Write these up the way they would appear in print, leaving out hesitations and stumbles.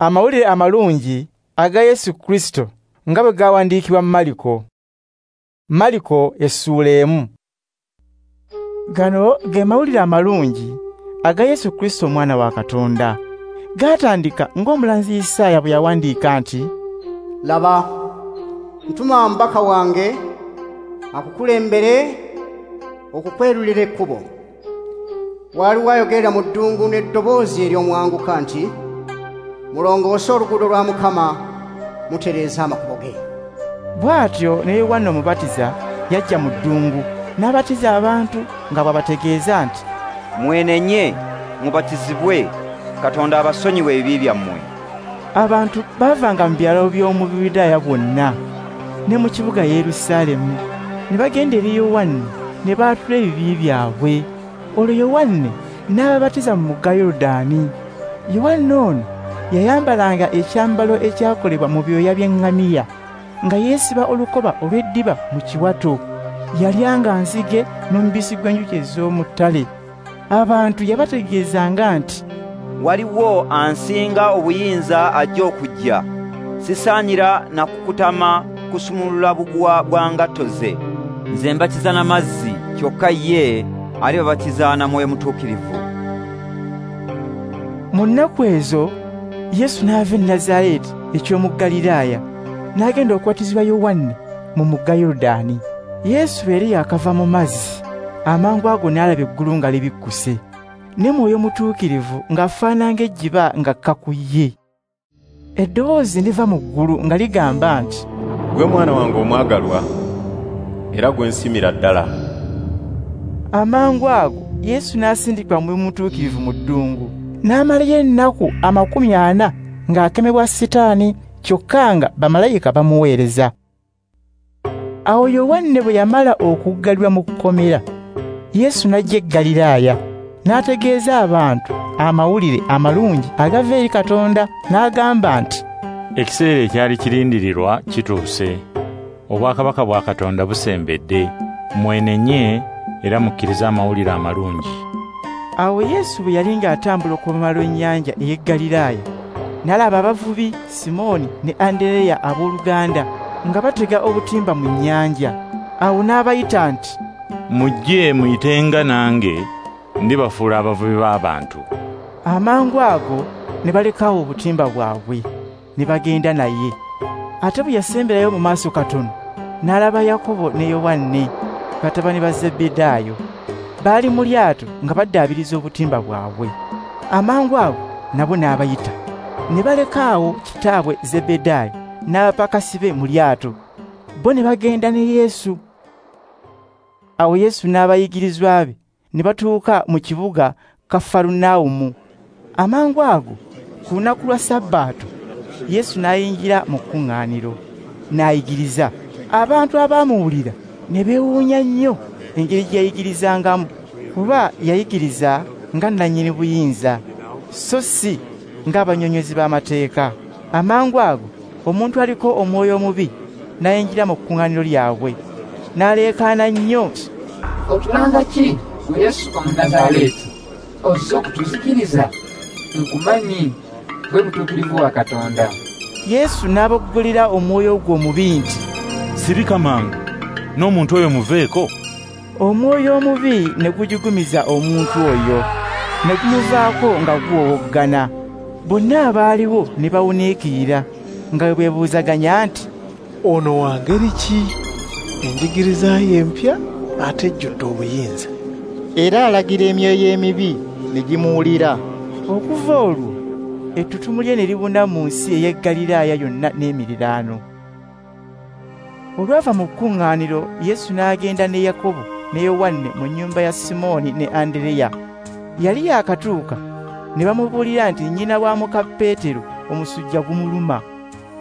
Amawulire amalungi aga Yesu Kristo nga bwe gawandiikibwa Mariko. Mariko essuula 1. Gano ge mawulire amalungi aga Yesu Kristo omwana wa Katonda. Gaatandika ng'omulanzi Isaaya bwe yawandiika nti, "Laba, ntuma omubaka wange akukulembere okukwerulira ekkubo. Waliwo ayogerera mu ddungu n'eddoboozi ery'omwanguka nti, mulongoose oluguudo lwa Mukama, mutereeze amakubo ge." Bw'atyo ne Yowanna Omubatiza yajja mu ddungu n'abatiza abantu nga bw'abategeeza nti, "Mwenenye, mubatizibwe, Katonda abasonyiwe ebibi byammwe." Abantu baavanga mu byalo by'omu Buyudaaya bwonna ne mu kibuga Yerusaalemu ne bagenda eri Yowanne ne baatula ebibi byabwe. Olwo Yowanne n'ababatiza mu mugga Yoludaani. Yowanne ono yayambalanga ekyambalo ekyakolebwa mu byoya by'eŋŋamiya, nga yeesiba olukoba olw'eddiba mu kiwato. Yalyanga nzige n'omubisi gw'enjuki ez'omu ttale. Abantu yabategeezanga nti, "Waliwo ansinga obuyinza ajja okujja, sisaanira na kukutama kusumulula buguwa bwa ngatto ze. Nze mbatiza na mazzi, kyokka ye alibabatiza na Mwoyo Mutuukirivu." Mu nnaku ezo Yesu n'ava e Nazareti eky'omu Ggaliraaya n'agenda okubatizibwa Yowanne mu mugga Yoludaani. Yesu bwe yali yakava mu mazzi, amangu ago n'alaba eggulu nga libikkuse, ne Mwoyo Mutuukirivu ng'afaanana ng'ejjiba ng'akka ku ye. Eddoboozi liva mu ggulu nga ligamba nti, "Gwe mwana wange omwagalwa, era gwe nsiimira ddala." Amangu ago Yesu n'asindikibwa Mwoyo Mutuukirivu mu ddungu, n'amalayo ennaku 40 ng'akemebwa Sitaani, kyokka nga bamalayika bamuweereza. Awo Yowanne bwe yamala okuggalirwa mu kkomera, Yesu n'ajja e Ggaliraaya, n'ategeeza abantu amawulire amalungi agava eri Katonda, n'agamba nti, "Ekiseera ekyali kirindirirwa kituuse, obwakabaka bwa Katonda busembedde. Mwenenye era mukkirize amawulire amalungi." Awo Yesu bwe yali ng'atambula okuva lw'ennyanja ey'e Ggaliraaya, n'alaba abavubi Simooni ne Andereya abooluganda nga batega obutimba mu nnyanja. Awo n'abayita nti, "Mujje muyitenga nange, ndibafuula abavubi b'abantu." Amangu ago ne balekawo obutimba bwabwe ne bagenda naye. Ate bwe yasemberayo mu maaso katono, n'alaba Yakobo ne Yowanne, batabani ba Zebbedaayo. Baali mu lyato nga baddaabiriza obutimba bwabwe. Amangu ago nabo n'abayita, ne balekaawo kitaabwe Zebbedaayo n'abapakasi be mu lyato, bo ne bagenda ne Yesu. Awo Yesu n'abayigirizwa be ne batuuka mu kibuga Kafarunawumu. Amangu ago ku lunaku lwa Sabbaato Yesu n'ayingira mu kkuŋŋaaniro n'ayigiriza. Abantu abaamuwulira ne beewuunya nnyo engeri gye yayigirizangamu, kuba yayigiriza nga nnannyini buyinza, so si ng'abannyonnyozi b'amateeka. Amangu ago omuntu aliko omwoyo omubi n'ayingira mu kkuŋŋaaniro lyabwe, n'aleekaana nnyo, "Otulanga ki, gwe Yesu Omunnazaaleeti? Ozze okutuzikiriza? Nkumanyi, gwe Mutuukirivu wa Katonda." Yesu n'aboggolera omwoyo ogwo omubi nti, "Sirika mangu, n'omuntu oyo muveeko." Omwoyo omubi ne gujigumiza omuntu oyo, ne gumuvaako nga guwowoggana. Bonna abaaliwo ne bawuniikirira nga bwe beebuuzaganya nti, "Ono wa ngeri ki? Enjigiriza ye empya ate ejjudde obuyinza. Era alagira emyoyo emibi ne gimuwulira." Okuva olwo ettutumu lye ne libuna mu nsi ey'e Ggaliraaya yonna n'emiriraano. Olwava mu kkuŋŋaaniro, Yesu n'agenda ne Yakobo ne Yowanne mu nnyumba ya Simooni ne Andereya. Yali yaakatuuka ne bamubuulira nti nnyina wa muka Peetero omusujja gumuluma.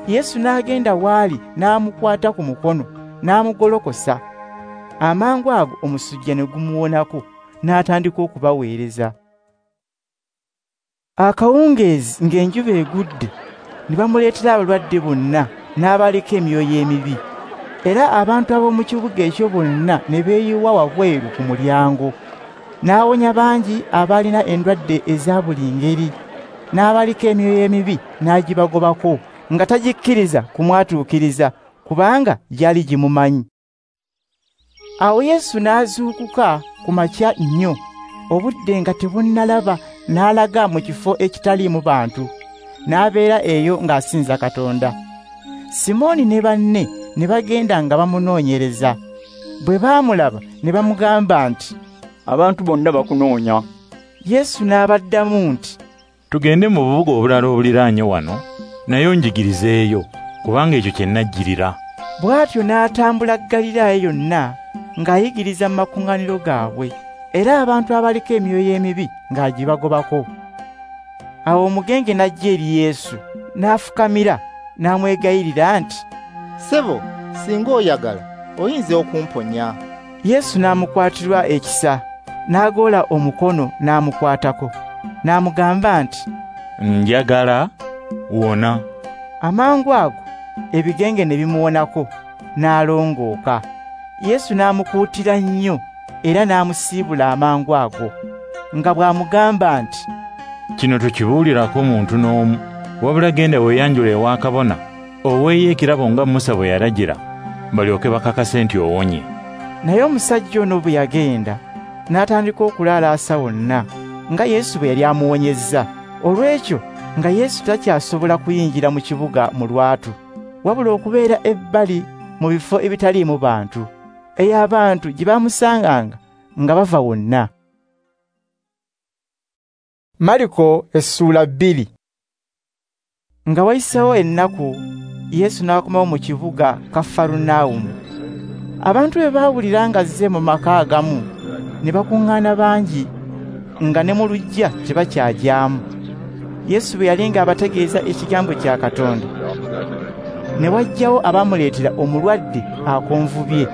Yesu n'agenda w'ali n'amukwata ku mukono n'amugolokosa. Amangu ago omusujja ne gumuwonako, n'atandika okubaweereza. Akawungeezi ng'enjuba egudde, ne bamuleetera abalwadde bonna n'abaliko emyoyo emibi. Era abantu ab'omu kibuga ekyo bonna ne beeyiwa wabweru ku mulyango. N'awonya bangi abaalina endwadde eza buli ngeri, N'abaliko emyoyo emibi n'agibagobako, nga tagikkiriza kumwatuukiriza, kubanga gyali gimumanyi. Awo Yesu n'azuukuka ku makya nnyo, obudde nga tebunnalaba, n'alaga mu kifo ekitaliimu bantu, n'abeera eyo ng'asinza Katonda. Simooni ne banne ne bagenda nga bamunoonyereza. Bwe baamulaba ne bamugamba nti, "Abantu bonna bakunoonya." Yesu n'abaddamu nti, "Tugende mu bubuga obulala obuliraanye wano, naye onjigirizeeyo, kubanga ekyo kye najjirira." Bw'atyo n'atambula Ggaliraaya yonna ng'ayigiriza mu makuŋŋaaniro gaabwe, era abantu abaliko emyoyo emibi ng'agibagobako. Awo omugenge n'ajja eri Yesu, n'afukamira, n'amwegayirira nti, "Ssebo, singa oyagala, oyinza okumponya." Yesu n'amukwatirwa ekisa, n'agoola omukono n'amukwatako, n'amugamba nti, "Njagala, wona." Amangu ago ebigenge ne bimuwonako, n'alongooka. Yesu n'amukuutira nnyo era n'amusiibula amangu ago, nga bw'amugamba nti, "Kino tokibuulirako muntu n'omu, wabula genda weeyanjule ewa kabona, oweeyo ekirabo nga Musa bwe yalagira, balyoke bakakase nti owonye." Naye omusajja ono bwe yagenda, n'atandika okulaalaasa wonna, nga Yesu bwe yali amuwonyezza. Olw'ekyo nga Yesu takyasobola kuyingira mu kibuga mu lwatu, wabula okubeera ebbali mu bifo ebitaliimu bantu, eyo abantu gye bamusanganga nga bava wonna. Mariko essuula 2. Nga wayiseewo ennaku, Yesu n'akomawo mu kibuga Kafarunawumu. Abantu bwe baawulira ng'azze mu maka agamu, ne bakuŋŋaana bangi, nga ne mu luggya tebakyagyamu. Yesu bwe yali ng'abategeeza ekigambo kya Katonda, ne wajjawo abamuleetera omulwadde akonvubye,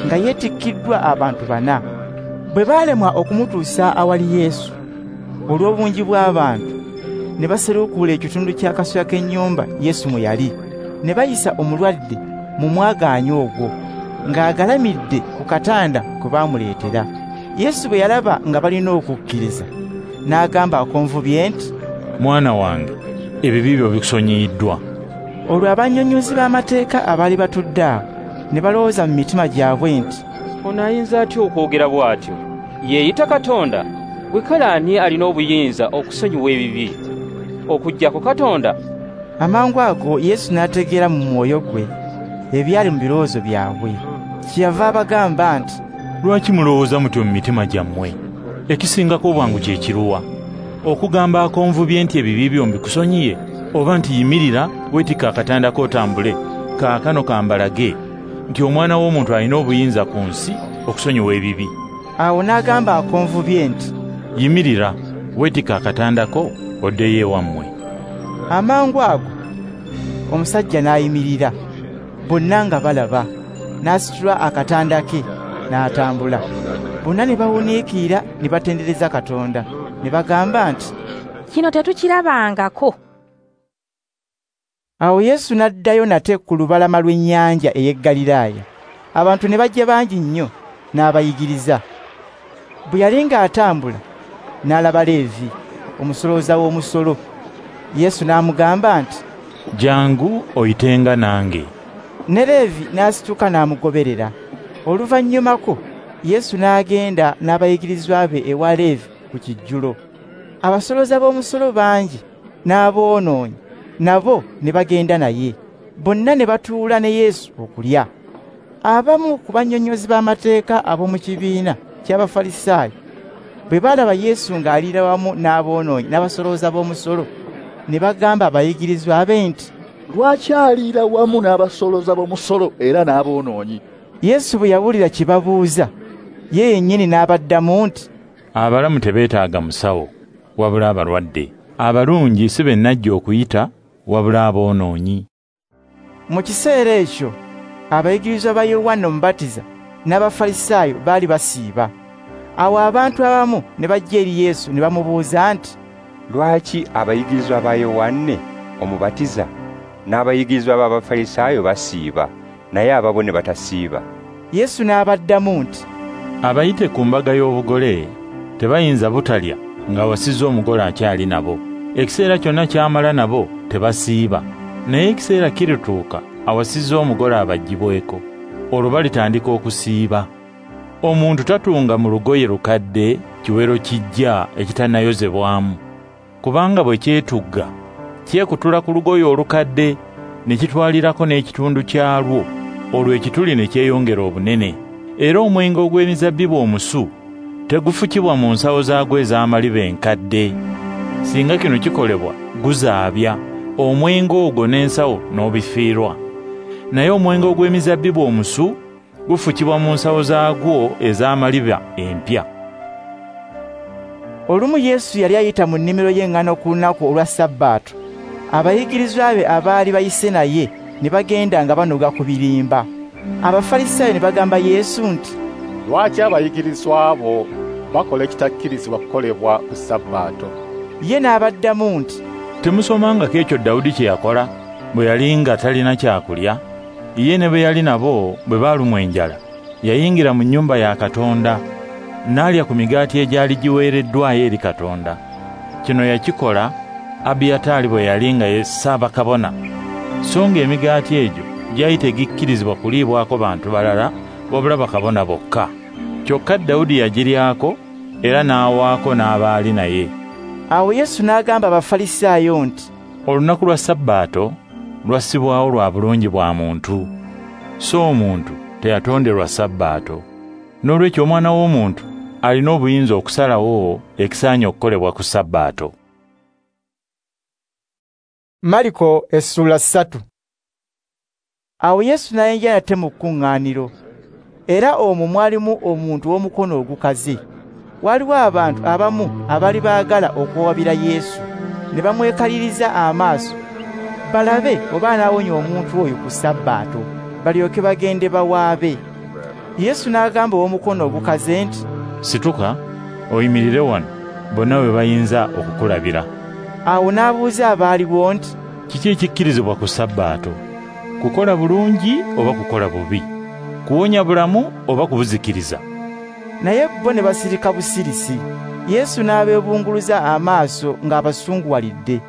nga yeetikkiddwa abantu 4. Bwe baalemwa okumutuusa awali Yesu olw'obungi bw'abantu, ne baserukuula ekitundu ky'akasolya k'ennyumba Yesu mwe yali, ne bayisa omulwadde mu mwagaanya ogwo, ng'agalamidde ku katanda kwe baamuleetera. Yesu bwe yalaba nga balina okukkiriza, n'agamba akonvubye nti, "Mwana wange, ebibi byo bikusonyiyiddwa." Olwo abannyonnyozi b'amateeka abaali batudde awo ne balowooza mu mitima gyabwe nti, "Ono ayinza atya okwogera bw'atyo? Yeeyita Katonda? Gwe kale ani alina obuyinza okusonyiwa ebibi okuggyako Katonda?" Amangu ago Yesu n'ategeera mu mwoyo gwe ebyali mu birowoozo byabwe. Kyeyava abagamba nti, "Lwaki mulowooza mutyo mu mitima gyammwe? Ekisingako obwangu kye kiruwa? Okugamba akonvubye nti ebibi byo mbikusonyiye, oba nti yimirira weetikka akatanda k'otambule? Kaakano kambalage nti Omwana w'Omuntu alina obuyinza ku nsi okusonyiwa ebibi." Awo n'agamba akonvubye nti, "Yimirira, weetikka akatanda ko oddeyo ewammwe." Amangu ago omusajja n'ayimirira, bonna nga balaba, n'asitula akatanda ke n'atambula. Bonna ne bawuniikirira ne batendereza Katonda, ne bagamba nti, "Kino tetukirabangako." Awo Yesu n'addayo nate ku lubalama lw'ennyanja ey'e Ggaliraaya. Abantu ne bajja bangi nnyo, n'abayigiriza. Bwe yali ng'atambula, n'alaba Leevi, omusolooza w'omusolo. Yesu n'amugamba nti, "Jangu oyitenga nange." Ne Leevi n'asituka n'amugoberera. Oluvannyumako Yesu n'agenda n'abayigirizwa be ewa Leevi ku kijjulo. Abasolooza b'omusolo bangi n'aboonoonyi nabo ne bagenda naye. Bonna ne batuula ne Yesu okulya. Abamu ku bannyonnyozi b'amateeka ab'omu kibiina ky'Abafalisaayo bwe baalaba Yesu ng'aliira wamu n'aboonoonyi n'abasolooza b'omusolo, ne bagamba abayigirizwa be nti, "Lwaki aliira wamu n'abasolooza b'omusolo era n'aboonoonyi?" Yesu bwe yawulira kye babuuza, ye yennyini n'abaddamu nti, "Abalamu tebeetaaga musawo, wabula abalwadde. Abalungi si be najja okuyita, wabula aboonoonyi." Mu kiseera ekyo abayigirizwa ba Yowanna Omubatiza n'Abafalisaayo baali basiiba. Awo abantu abamu ne bajja eri Yesu ne bamubuuza nti, "Lwaki abayigirizwa ba Yowanne Omubatiza n'abayigirizwa b'Abafalisaayo basiiba, naye ababo ne batasiiba?" Yesu n'abaddamu nti, "Abayite ku mbaga y'obugole tebayinza butalya nga wasizza omugole akyali nabo. Ekiseera kyonna ky'amala nabo tebasiiba, naye ekiseera kirituuka awasizza omugole abaggyibweko, olwo balitandika okusiiba. Omuntu tatunga mu lugoye lukadde kiwero kijja ekitannayozebwamu, kubanga bwe kyetugga kyekutula ku lugoye olukadde ne kitwalirako n'ekitundu kyalwo, olwo ekituli ne kyeyongera obunene. Era omwenge ogw'emizabbibu omusu tegufukibwa mu nsawo zaagwo ez'amaliba enkadde. Singa kino kikolebwa guzaabya omwenge ogwo n'ensawo n'obifiirwa. Naye omwenge ogw'emizabbibu omusu gufukibwa mu nsawo zaagwo ez'amaliba empya. Olumu Yesu yali ayita mu nnimiro y'eŋŋano ku lunaku olwa Sabbaato. Abayigirizwa be abaali bayise naye ne bagenda nga banoga ku birimba. Abafalisaayo ne bagamba Yesu nti, "Lwaki abayigirizwa bo bakola ekitakkirizibwa kukolebwa ku Sabbaato?" Ye n'abaddamu nti, "Temusomangako ekyo Dawudi kye yakola bwe yali nga talina kyakulya? Ye ne bwe yali nabo bwe baalumwa enjala, yayingira mu nnyumba ya Katonda n'alya ku migaati egyali giweereddwayo eri Katonda. Kino yakikola Abiyataali bwe yali nga ye ssaabakabona, so ng'emigaati egyo gyali tegikkirizibwa kuliibwako bantu balala wabula bakabona bokka. Kyokka Dawudi yagiryako era n'awaako n'abaali naye." Awo Yesu n'agamba Abafalisaayo nti, "Olunaku lwa Sabbaato lwassibwawo lwa bulungi bwa muntu, so omuntu teyatonderwa Sabbaato. Noolwekyo Omwana w'Omuntu alina obuyinza okusalawo ekisaanye okukolebwa ku Sabbaato." Mariko essula 3. Awo Yesu n'ayingira nate mu kkuŋŋaaniro, era omwo mwalimu omuntu w'omukono ogukaze. Waliwo abantu abamu abaali baagala okuwabira Yesu, ne bamwekaliriza amaaso balabe oba anaawonya omuntu oyo ku Sabbaato, balyoke bagende bawaabe. Yesu n'agamba ow'omukono ogukaze nti, "Situka oyimirire wano, bonna we bayinza okukulabira." Awo n'abuuza abaaliwo nti, "Kiki ekikkirizibwa ku Sabbaato? Kukola bulungi oba kukola bubi? Kuwonya bulamu oba kubuzikiriza?" Naye bo ne basirika busirisi. Yesu n'abeebunguluza amaaso ng'abasunguwalidde,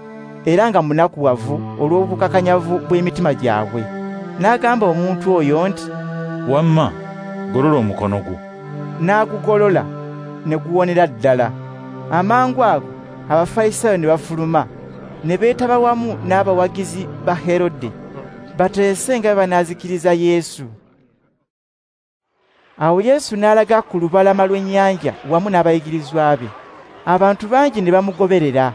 era nga munakuwavu olw'obukakanyavu bw'emitima gyabwe. N'agamba omuntu oyo nti, "Wamma, golola omukono gwo." N'agugolola ne guwonera ddala. Amangu ago Abafalisaayo ne bafuluma, ne beetaba wamu n'abawagizi ba Herode, bateese nga banaazikiriza Yesu. Awo Yesu n'alaga ku lubalama lw'ennyanja wamu n'abayigirizwa be. Abantu bangi ne bamugoberera,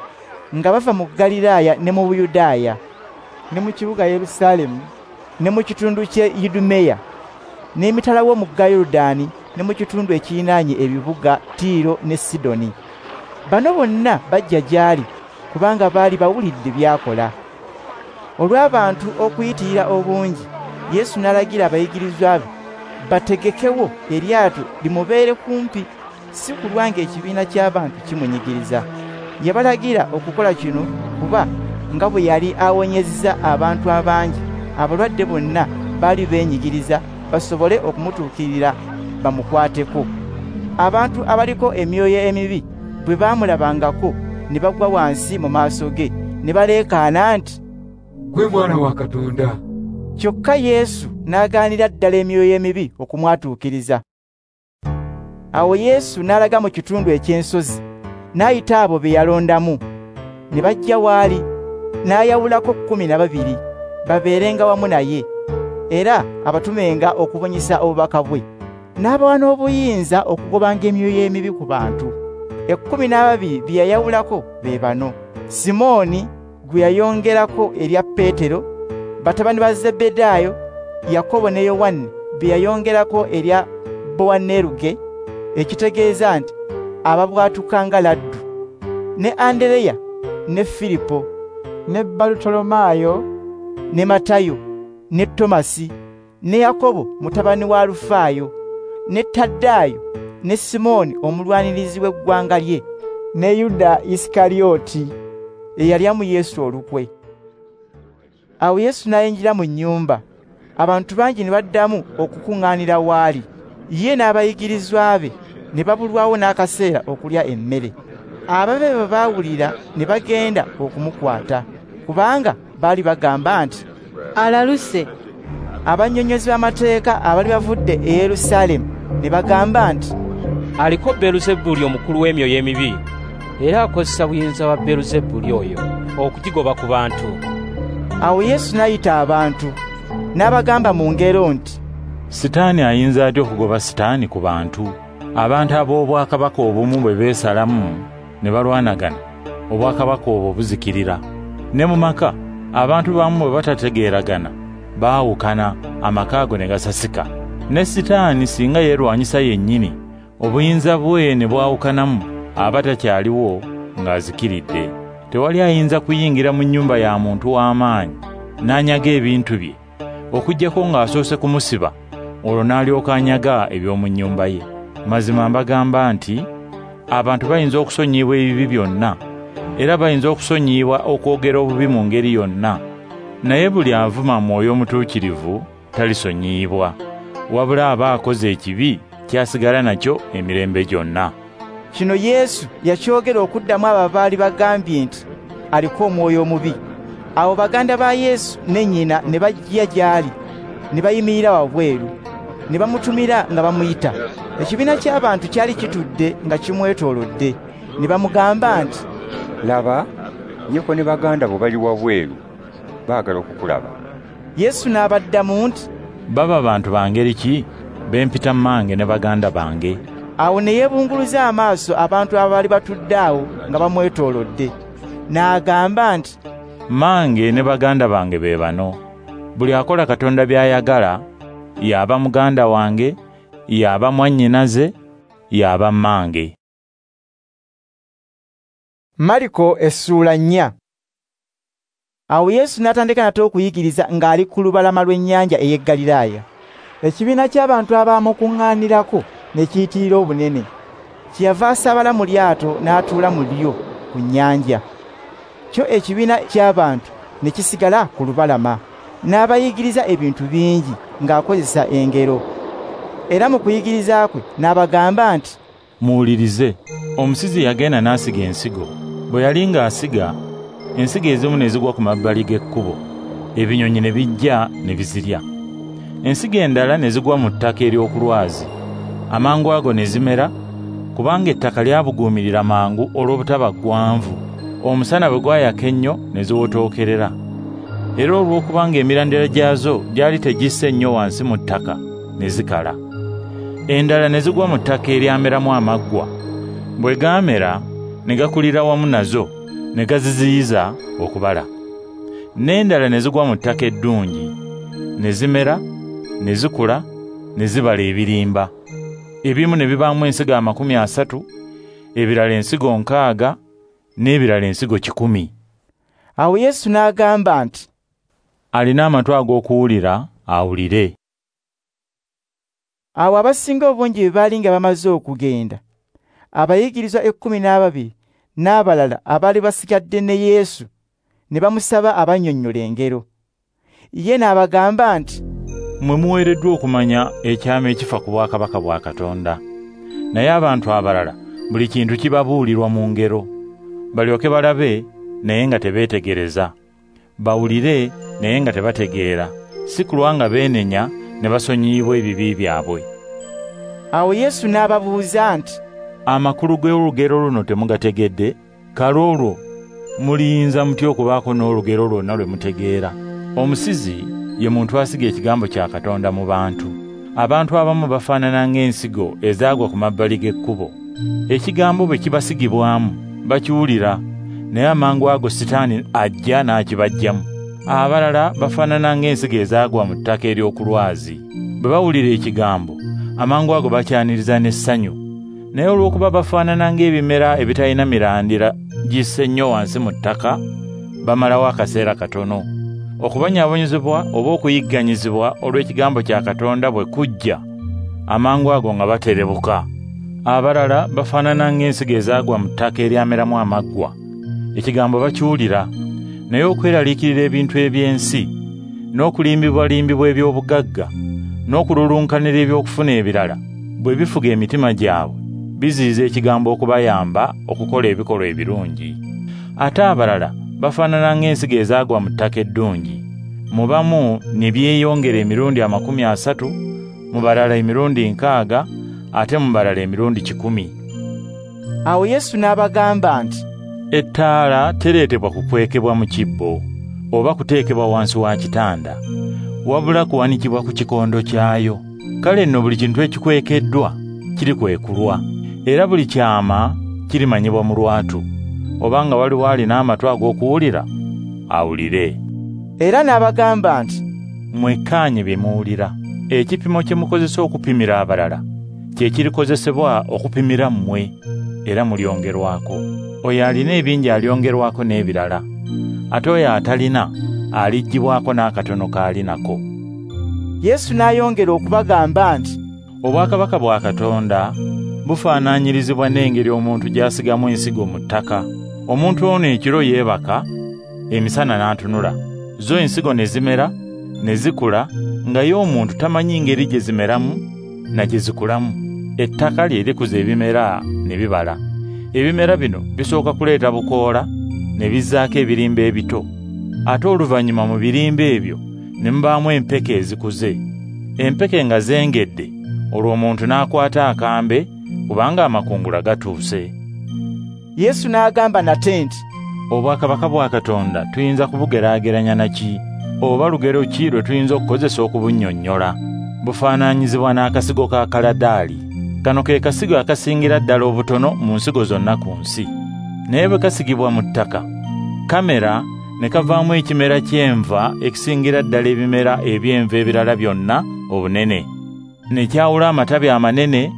nga bava mu Ggaliraaya ne mu Buyudaaya, ne mu kibuga Yerusaalemu, ne mu kitundu ky'e Idumeya, n'emitala w'omugga Yorudaani, ne mu kitundu ekirinaanye ebibuga Tiiro ne Sidoni. Bano bonna bajja gy'ali, kubanga baali bawulidde by'akola. Olw'abantu okuyitirira obungi, Yesu n'alagira abayigirizwa be bategekewo eryato limubeere kumpi, si kulwa ng'ekibiina ky'abantu kimunyigiriza. Yabalagira okukola kino kuba nga bwe yali awonyezza abantu abangi, abalwadde bonna baali beenyigiriza basobole okumutuukirira bamukwateko. Abantu abaliko emyoyo emibi bwe baamulabangako ne bagwa wansi mu maaso ge ne baleekaana nti, "Gwe Mwana wa Katonda." Kyokka Yesu n'agaanira ddala emyoyo emibi okumwatuukiriza. Awo Yesu n'alaga mu kitundu eky'ensozi, n'ayita abo be yalondamu, ne bajja w'ali, n'ayawulako 12 babeerenga wamu naye, era abatumenga okubunyisa obubaka bwe. N'abawa n'obuyinza okugobanga emyoyo emibi ku bantu. 12 be yayawulako be bano: Simooni gwe yayongerako erya Peetero, batabani ba Zebbedaayo, Yakobo ne Yowanne be yayongerako erya Bowaneruge, ekitegeeza nti ababwatuka nga laddu, ne Andereya ne Filipo, ne Barutolomaayo, ne Matayo, ne Tomasi, ne Yakobo mutabani wa Alufaayo, ne Tadaayo, ne Simooni omulwanirizi w'eggwanga lye, ne Yuda Isikarioti eyalyamu Yesu olukwe. Awo Yesu n'ayingira mu nnyumba, abantu bangi ne baddamu okukuŋŋaanira w'ali. Ye n'abayigirizwa be ne babulwawo n'akaseera okulya emmere. Ababe bwe baawulira ne bagenda okumukwata, kubanga baali bagamba nti, "Alaluse." Abannyonnyozi b'amateeka abaali bavudde e Yerusaalemu ne bagamba nti, "Aliko Beeluzebuli omukulu w'emyoyo emibi, era akozesa buyinza bwa Beeluzebuli oyo okugigoba ku bantu." Awo Yesu n'ayita abantu, n'abagamba mu ngero nti, Sitaani ayinza atya okugoba Sitaani ku bantu? Abantu ab'obwakabaka obumu bwe beesalamu ne balwanagana, obwakabaka obwo buzikirira. Ne mu maka, abantu bamu bwe batategeeragana, baawukana, amaka ago ne gasasika. Ne Sitaani singa yeerwanyisa yennyini, obuyinza bwe ne bwawukanamu, aba takyaliwo ng'azikiridde. Tewali ayinza kuyingira mu nnyumba ya muntu w'amaanyi n'anyaga ebintu bye, okuggyako ng'asoose kumusiba, olwo n'alyoka anyaga eby'omu nnyumba ye. Mazima mbagamba nti abantu bayinza okusonyiyibwa ebibi byonna, era bayinza okusonyiyibwa okwogera obubi mu ngeri yonna, naye buli avuma Mwoyo Omutuukirivu talisonyiyibwa, wabula aba akoze ekibi kyasigala nakyo emirembe gyonna. Kino Yesu yakyogera okuddamu abo abaali bagambye nti aliko omwoyo omubi. Awo baganda ba Yesu ne nnyina ne bajja gy'ali, ne bayimirira wabweru, ne bamutumira nga bamuyita. Ekibiina ky'abantu kyali kitudde nga kimwetoolodde, ne bamugamba nti, "Laba, nnyoko ne baganda bo bali wabweru, baagala okukulaba." Yesu n'abaddamu nti, "Baba bantu ba ngeri ki be mpita mmange ne baganda bange?" Awo ne yeebunguluza amaaso abantu abaali batudde awo nga bamwetoolodde, n'agamba nti, "Mmange ne baganda bange be bano. Buli akola Katonda by'ayagala y'aba muganda wange, y'aba mwannyinaze, y'aba mmange." Mariko essuula 4. Awo Yesu n'atandika nate okuyigiriza ng'ali ku lubalama lw'ennyanja ey'e Ggaliraaya. Ekibiina ky'abantu abaamukuŋŋaanirako ne kiyitirira obunene. Kyeyava asaabala mu lyato n'atuula mu lyo ku nnyanja. Kyo ekibiina ky'abantu ne kisigala ku lubalama. N'abayigiriza ebintu bingi ng'akozesa engero. Era mu kuyigiriza kwe n'abagamba nti, "Muwulirize, omusizi yagenda n'asiga ensigo. Bwe yali ng'asiga, ensigo ezimu ne zigwa ku mabbali g'ekkubo, ebinyonyi ne bijja ne bizirya. Ensigo endala ne zigwa mu ttaka ery'okulwazi, amangu ago ne zimera, kubanga ettaka lyabuguumirira mangu olw'obutaba ggwanvu. Omusana bwe gwayaka ennyo ne ziwotookerera. Era olw'okubanga emirandira gyazo gyali tegisse nnyo wansi mu ttaka, ne zikala. Endala ne zigwa mu ttaka eryameramu amaggwa. Bwe gaamera ne gakulira wamu nazo, ne gaziziyiza okubala. N'endala ne zigwa mu ttaka eddungi, ne zimera, ne zikula, ne zibala ebirimba. Ebimu ne bibaamu ensigo 30, ebirala ensigo 60, n'ebirala ensigo 100. Awo Yesu n'agamba nti, "Alina amatu ag'okuwulira awulire." Awo abasinga obungi bwe baali nga bamaze okugenda, abayigirizwa 12 n'abalala abaali basigadde ne Yesu ne bamusaba abannyonnyole engero. Ye n'abagamba nti, "Mmwe muweereddwa okumanya ekyama ekifa ku bwakabaka bwa Katonda, naye abantu abalala buli kintu kibabuulirwa mu ngero, balyoke balabe naye nga tebeetegereza, bawulire naye nga tebategeera, si kulwa nga beenenya ne basonyiyibwa ebibi byabwe." Awo Yesu n'ababuuza nti, "Amakulu g'olugero luno temugategedde? Kale olwo muliyinza mutya okubaako n'olugero lwonna lwe mutegeera? Omusizi ye muntu asiga ekigambo kya Katonda mu bantu. Abantu abamu bafaanana ng'ensigo ezaagwa ku mabbali g'ekkubo. Ekigambo bwe kibasigibwamu bakiwulira, naye amangu ago Sitaani ajja n'akibaggyamu. Abalala bafaanana ng'ensigo ezaagwa mu ttaka ery'okulwazi. Bwe bawulira ekigambo, amangu ago bakyaniriza n'essanyu. Naye olw'okuba bafaanana ng'ebimera ebitalina mirandira gisse nnyo wansi mu ttaka, bamalawo akaseera katono. Okubonyaabonyezebwa oba okuyigganyizibwa olw'ekigambo kya Katonda bwe kujja, amangu ago nga baterebuka. Abalala bafaanana ng'ensigo ezaagwa mu ttaka eryameramu amaggwa. Ekigambo bakiwulira, naye okweraliikirira ebintu eby'ensi, n'okulimbibwalimbibwa eby'obugagga, n'okululunkanira eby'okufuna ebirala, bwe bifuga emitima gyabwe, biziyiza ekigambo okubayamba okukola ebikolwa ebirungi. Ate abalala bafaanana ng'ensigo ezaagwa mu ttaka eddungi. Mu bamu ne byeyongera emirundi 30, mu balala emirundi 60, ate mu balala emirundi 100. Awo Yesu n'abagamba nti, Ettaala tereetebwa kukwekebwa mu kibbo oba kuteekebwa wansi wa kitanda, wabula kuwanikibwa ku kikondo kyayo. Kale nno buli kintu ekikwekeddwa kirikwekulwa, era buli kyama kirimanyibwa mu lwatu. Obanga waliwo alina amatu ag'okuwulira, awulire. Era n'abagamba nti, Mwekkaanye bye muwulira. Ekipimo kye mukozesa okupimira abalala kye kirikozesebwa okupimira mmwe, era mulyongerwako. Oyo alina ebingi alyongerwako n'ebirala, ate oyo atalina aliggyibwako n'akatono k'ali nako. Yesu n'ayongera okubagamba nti, Obwakabaka bwa Katonda bufaananyirizibwa n'engeri omuntu gy'asigamu ensigo mu ttaka. Omuntu ono ekiro yeebaka, emisana n'atunula. Zo ensigo ne zimera, ne zikula, nga ye omuntu tamanyi ngeri gye zimeramu na gye zikulamu. Ettaka lye likuza ebimera ne bibala. Ebimera bino bisooka kuleeta bukoola, ne bizzaako ebirimba ebito. Ate oluvannyuma mu birimba ebyo ne mubaamu empeke ezikuze. Empeke nga zengedde, olwo omuntu n'akwata akambe, kubanga amakungula gatuuse. Yesu n'agamba nate nti, Obwakabaka bwa Katonda tuyinza kubugeraageranya na ki? Oba lugero ki lwe tuyinza okukozesa okubunnyonnyola? Bufaananyizibwa n'akasigo ka kaladaali. Kano ke kasigo akasingira ddala obutono mu nsigo zonna ku nsi. Naye bwe kasigibwa mu ttaka, kamera ne kavaamu ekimera ky'enva ekisingira ddala ebimera eby'enva ebirala byonna obunene. Ne kyawula amatabi amanene,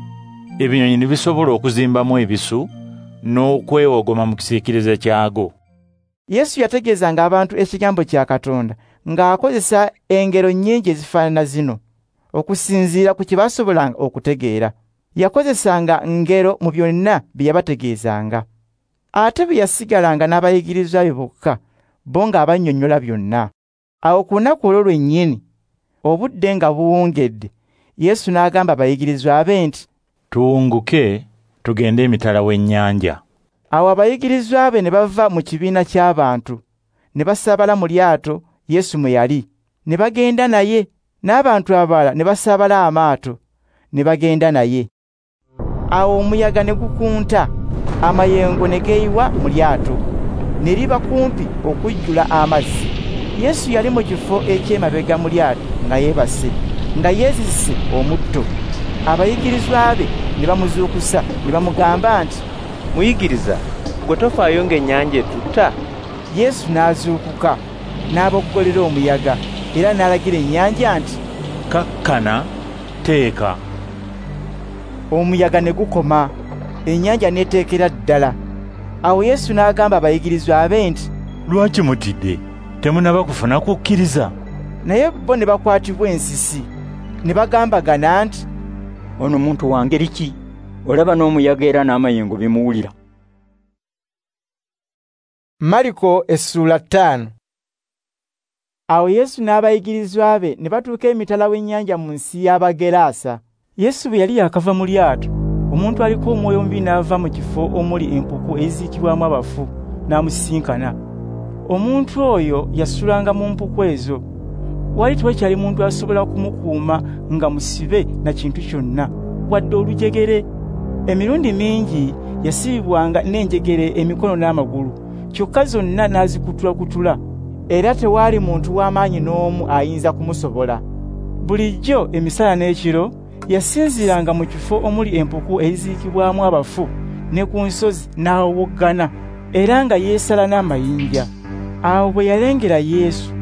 ebinyonyi ne bisobola okuzimbamu ebisu n'okwewogoma mu kisiikirize kyago. Yesu yategeezanga abantu ekigambo kya Katonda ng'akozesa engero nnyingi ezifaanana zino, okusinziira ku kye baasobolanga okutegeera. Yakozesanga ngero mu byonna bye yabategeezanga. Ate bwe yasigalanga n'abayigirizwa be bokka, bo ng'abannyonnyola byonna. Awo ku lunaku olwo lwennyini, obudde nga buwungedde, Yesu n'agamba abayigirizwa be nti, Tuwunguke tugende emitala w'ennyanja. Awo abayigirizwa be ne bava mu kibiina ky'abantu, ne basaabala mu lyato Yesu mwe yali, ne bagenda naye, n'abantu abalala ne basaabala amaato, ne bagenda naye. Awo omuyaga ne gukunta, amayengo ne geeyiwa mu lyato, ne liba kumpi okujjula amazzi. Yesu yali mu kifo eky'emabega mu lyato nga yeebase, nga yeezizise omutto. Abayigirizwa be ne bamuzuukusa ne bamugamba nti, Muyigiriza, gwe tofaayo ng'ennyanja etutta? Yesu n'azuukuka, n'aboggolera omuyaga, era n'alagira ennyanja nti, Kakkana, teeka. Omuyaga ne gukoma, ennyanja n'eteekera ddala. Awo Yesu n'agamba abayigirizwa be nti, Lwaki mutidde? Temunnaba kufuna kukkiriza? Naye bo ne bakwatibwa ensisi, ne bagambagana nti, Ono muntu wa ngeri ki? Olaba n'omuyaga era n'amayengo bimuwulira. Mariko essula 5. Awo Yesu n'abayigirizwa be ne batuuka emitala w'ennyanja mu nsi y'Abagerasa. Yesu bwe yali yakava mu lyato, omuntu aliko omwoyo omubi n'ava mu kifo omuli empuku eziziikibwamu abafu n'amusisinkana. Omuntu oyo yasulanga mu mpuku ezo. Wali tewakyali muntu asobola kumukuuma nga musibe na kintu kyonna, wadde olujegere. Emirundi mingi yasibibwanga n'enjegere emikono n'amagulu, kyokka zonna n'azikutulakutula, era tewaali muntu w'amaanyi n'omu ayinza kumusobola. Bulijjo emisana n'ekiro yasinziiranga mu kifo omuli empuku eziziikibwamu abafu ne ku nsozi n'awowoggana, era nga yeesala n'amayinja. Awo bwe yalengera Yesu,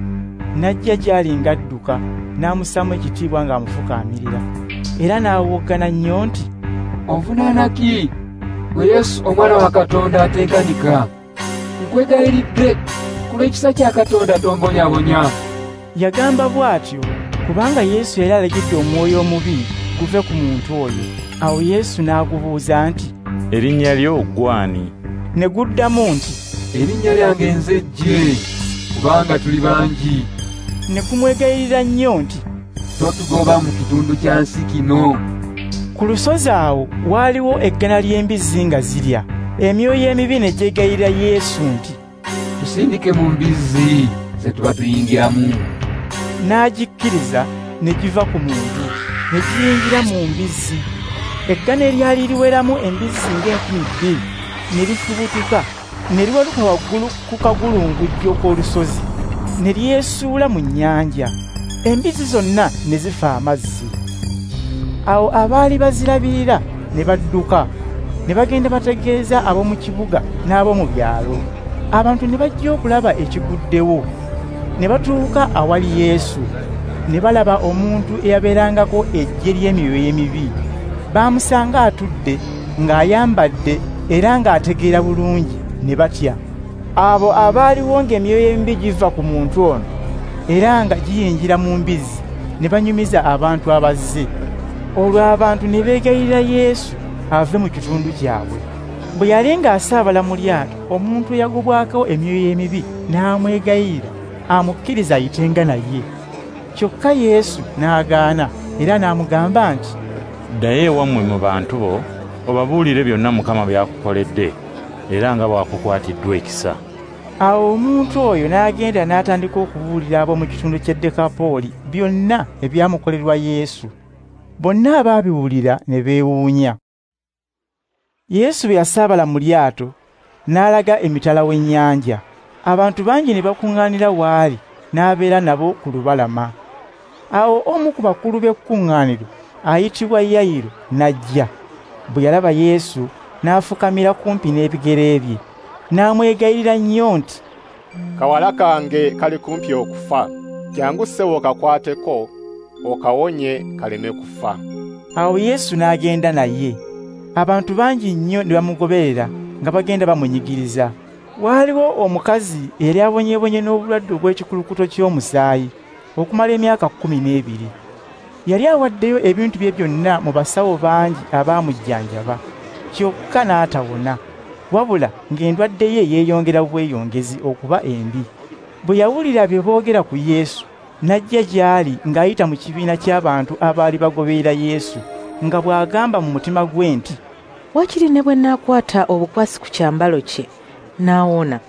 n'ajja gy'ali ng'adduka, n'amussaamu ekitiibwa ng'amufukaamirira, era n'awowoggana nnyo nti, Onvunaana ki, gwe Yesu omwana wa Katonda atenkanika? Nkwegayiridde ku lw'ekisa kya Katonda tombonyaabonya. Yagamba bw'atyo kubanga Yesu yali alagidde omwoyo omubi guve ku muntu oyo. Awo Yesu n'agubuuza nti, Erinnya lyo ggw'ani? Ne guddamu nti, Erinnya lyange nze Jje, kubanga tuli bangi. Ne gumwegayirira nnyo nti, Totugoba mu kitundu kya nsi kino. Ku lusozi awo waaliwo eggana ly'embizzi nga zirya. Emyoyo emibi ne gyegayirira Yesu nti, "Tusindike mu mbizzi ze tuba tuyingiramu." N'agikkiriza ne giva ku muntu, ne giyingira mu mbizzi. Eggana eryali liweramu embizzi ng'enkumbi 2 ne lifubutuka, ne liwaluka waggulu ku kagulungujjo k'olusozi, ne lyesuula mu nnyanja. Embizzi zonna ne zifa amazzi. Awo abaali bazirabirira ne badduka, ne bagenda bategeeza ab'omu kibuga n'ab'omu byalo. Abantu ne bajja okulaba ekiguddewo. Ne batuuka awali Yesu, ne balaba omuntu eyabeerangako eggye ly'emyoyo emibi. Baamusanga atudde, ng'ayambadde era ng'ategeera bulungi, ne batya. Abo abaaliwo ng'emyoyo emibi giva ku muntu ono era nga giyingira mu mbizzi, ne banyumiza abantu abazze. Olwo abantu ne beegayirira Yesu ave mu kitundu kyabwe. Bwe yali ng'asaabala mu lyato, omuntu eyagobwako emyoyo emibi n'amwegayirira amukkiriza ayitenga naye. Kyokka Yesu n'agaana era n'amugamba nti, "Ddayo ewammwe mu bantu bo, obabuulire byonna Mukama by'akukoledde era nga bw'akukwatiddwa ekisa." Awo omuntu oyo n'agenda n'atandika okubuulira ab'omu kitundu ky'e Dekapooli byonna ebyamukolerwa Yesu. Bonna abaabiwulira ne beewuunya. Yesu bwe yasaabala mu lyato, n'alaga emitala w'ennyanja. Abantu bangi ne bakuŋŋaanira w'ali, n'abeera nabo ku lubalama. Awo omu ku bakulu b'ekkuŋŋaaniro ayitibwa Yayiro n'ajja. Bwe yalaba Yesu, n'afukamira kumpi n'ebigere bye, n'amwegayirira nnyo nti, "Kawala kange kali kumpi okufa. Jjangu ssebo okakwateko, okawonye kaleme kufa." Awo Yesu n'agenda naye. Abantu bangi nnyo ne bamugoberera nga bagenda bamunyigiriza. Waaliwo omukazi eyali abonyeebonye n'obulwadde obw'ekikulukuto ky'omusaayi okumala emyaka 12. Yali awaddeyo ebintu bye byonna mu basawo bangi abaamujjanjaba, kyokka n'atawona, wabula ng'endwadde ye yeeyongera bweyongezi okuba embi. Bwe yawulira bye boogera ku Yesu, n'ajja gy'ali ng'ayita mu kibiina ky'abantu abaali bagoberera Yesu, nga bw'agamba mu mutima gwe nti, "Waakiri ne bwe nnaakwata obukwasi ku kyambalo kye, naawona."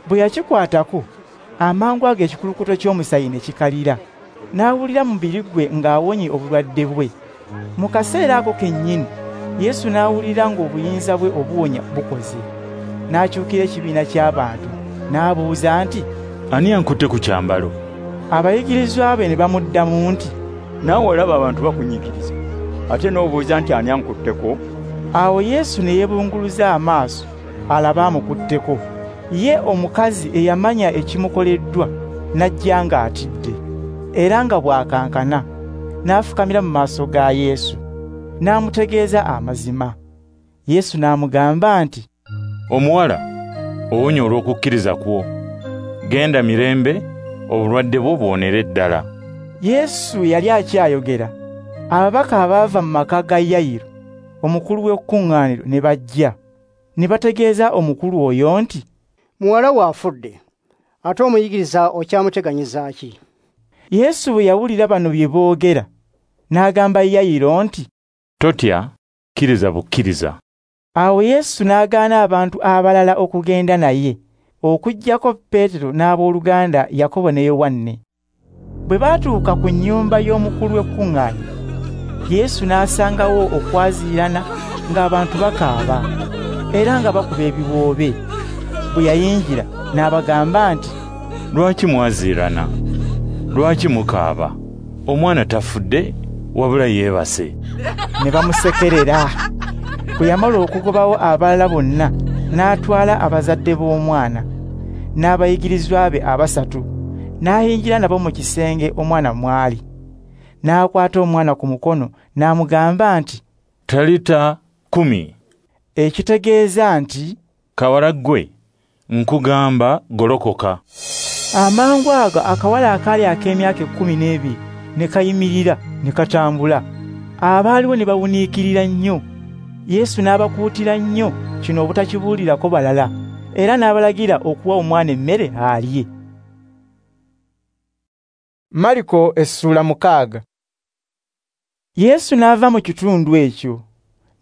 Bwe yakikwatako, amangu ago ekikulukuto ky'omusaayi ne kikalira, n'awulira mubiri gwe ng'awonye obulwadde bwe. Mu kaseera ako kennyini, Yesu n'awulira ng'obuyinza bwe obuwonya bukoze. N'akyukira ekibiina ky'abantu, n'abuuza nti, "Ani ankutte ku kyambalo?" Abayigirizwa be ne bamuddamu nti, "Naawe olaba abantu bakunyigiriza, ate n'obuuza nti ani ankutteko?" Awo Yesu ne yeebunguluza amaaso alabe amukutteko. Ye omukazi eyamanya ekimukoleddwa n'ajja ng'atidde, era nga bw'akankana, n'afukamira mu maaso ga Yesu, n'amutegeeza amazima. Yesu n'amugamba nti, "Omuwala, owonye olw'okukkiriza kwo. Genda mirembe, obulwadde bwo buwonere ddala." Yesu yali akyayogera, ababaka abaava mu maka ga Yayiro, omukulu w'ekkuŋŋaaniro, ne bajja, ne bategeeza omukulu oyo nti, "Muwala wo afudde, ate omuyigiriza okyamuteganyiza ki?" Yesu bwe yawulira bano bye boogera, n'agamba Yayiro nti, "Totya, kkiriza bukkiriza." Awo Yesu n'agaana abantu abalala okugenda naye, okuggyako Peetero n'abooluganda Yakobo ne Yowanne. Bwe baatuuka ku nnyumba y'omukulu w'ekkuŋŋaaniro, Yesu n'asangawo okwaziirana ng'abantu bakaaba era nga bakuba ebiwoobe. Bwe yayingira n'abagamba nti, "Lwaki mwaziirana? Lwaki mukaaba? Omwana tafudde, wabula yeebase." Ne bamusekerera. Bwe yamala okugobawo abalala bonna, n'atwala abazadde b'omwana n'abayigirizwa be abasatu, n'ayingira nabo mu kisenge omwana mw'ali. N'akwata omwana ku mukono n'amugamba nti, "Talita kumi," ekitegeeza nti, "Kawala ggwe, nkugamba golokoka." Amangu ago akawala akaali ak'emyaka 12 ne kayimirira ne katambula. Abaaliwo ne bawuniikirira nnyo. Yesu n'abakuutira nnyo kino obutakibuulirako balala, era n'abalagira okuwa omwana emmere alye. Mariko essula 6. Yesu n'ava mu kitundu ekyo,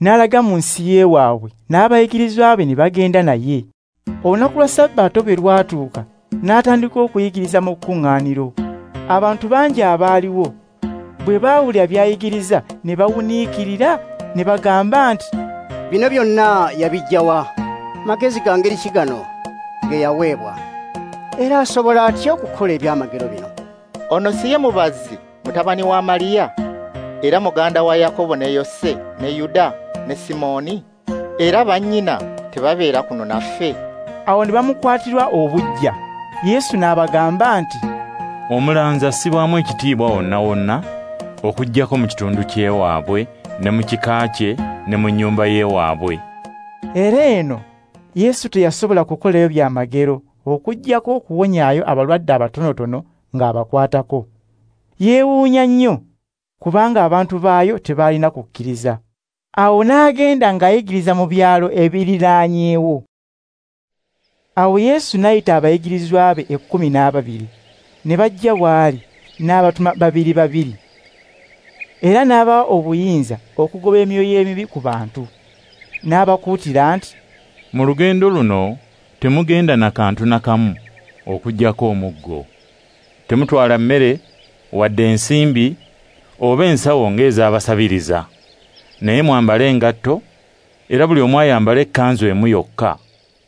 n'alaga mu nsi y'ewaabwe, n'abayigirizwa be ne bagenda naye. Olunaku lwa Sabbaato bwe lwatuuka, n'atandika okuyigiriza mu kkuŋŋaaniro. Abantu bangi abaaliwo bwe baawulira by'ayigiriza ne bawuniikirira ne bagamba nti, "Bino byonna yabiggya wa? Magezi ga ngeri ki gano ge yaweebwa? Era asobola atya okukola ebyamagero bino?" Ono si ye mubazzi mutabani wa Mariya, era muganda wa Yakobo ne Yose ne Yuda ne Simooni? Era bannyina tebabeera kuno naffe? Awo ne bamukwatirwa obuggya. Yesu n'abagamba nti, "Omulanzi assibwamu ekitiibwa wonna wonna, okuggyako mu kitundu ky'ewaabwe ne mu kika kye ne mu nnyumba y'ewaabwe." Era eno Yesu teyasobola kukolayo byamagero okuggyako okuwonyaayo abalwadde abatonotono ng'abakwatako. Yeewuunya nnyo kubanga abantu baayo tebaalina kukkiriza. Awo n'agenda ng'ayigiriza mu byalo ebiriraanyeewo. Awo Yesu n'ayita abayigirizwa be 12, ne bajja w'ali, n'abatuma babiri babiri. Era n'abawa obuyinza okugoba emyoyo emibi ku bantu. N'abakuutira nti, "Mu lugendo luno temugenda na kantu na kamu okuggyako omuggo. Temutwala mmere wadde ensimbi oba ensawo ng'ez'abasabiriza. Naye mwambale engatto, era buli omu ayambale ekkanzu emu yokka,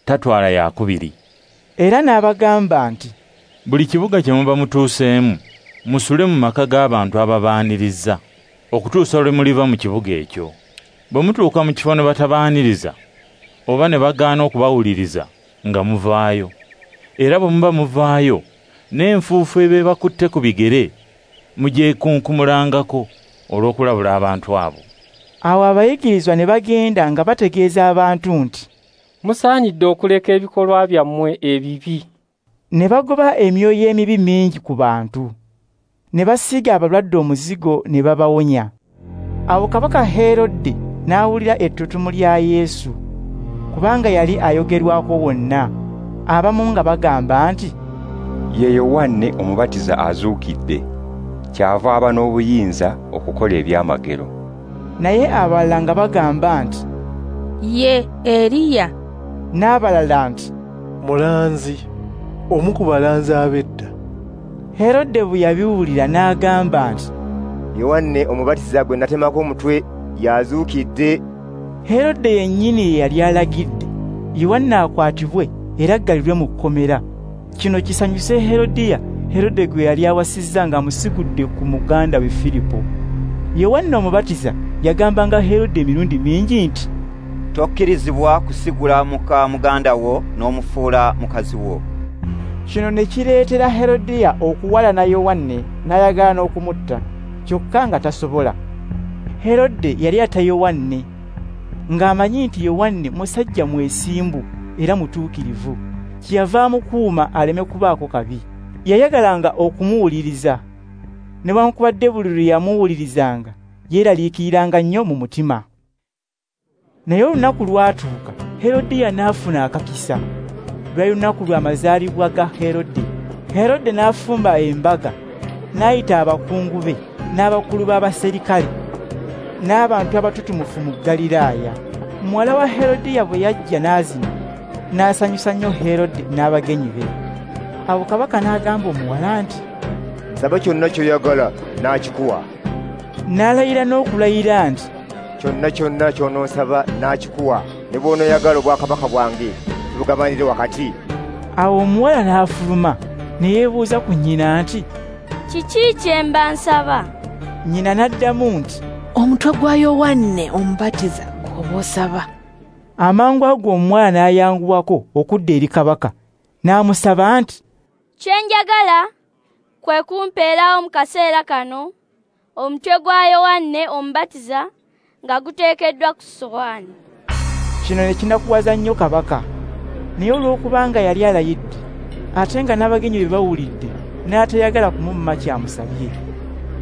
tatwala yakubiri." Era n'abagamba nti, "Buli kibuga kye muba mutuuseemu, musule mu maka g'abantu ababaaniriza, okutuusa lwe muliva mu kibuga ekyo. Bwe mutuuka mu kifo ne batabaaniriza, oba ne bagaana okubawuliriza, nga muvaayo. Era bwe muba muvaayo, n'enfuufu eba ebakutte ku bigere, mugyekunkumulangako olw'okulabula abantu abo." Awo abayigirizwa ne bagenda nga bategeeza abantu nti, "Musaanidde okuleka ebikolwa byammwe ebibi." Ne bagoba emyoyo emibi mingi ku bantu, ne basiiga abalwadde omuzigo ne babawonya. Awo kabaka Herode n'awulira ettutumu lya Yesu, kubanga yali ayogerwako wonna. Abamu nga bagamba nti, "Ye Yowanne Omubatiza azuukidde, kyava aba n'obuyinza okukola ebyamagero." Naye abalala nga bagamba nti, "Ye Eriya." N'abalala nti, "Mulanzi, omu ku balanzi ab'edda." Herode bwe yabiwulira n'agamba nti, "Yowanne Omubatiza gwe natemako omutwe y'azuukidde." Herode yennyini ye yali alagidde Yowanne akwatibwe era aggalirwe mu kkomera. Kino kisanyuse Herodiya, Herode gwe yali awasizza ng'amusigudde ku muganda we Firipo. Yowanne Omubatiza yagambanga Herode emirundi mingi nti, "Tokkirizibwa kusigula muka muganda wo n'omufuula mukazi wo." Kino ne kireetera Herodiya okuwalana Yowanne n'ayagala n'okumutta, kyokka nga tasobola. Herode yali atta Yowanne, ng'amanyi nti Yowanne musajja mwesimbu era mutuukirivu, kyeyava amukuuma aleme kubaako kabi. Yayagalanga okumuwuliriza, newankubadde buli lwe yamuwulirizanga yeeraliikiriranga nnyo mu mutima. Naye olunaku lwatuuka, Herodiya n'afuna akakisa. Lwali lunaku lw'amazaalibwa ga Herode. Herode n'afumba embaga, n'ayita abakungu be n'abakulu b'abaserikale n'abantu abatutumufu mu Ggaliraaya. Muwala wa Herodiya bwe yajja n'azina, n'asanyusa nnyo Herode n'abagenyi be. Awo kabaka n'agamba omuwala nti, "Nsaba kyonna ky'oyagala n'akikuwa." N'alayira n'okulayira nti, "Kyonna kyonna ky'onoonsaba n'akikuwa, ne bw'onooyagala obwakabaka bwange tubugabanire wakati." Awo omuwala n'afuluma ne yeebuuza ku nnyina nti, "Kiki kye mba nsaba?" Nnyina n'addamu nti, "Omutwe gwa Yowanne Omubatiza gw'oba osaba." Amangu ago omuwala n'ayanguwako okudda eri kabaka, n'amusaba nti, "Kye njagala kwe kumpeerawo mu kaseera kano omutwe gwa Yowanne Omubatiza nga guteekeddwa ku ssowaani." Kino ne kinakuwaza nnyo kabaka. Naye olw'okubanga yali alayidde, ate nga n'abagenyi be bawulidde, n'atayagala kumumma kyamusabye.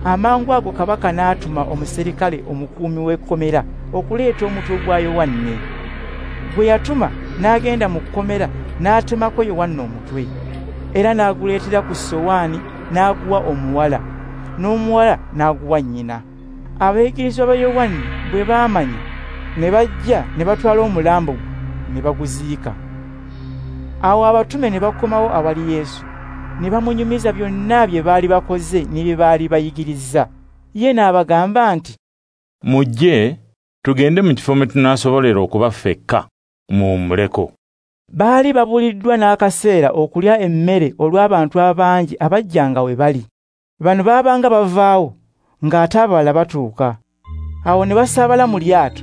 Amangu ago kabaka n'atuma omuserikale omukuumi w'ekkomera okuleeta omutwe gwa Yowanne. Gwe yatuma n'agenda mu kkomera n'atemako Yowanne omutwe, era n'aguleetera ku ssowaani n'aguwa omuwala, n'omuwala n'aguwa nnyina. Abayigirizwa ba Yowanne bwe baamanya, ne bajja ne batwala omulambo gwe ne baguziika. Awo abatume ne bakomawo awali Yesu, ne bamunyumiza byonna bye baali bakoze ne bye baali bayigirizza. Ye n'abagamba nti, "Mujje tugende mu kifo mwe tunaasobolera okuba ffekka, muwummuleko." Baali babuliddwa n'akaseera okulya emmere olw'abantu abangi abajjanga we bali. Bano baabanga bavaawo ng'ate abalala batuuka. Awo ne basaabala mu lyato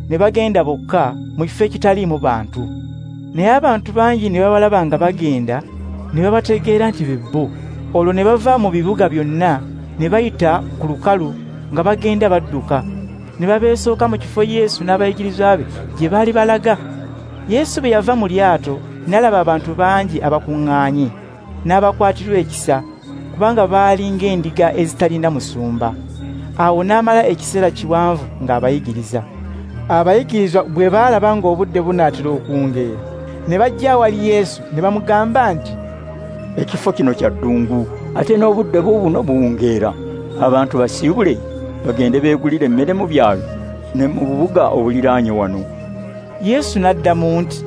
ne bagenda bokka mu kifo ekitaliimu bantu. Naye abantu bangi ne babalaba nga bagenda, ne babategeera nti be bo. Olwo ne bava mu bibuga byonna ne bayita ku lukalu nga bagenda badduka, ne babeesooka mu kifo Yesu n'abayigirizwa be gye baali balaga. Yesu bwe yava mu lyato n'alaba abantu bangi abakuŋŋaanye, n'abakwatirwa ekisa, kubanga baali ng'endiga ezitalina musumba. Awo n'amala ekiseera kiwanvu ng'abayigiriza. Abayigirizwa bwe baalaba ng'obudde bunaatera okuwungeera, ne bajja awali Yesu ne bamugamba nti, "Ekifo kino kya ddungu, ate n'obudde buubuno buwungeera. Abantu basiibule bagende beegulire emmere mu byalo ne mu bubuga obuliraanye wano." Yesu n'addamu nti,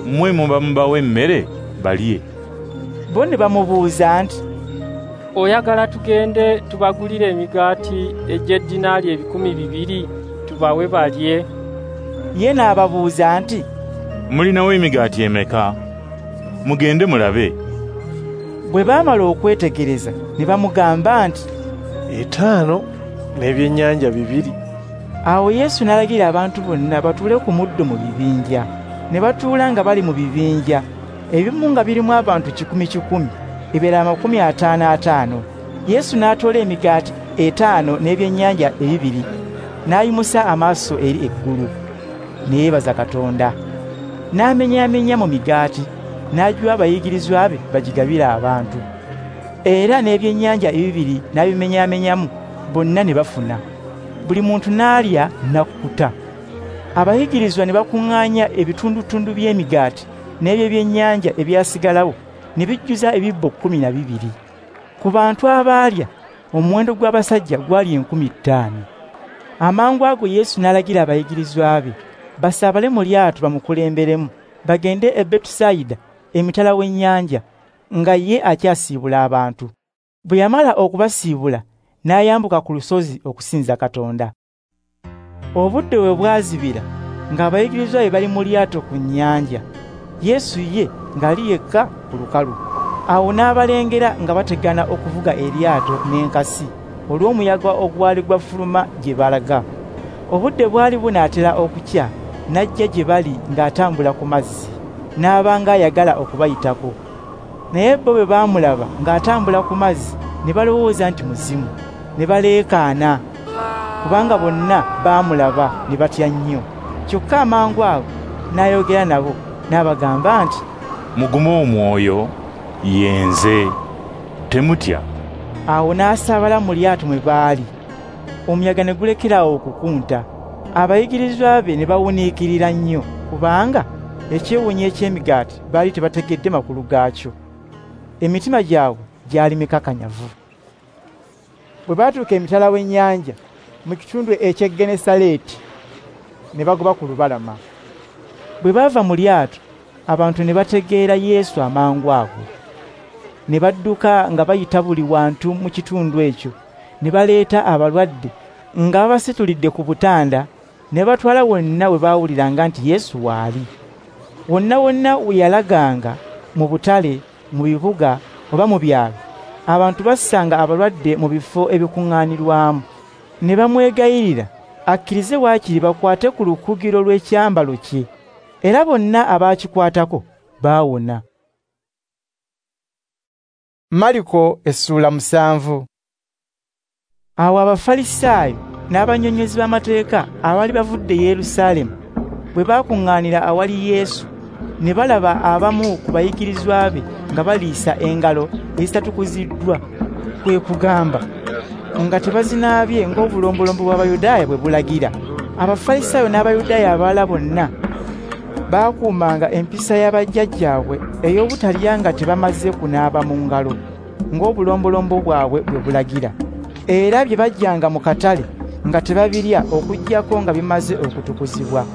"Mmwe muba mubawe emmere balye." Bo ne bamubuuza nti, "Oyagala tugende tubagulire emigaati egy'eddinaali 2,000 tubawe balye?" Ye n'ababuuza nti, "Mulinawo emigaati emeka? Mugende mulabe." Bwe baamala okwetegereza ne bamugamba nti, 5 n'ebyennyanja 2. Awo Yesu n'alagira abantu bonna batuule ku muddo mu bibinja. Ne batuula nga bali mu bibinja, ebimu nga birimu abantu 100, ebirala 50. Yesu n'atoola emigaati 5 n'ebyennyanja 2, n'ayimusa amaaso eri eggulu, ne yeebaza Katonda. N'amenyaamenya mu migaati, n'agiwa abayigirizwa be bagigabire abantu. Era n'ebyennyanja 2 n'abimenyaamenyamu, bonna ne bafuna. Buli muntu n'alya n'akkuta. Abayigirizwa ne bakuŋŋaanya ebitundutundu by'emigaati n'eby'ebyennyanja ebyasigalawo, ne bijjuza ebibbo 12. Ku bantu abaalya, omuwendo gw'abasajja gwali 5,000. Amangu ago Yesu n'alagira abayigirizwa be basaabale mu lyato bamukulemberemu, bagende e Betusayida emitala w'ennyanja, nga ye akyasiibula abantu. Bwe yamala okubasiibula, n'ayambuka ku lusozi okusinza Katonda. Obudde bwe bwazibira, ng'abayigirizwa be bali mu lyato ku nnyanja, Yesu ye ng'ali yekka ku lukalu. Awo n'abalengera nga bategana okuvuga eryato n'enkasi olw'omuyaga ogwali gwafuluma gye balaga. Obudde bwali bunaatera okukya, n'ajja gye bali ng'atambula ku mazzi, n'aba ng'ayagala okubayitako. Naye bo bwe baamulaba ng'atambula ku mazzi, ne balowooza nti muzimu, ne baleekaana, kubanga bonna baamulaba ne batya nnyo. Kyokka amangu ago n'ayogera nabo, n'abagamba nti, "Mugume omwoyo, ye nze, temutya." Awo n'asaabala mu lyato mwe baali, omuyaga ne gulekeraawo okukunta. Abayigirizwa be ne bawuniikirira nnyo, kubanga ekyewuunyo eky'emigaati baali tebategedde makulu gaakyo. Emitima gyabwe gyali mikakanyavu. Bwe baatuuka emitala w'ennyanja mu kitundu eky'e Genesaleeti, ne bagoba ku lubalama. Bwe baava mu lyato, abantu ne bategeera Yesu amangu ago. Ne badduka nga bayita buli wantu mu kitundu ekyo, ne baleeta abalwadde nga babasitulidde ku butanda, ne batwala wonna we baawuliranga nti Yesu waali. Wonna wonna we yalaganga, mu butale, mu bibuga oba mu byalo, abantu bassanga abalwadde mu bifo ebikuŋŋaanirwamu, ne bamwegayirira akkirize waakiri bakwate ku lukugiro lw'ekyambalo kye, era bonna abaakikwatako baawona. Mariko essula 7. Awo Abafalisaayo n'abannyonnyozi b'amateeka abaali bavudde Yerusaalemu bwe baakuŋŋaanira awali Yesu, ne balaba abamu ku bayigirizwa be nga baliisa engalo ezitatukuziddwa, kwe kugamba nga tebazinaabye ng'obulombolombo bw'Abayudaaya bwe bulagira. Abafalisaayo n'Abayudaaya abalala bonna baakuumanga empisa y'abajjajjaabwe ey'obutalya nga tebamaze kunaaba mu ngalo ng'obulombolombo bwabwe bwe bulagira. Era bye bajjanga mu katale nga tebabirya okuggyako nga bimaze okutukuzibwa.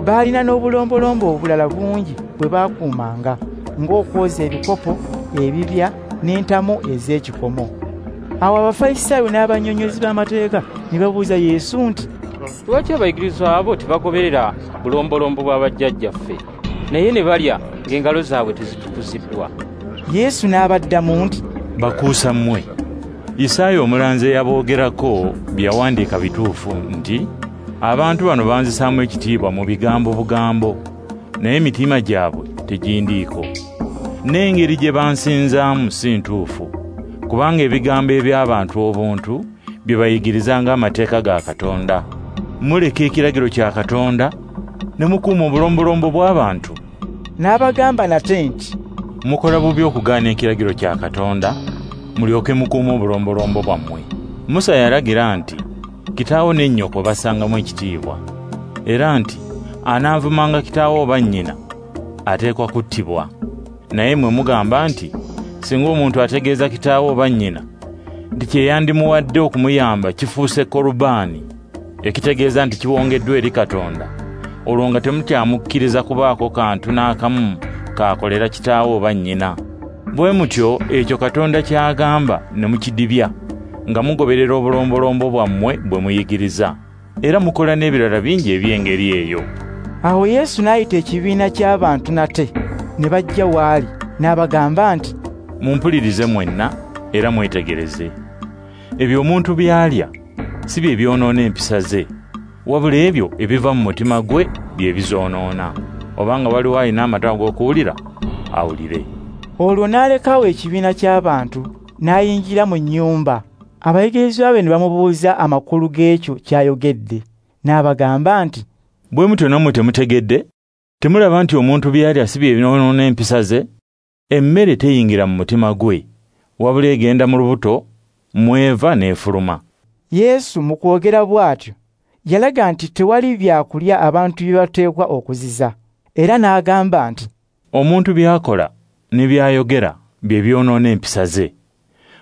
Baalina n'obulombolombo obulala bungi bwe baakuumanga, ng'okwoza ebikopo, ebibya n'entamu ez'ekikomo. Awo Abafalisaayo n'abannyonnyozi b'amateeka ne babuuza Yesu nti, Lwaki abayigirizwa abo tebagoberera bulombolombo bwa bajjajjaffe, naye ne balya ng'engalo zaabwe tezitukuziddwa? Yesu n'abaddamu nti, Bakuusa mmwe, Isaaya omulanzi eyaboogerako bye yawandiika bituufu nti, abantu bano banzisaamu ekitiibwa mu bigambo bugambo, naye emitima gyabwe tegindiiko. N'engeri gye bansinzaamu si ntuufu, kubanga ebigambo eby'abantu obuntu bye bayigiriza ng'amateeka ga Katonda. Muleka ekiragiro kya Katonda ne mukuuma obulombolombo bw'abantu. N'abagamba nate nti, Mukola bubi okugaana ekiragiro kya Katonda, mulyoke mukuume obulombolombo bwammwe. Musa yalagira nti, kitaawo ne nnyoko bassangamu ekitiibwa, era nti anaavumanga kitaawe oba nnyina ateekwa kuttibwa. Naye mmwe mugamba nti, singa omuntu ategeeza kitaawe oba nnyina nti kye yandimuwadde okumuyamba kifuuse korubaani, ekitegeeza nti kiwongeddwa eri Katonda, olwo nga temukyamukkiriza kubaako kantu n'akamu kaakolera kitaawe oba nnyina. Bwe mutyo ekyo Katonda ky'agamba ne mukidibya, nga mugoberera obulombolombo bwammwe bwe muyigiriza, era mukola n'ebirala bingi eby'engeri eyo. Awo Yesu n'ayita ekibiina ky'abantu nate, ne bajja w'ali, n'abagamba nti, Mumpulirize mwenna era mwetegereze. Ebyo omuntu by'alya si bye byonoona empisa ze, wabula ebyo ebiva mu mutima gwe bye bizoonoona. Obanga waliwo alina amatu ag'okuwulira, awulire. Olwo n'alekawo ekibiina ky'abantu, n'ayingira mu nnyumba. Abayigirizwa be ne bamubuuza amakulu g'ekyo ky'ayogedde. N'abagamba nti, Bwe mutyo nammwe temutegedde? Temulaba nti omuntu by'alya si bye byonoona empisa ze? Emmere teyingira mu mutima gwe, wabula egenda mu lubuto, mweva n'efuluma. Yesu mu kwogera bw'atyo yalaga nti tewali byakulya abantu bye bateekwa okuziza, era n'agamba nti, Omuntu by'akola ne by'ayogera bye byonoona empisa ze.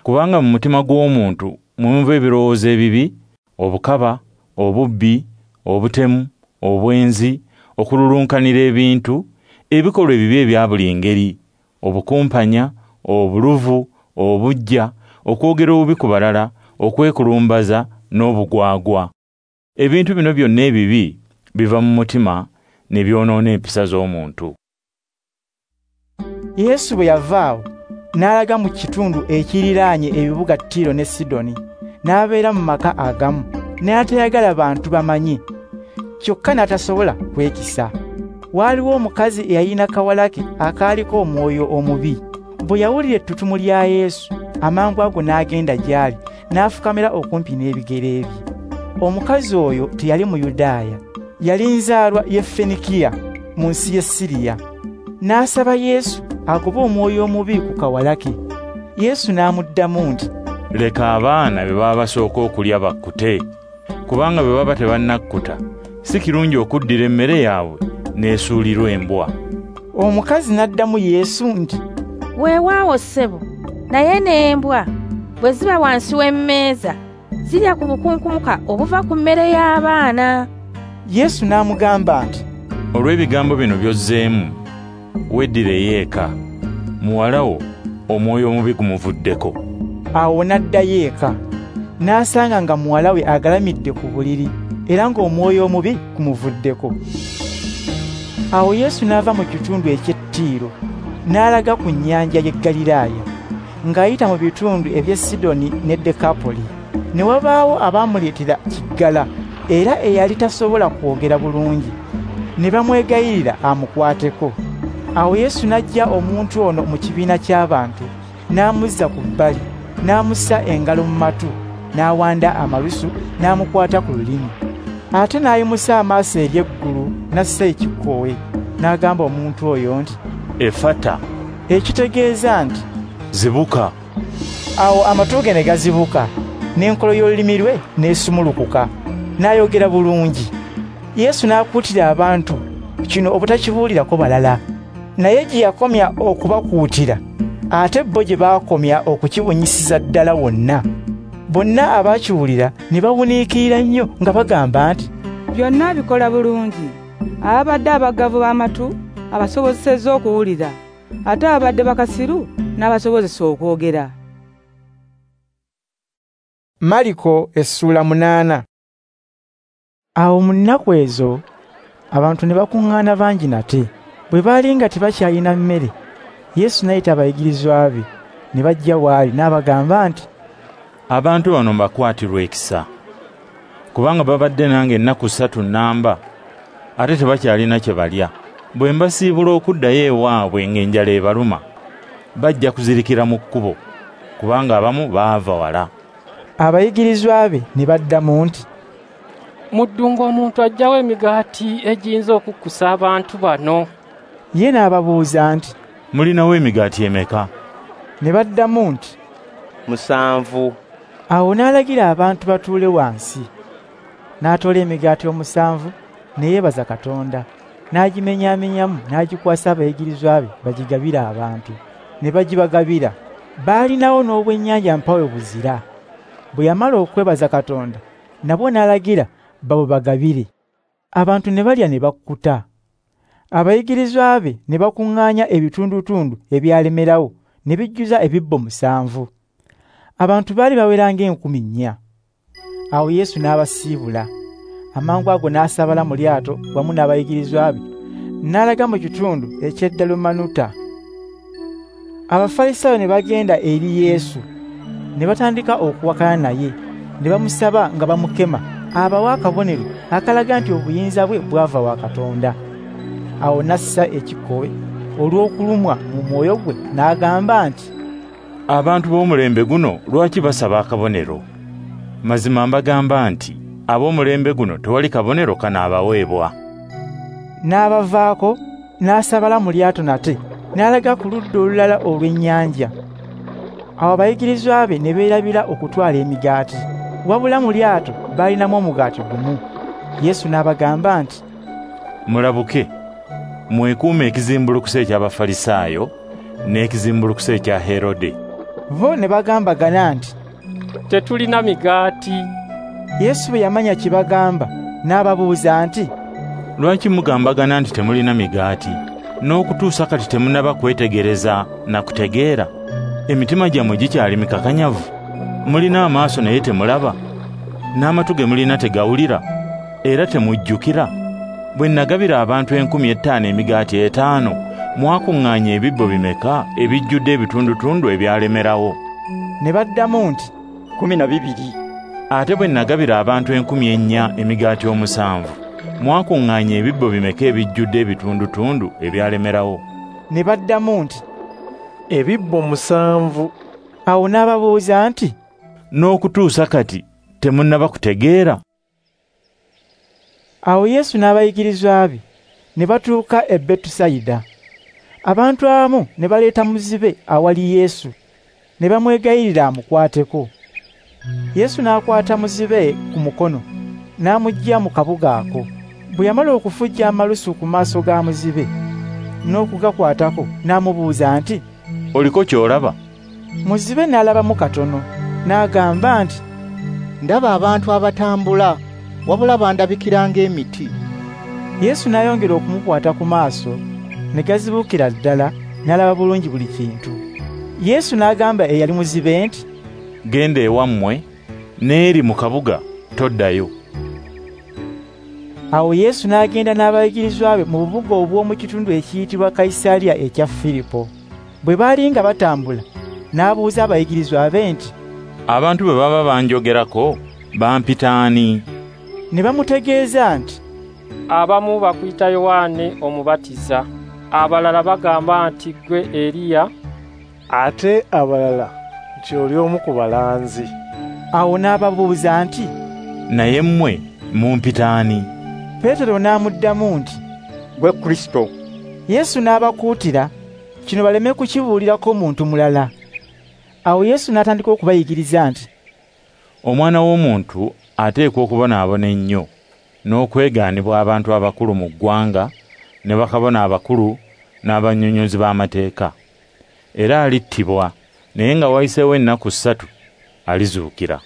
Kubanga mu mutima gw'omuntu mwe muva ebirowoozo ebibi, obukaba, obubbi, obutemu, obwenzi, okululunkanira ebintu, ebikolwa ebibi ebya buli ngeri, obukumpanya, obuluvu, obuggya, okwogera obubi ku balala, okwekulumbaza n'obugwagwa. Ebintu bino byonna ebibi biva mu mutima ne byonoona empisa z'omuntu. Yesu bwe yava awo n'alaga mu kitundu ekiriraanye ebibuga Tiro ne Sidoni, n'abeera mu maka agamu, n'atayagala bantu bamanye, kyokka n'atasobola kwekisa. Waaliwo omukazi eyalina kawala ke akaaliko omwoyo omubi. Bwe yawulira ettutumu lya Yesu, amangu ago n'agenda gy'ali, n'afukamira okumpi n'ebigere bye. Omukazi oyo teyali Muyudaaya, yali nzaalwa y'e Fenikiya mu nsi y'e Siriya. N'asaba Yesu agobe omwoyo omubi ku kawala ke. Yesu n'amuddamu nti, Leka abaana be baba basooka okulya bakkute, kubanga bwe baba tebannakkuta, si kirungi okuddira emmere yaabwe n'esuulirwa embwa. Omukazi n'addamu Yesu nti, Weewaawo ssebo, naye n'embwa bwe ziba wansi w'emmeeza zirya ku bukunkumuka obuva ku mmere y'abaana. Yesu n'amugamba nti, Olw'ebigambo bino by'ozzeemu, weddireyo eka, muwala wo omwoyo omubi gumuvuddeko. Awo n'addayo eka, n'asanga nga muwala we agalamidde ku buliri, era ng'omwoyo omubi gumuvuddeko. Awo Yesu n'ava mu kitundu eky'e Ttiiro, n'alaga ku nnyanja y'e Ggaliraaya, ng'ayita mu bitundu eby'e Sidoni ne Dekapoli. Ne wabaawo abaamuleetera kiggala, era eyali tasobola kwogera bulungi, ne bamwegayirira amukwateko. Awo Yesu n'aggya omuntu ono mu kibiina ky'abantu, n'amuzza ku bbali, n'amussa engalo mu matu, n'awanda amalusu, n'amukwata ku lulimi. Ate n'ayimusa amaaso eri eggulu, n'assa ekikkowe, n'agamba omuntu oyo nti, Efata, ekitegeeza nti, Zibuka. Awo amatu ge ne gazibuka, n'enkolo y'olulimi lwe n'esumulukuka, n'ayogera bulungi. Yesu n'akuutira abantu kino obutakibuulirako balala. Naye gye yakomya okubakuutira, ate bo gye baakomya okukibunyisiza ddala wonna. Bonna abaakiwulira ne bawuniikirira nnyo nga bagamba nti, Byonna abikola bulungi. Ababadde abaggavu b'amatu abasobozesezza okuwulira, ate ababadde bakasiru n'abasobozesa okwogera. Mariko essula 8. Awo mu nnaku ezo abantu ne bakuŋŋaana bangi nate. Bwe baali nga tebakyalina mmere, Yesu n'ayita abayigirizwa be ne bajja w'ali n'abagamba nti, Abantu bano mbakwatirwa ekisa, kubanga babadde nange ennaku 3 nnamba, ate tebakyalina kye balya. Bwe mbasiibula okuddayo ewaabwe ng'enjala ebaluma, bajja kuzirikira mu kkubo, kubanga abamu baava wala. Abayigirizwa be ne baddamu nti, Mu ddungu omuntu aggyawo emigaati egiyinza okukkusa abantu bano? Ye n'ababuuza nti, Mulinawo emigaati emeka? Ne baddamu nti, 7. Awo n'alagira abantu batuule wansi. N'atoola emigaati 7 ne yeebaza Katonda, n'agimenyaamenyamu n'agikwasa abayigirizwa be bagigabire abantu. Ne bagibagabira. Baalinawo n'obwennyanja mpawe buzira. Bwe yamala okwebaza Katonda, nabwo n'alagira babubagabire. Abantu ne balya ne bakkuta. Abayigirizwa be ne bakuŋŋaanya ebitundutundu ebyalemerawo ne bijjuza ebibbo 7. Abantu baali bawera ng'enkumi 4. Awo Yesu n'abasiibula. Amangu ago n'asaabala mu lyato wamu n'abayigirizwa be, n'alaga mu kitundu eky'e Dalumanuta. Abafalisaayo ne bagenda eri Yesu, ne batandika okuwakana naye, ne bamusaba nga bamukema abawe akabonero akalaga nti obuyinza bwe bwava wa Katonda. Awo n'assa ekikkowe olw'okulumwa mu mwoyo gwe n'agamba nti, Abantu b'omulembe guno lwaki basaba akabonero? Mazima mbagamba nti ab'omulembe guno tewali kabonero kanaabaweebwa. N'abavaako n'asaabala mu lyato nate n'alaga ku ludda olulala olw'ennyanja. Awo abayigirizwa be ne beerabira okutwala emigaati, wabula mu lyato baalinamu omugaati gumu. Yesu n'abagamba nti, Mulabuke, mwekuume ekizimbulukusa eky'Abafalisaayo n'ekizimbulukusa ekya Herode. Bo ne bagambagana nti, Tetulina migaati. Yesu bwe yamanya kye bagamba, n'ababuuza nti, Lwaki mugambagana nti temulina migaati? N'okutuusa kati temunnaba kwetegereza na kutegeera? Emitima gyammwe gikyali mikakanyavu? Mulina amaaso naye temulaba, n'amatu ge mulina tegawulira, era temujjukira? Bwe nagabira abantu 5,000 emigaati 5, mwakuŋŋaanya ebibbo bimeka ebijjudde ebitundutundu ebyalemerawo? Ne baddamu nti, 12. Ate bwe nagabira abantu 4,000 emigaati 7, mwakuŋŋaanya ebibbo bimeka ebijjudde ebitundutundu ebyalemerawo? Ne baddamu nti, Ebibbo 7. Awo n'ababuuza nti, N'okutuusa kati temunnaba kutegeera? Awo Yesu n'abayigirizwa be ne batuuka e Betusayida. Abantu abamu ne baleeta muzibe awali Yesu, ne bamwegayirira amukwateko. Yesu n'akwata muzibe ku mukono, n'amuggya mu kabuga ako. Bwe yamala okufujja amalusu ku maaso ga muzibe n'okugakwatako, n'amubuuza nti, Oliko ky'olaba? Muzibe n'alabamu katono, n'agamba nti, Ndaba abantu abatambula, wabula bandabikira ng'emiti. Yesu n'ayongera okumukwata ku maaso, ne gazibukira ddala, n'alaba bulungi buli kintu. Yesu n'agamba eyali muzibe nti, Genda ewammwe, n'eri mu kabuga toddayo. Awo Yesu n'agenda n'abayigirizwa be mu bubuga obw'omu kitundu ekiyitibwa Kayisaliya ekya Firipo. Bwe baali nga batambula, n'abuuza abayigirizwa be nti, Abantu bwe baba banjogerako, bampita ani? Ne bamutegeeza nti, Abamu bakuyita Yowanne Omubatiza, abalala bagamba nti ggwe Eriya, ate abalala nti oli omu ku balanzi. Awo n'ababuuza nti, Naye mmwe mumpita ani? Peetero n'amuddamu nti, Ggwe Kristo. Yesu n'abakuutira kino baleme kukibuulirako muntu mulala. Awo Yesu n'atandika okubayigiriza nti, Omwana w'omuntu ateekwa okubonaabona ennyo n'okwegaanibwa abantu abakulu mu ggwanga ne bakabona abakulu n'abannyonnyozi b'amateeka. Era alittibwa, naye nga wayiseewo ennaku 3 alizuukira.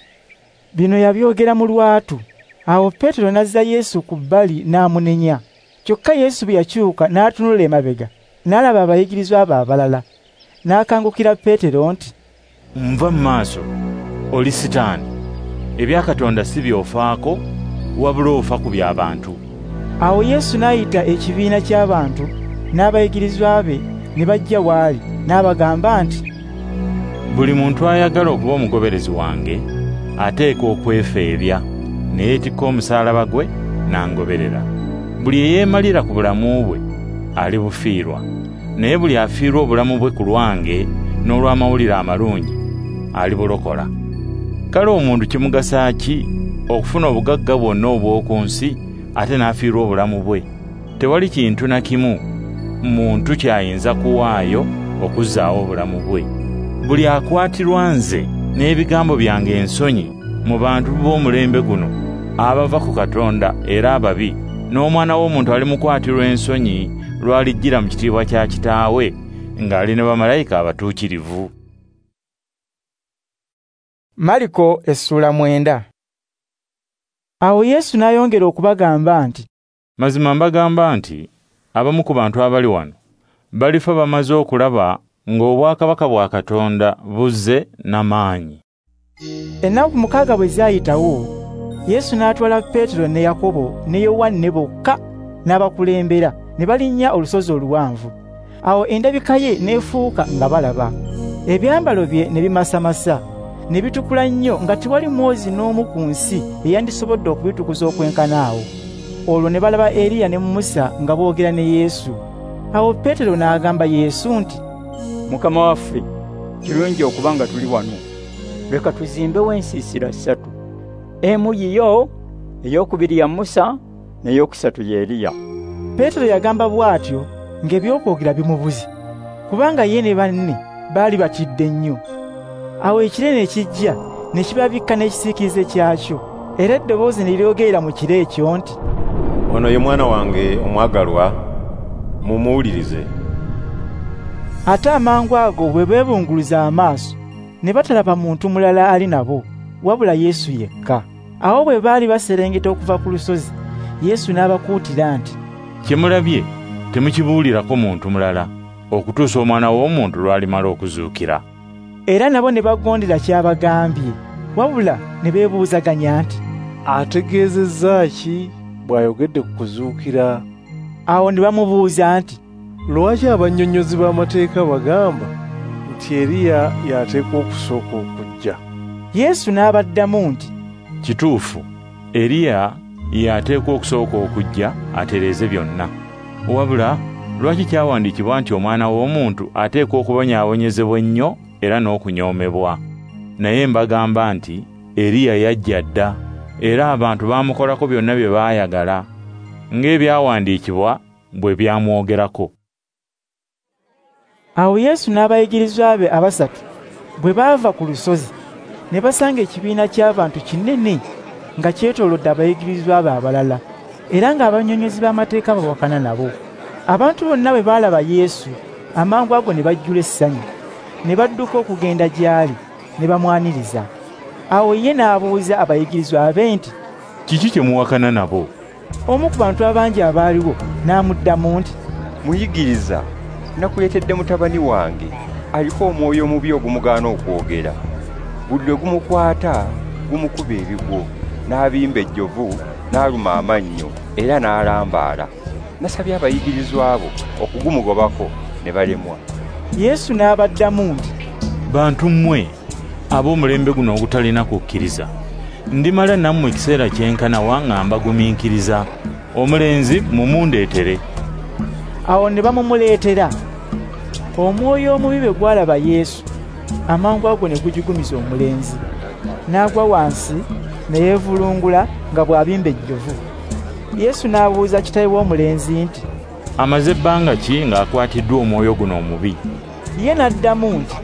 Bino yabyogera mu lwatu. Awo Peetero n'azza Yesu ku bbali n'amunenya. Kyokka Yesu bwe yakyuka n'atunula emabega, n'alaba abayigirizwa be abalala, n'akangukira Peetero nti, "Nva mu maaso, oli Sitaani. Ebya Katonda si by'ofaako, wabula ofa ku by'abantu." Awo Yesu n'ayita ekibiina ky'abantu n'abayigirizwa be ne bajja w'ali, n'abagamba nti, "Buli muntu ayagala okuba omugoberezi wange ateekwa okwefeebya, ne yeetikka omusaalaba gwe n'angoberera. Buli eyeemalira ku bulamu bwe alibufiirwa, naye buli afiirwa obulamu bwe ku lwange n'olw'amawulire amalungi alibulokola. Kale omuntu kimugasa ki okufuna obugagga bwonna obw'oku nsi ate n'afiirwa obulamu bwe? Tewali kintu na kimu muntu ky'ayinza kuwaayo okuzzaawo obulamu bwe. Buli akwatirwa nze n'ebigambo byange ensonyi mu bantu b'omulembe guno abava ku Katonda era ababi, n'Omwana w'Omuntu alimukwatirwa ensonyi lw'alijjira mu kitiibwa kya Kitaawe ng'ali ne bamalayika abatuukirivu." Mariko essula 9. Awo Yesu n'ayongera okubagamba nti, "Mazima mbagamba nti abamu ku bantu abali wano balifa bamaze okulaba ng'obwakabaka bwa Katonda buzze n'amaanyi." Ennaku 6 bwe zaayitawo, Yesu n'atwala Peetero ne Yakobo ne Yowanne bokka n'abakulembera ne balinnya olusozi oluwanvu. Awo endabika ye n'efuuka nga balaba. Ebyambalo bye ne bimasamasa, ne bitukula nnyo nga tewali mwozi n'omu ku nsi eyandisobodde okubitukuza okwenkana awo. Olwo ne balaba Eriya ne Musa nga boogera ne Yesu. Awo Peetero n'agamba Yesu nti, "Mukama waffe, kirungi okuba nga tuli wano. Leka tuzimbewo ensiisira 3, emu yiyo, ey'okubiri ya Musa, n'eyokusatu ya Eriya." Peetero yagamba bw'atyo ng'ebyokwogera bimubuze, kubanga ye ne banne baali batidde nnyo. Awo ekire ne kijja ne kibabikka n'ekisiikirize kyakyo, era eddoboozi ne lyogerera mu kire ekyo nti, "Ono ye mwana wange omwagalwa, mumuwulirize." Ate amangu ago bwe beebunguluza amaaso ne batalaba muntu mulala ali nabo, wabula Yesu yekka. Awo bwe baali baserengeta okuva ku lusozi, Yesu n'abakuutira nti, "Kye mulabye temukibuulirako muntu mulala, okutuusa Omwana w'Omuntu lw'alimala okuzuukira." Era nabo ne bagondera ky'abagambye, wabula ne beebuuzaganya nti, "Ategeezezza ki bw'ayogedde ku kuzuukira?" Awo ne bamubuuza nti, "Lwaki abannyonnyozi b'amateeka bagamba nti Eriya y'ateekwa okusooka okujja?" Yesu n'abaddamu nti, "Kituufu, Eriya y'ateekwa okusooka okujja atereeze byonna. Wabula lwaki kyawandiikibwa nti Omwana w'Omuntu ateekwa okubonyaabonyezebwa ennyo era n'okunyoomebwa? Naye mbagamba nti Eriya yajja dda, era abantu baamukolako byonna bye baayagala, ng'ebyawandiikibwa bwe byamwogerako." Awo Yesu n'abayigirizwa be abasatu bwe baava ku lusozi, ne basanga ekibiina ky'abantu kinene nga kyetoolodde abayigirizwa be abalala, era ng'abannyonnyozi b'amateeka bawakana nabo. Abantu bonna bwe baalaba Yesu, amangu ago ne bajjula essanyu, ne badduka okugenda gy'ali, ne bamwaniriza. Awo ye n'abuuza abayigirizwa be nti, "Kiki kye muwakana nabo?" Omu ku bantu abangi abaaliwo n'amuddamu nti, "Muyigiriza, nakuleetedde mutabani wange aliko omwoyo omubi ogumugaana okwogera. Buli lwe gumukwata gumukuba ebigwo, n'abimba ejjovu, n'aluma amannyo era n'alambaala. Nasabye abayigirizwa bo okugumugobako ne balemwa." Yesu n'abaddamu nti, "Bantu mmwe ab'omulembe guno ogutalina kukkiriza, ndimala nammwe ekiseera kyenkana wa nga mbagumiikiriza? Omulenzi mumundeetere." Awo ne bamumuleetera. Omwoyo omubi bwe gwalaba Yesu, amangu ago ne gujigumiza omulenzi, n'agwa wansi ne yeevulungula nga bw'abimba ejjovu. Yesu n'abuuza kitaawe w'omulenzi nti, "Amaze ebbanga ki ng'akwatiddwa omwoyo guno omubi?" Ye n'addamu nti,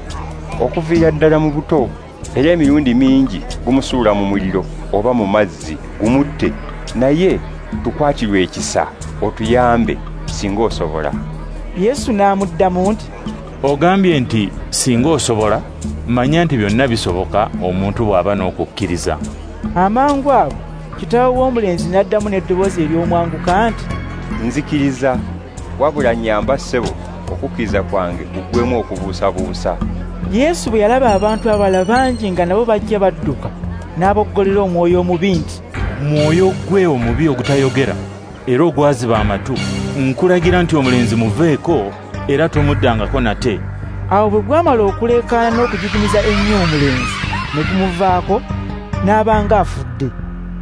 "Okuviira ddala mu buto, era emirundi mingi gumusuula mu muliro oba mu mazzi gumutte, naye tukwatirwe ekisa otuyambe singa osobola." Yesu n'amuddamu nti, "Ogambye nti singa osobola, manya nti byonna bisoboka omuntu bw'aba n'okukkiriza." Amangu ago kitaawe w'omulenzi n'addamu n'eddoboozi ery'omwanguka nti, "Nzikiriza, wabula nnyamba ssebo okukkiriza kwange kuggweemu okubuusabuusa." Yesu bwe yalaba abantu abalala bangi nga nabo bajja badduka, n'aboggolera omwoyo omubi nti, "Mwoyo gwe omubi ogutayogera era ogwaziba amatu, nkulagira nti omulenzi muveeko era tomuddangako nate." Awo bwe gwamala okuleekaana n'okujuguniza ennyo omulenzi, ne gumuvaako, n'aba ng'afudde.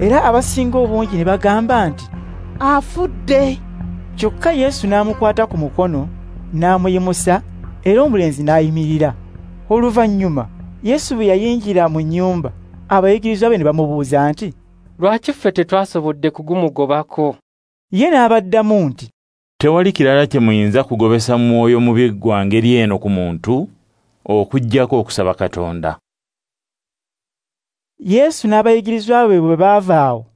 Era abasinga obungi ne bagamba nti, "Afudde." Kyokka Yesu n'amukwata ku mukono, n'amuyimusa, era omulenzi n'ayimirira. Oluvannyuma Yesu bwe yayingira mu nnyumba, abayigirizwa be ne bamubuuza nti, "Lwaki ffe tetwasobodde kugumugobako?" Ye n'abaddamu nti, "Tewali kirala kye muyinza kugobesa mwoyo mubi gwa ngeri eno ku muntu, okuggyako okusaba Katonda." Yesu n'abayigirizwa be bwe baava awo,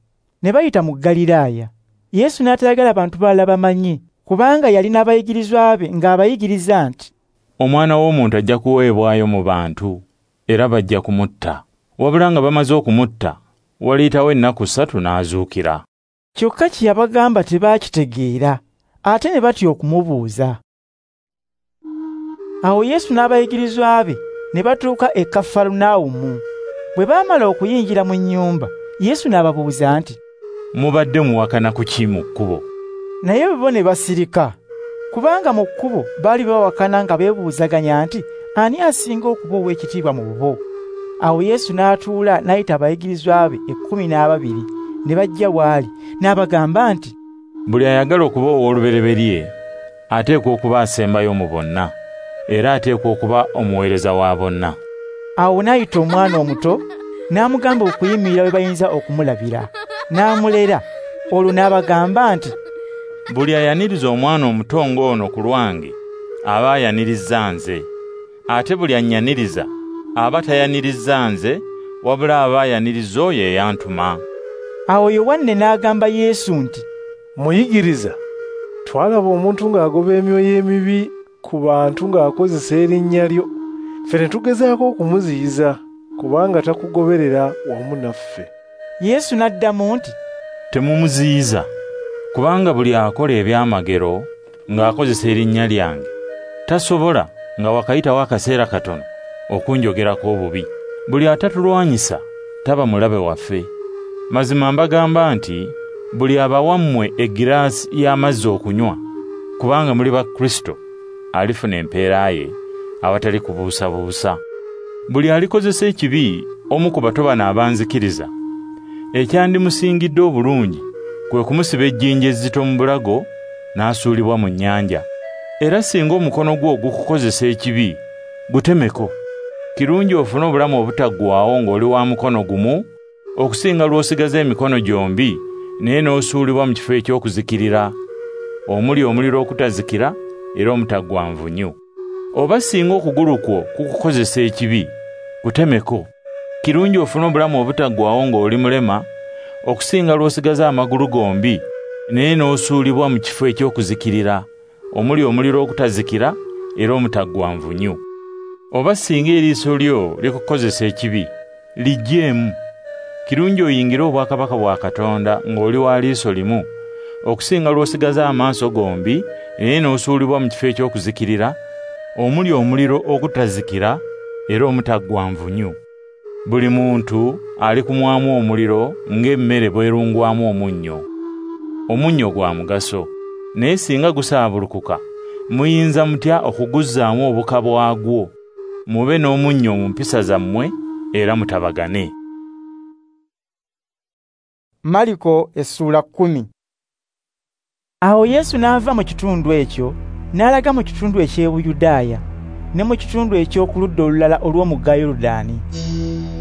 ne bayita mu Ggaliraaya. Yesu n'atayagala bantu balala bamanye, kubanga yali n'abayigirizwa be ng'abayigiriza nti, "Omwana w'omuntu ajja kuweebwayo mu bantu, era bajja kumutta. Wabula nga bamaze okumutta, waliyitawo ennaku 3 n'azuukira." Kyokka kye yabagamba tebaakitegeera, ate ne batya okumubuuza. Awo Yesu n'abayigirizwa be ne batuuka e Kafarunawumu. Bwe baamala okuyingira mu nnyumba, Yesu n'ababuuza nti, "Mubadde muwakana ku ki mu kkubo?" Naye bo ne basirika, kubanga mu kkubo baali bawakana nga beebuuzaganya nti, ani asinga okuba ow'ekitiibwa mu bo? Awo Yesu n'atuula n'ayita abayigirizwa be 12 ne bajja w'ali, n'abagamba nti, "Buli ayagala okuba ow'olubereberye ateekwa okuba asembayo mu bonna, era ateekwa okuba omuweereza wa bonna." Awo n'ayita omwana omuto, n'amugamba okuyimirira we bayinza okumulabira, n'amulera. Olwo n'abagamba nti, "Buli ayaniriza omwana omuto ng'ono ku lwange aba ayanirizza nze, ate buli annyaniriza aba tayanirizza nze, wabula aba ayanirizza oyo eyantuma." Awo Yowanne n'agamba Yesu nti, "Muyigiriza, twalaba omuntu ng'agoba emyoyo emibi ku bantu ng'akozesa erinnya lyo. Ffe ne tugezaako okumuziyiza, kubanga takugoberera wamu naffe." Yesu n'addamu nti, "Temumuziyiza, kubanga buli akola ebyamagero ng'akozesa erinnya lyange tasobola nga wakayitawo akaseera katono okunjogerako obubi. Buli atatulwanyisa taba mulabe waffe. Mazima mbagamba nti buli abawammwe egiraasi y'amazzi okunywa, kubanga muli ba Kristo, alifuna empeera ye awatali kubuusabuusa. Buli alikozesa ekibi omu ku bato bano abanzikiriza, ekyandimusingidde obulungi kwe kumusiba ejjinja ezzito mu bulago n'asuulibwa mu nnyanja. Era singa omukono gwo gukukozesa ekibi, gutemeko. Kirungi ofune obulamu obutaggwaawo ng'oli wa mukono gumu, okusinga lw'osigaza emikono gyombi naye n'osuulibwa mu kifo eky'okuzikirira, omuli omuliro okutazikira era omutaggwa nvunyu. Oba singa okugulu kwo kukukozesa ekibi, kutemeko. Kirungi ofune obulamu obutaggwaawo ng'oli mulema, okusinga lw'osigaza amagulu gombi naye n'osuulibwa mu kifo eky'okuzikirira, omuli omuliro okutazikira era omutaggwa nvunyu. Oba singa eriiso lyo likukozesa ekibi, liggyeemu. Kirungi oyingire obwakabaka bwa Katonda ng'oli wa liiso limu, okusinga lw'osigaza amaaso gombi naye n'osuulibwa mu kifo eky'okuzikirira, omuli omuliro okutazikira era omutaggwa nvunyu. Buli muntu alikumwamu omuliro ng'emmere bw'erungwamu omunnyo. Omunnyo gwa mugaso, naye singa gusaabulukuka, muyinza mutya okuguzzaamu obuka bwagwo? Mube n'omunnyo mu mpisa zammwe era mutabagane. Mariko essula 10. Awo Yesu n'ava mu kitundu ekyo n'alaga mu kitundu eky'Ebuyudaaya ne mu kitundu eky'okuludda olulala olw'omugga Yoludaani.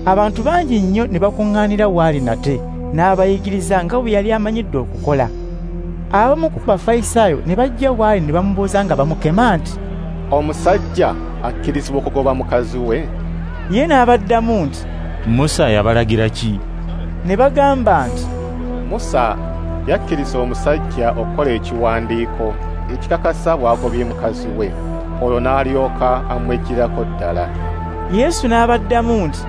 Abantu bangi nnyo ne bakuŋŋaanira waali nate, n'abayigiriza nga bwe yali amanyidde okukola. Abamu ku Bafalisaayo ne bajja waali ne bamubuuza nga bamukema nti, "Omusajja akkirizibwa okugoba mukazi we?" Ye n'abaddamu nti, "Musa yabalagira ki?" Ne bagamba nti, "Musa yakkiriza omusajja okukola ekiwandiiko ekikakasa bw'agobye mukazi we, olwo n'alyoka amweggyirako ddala." Yesu n'abaddamu nti,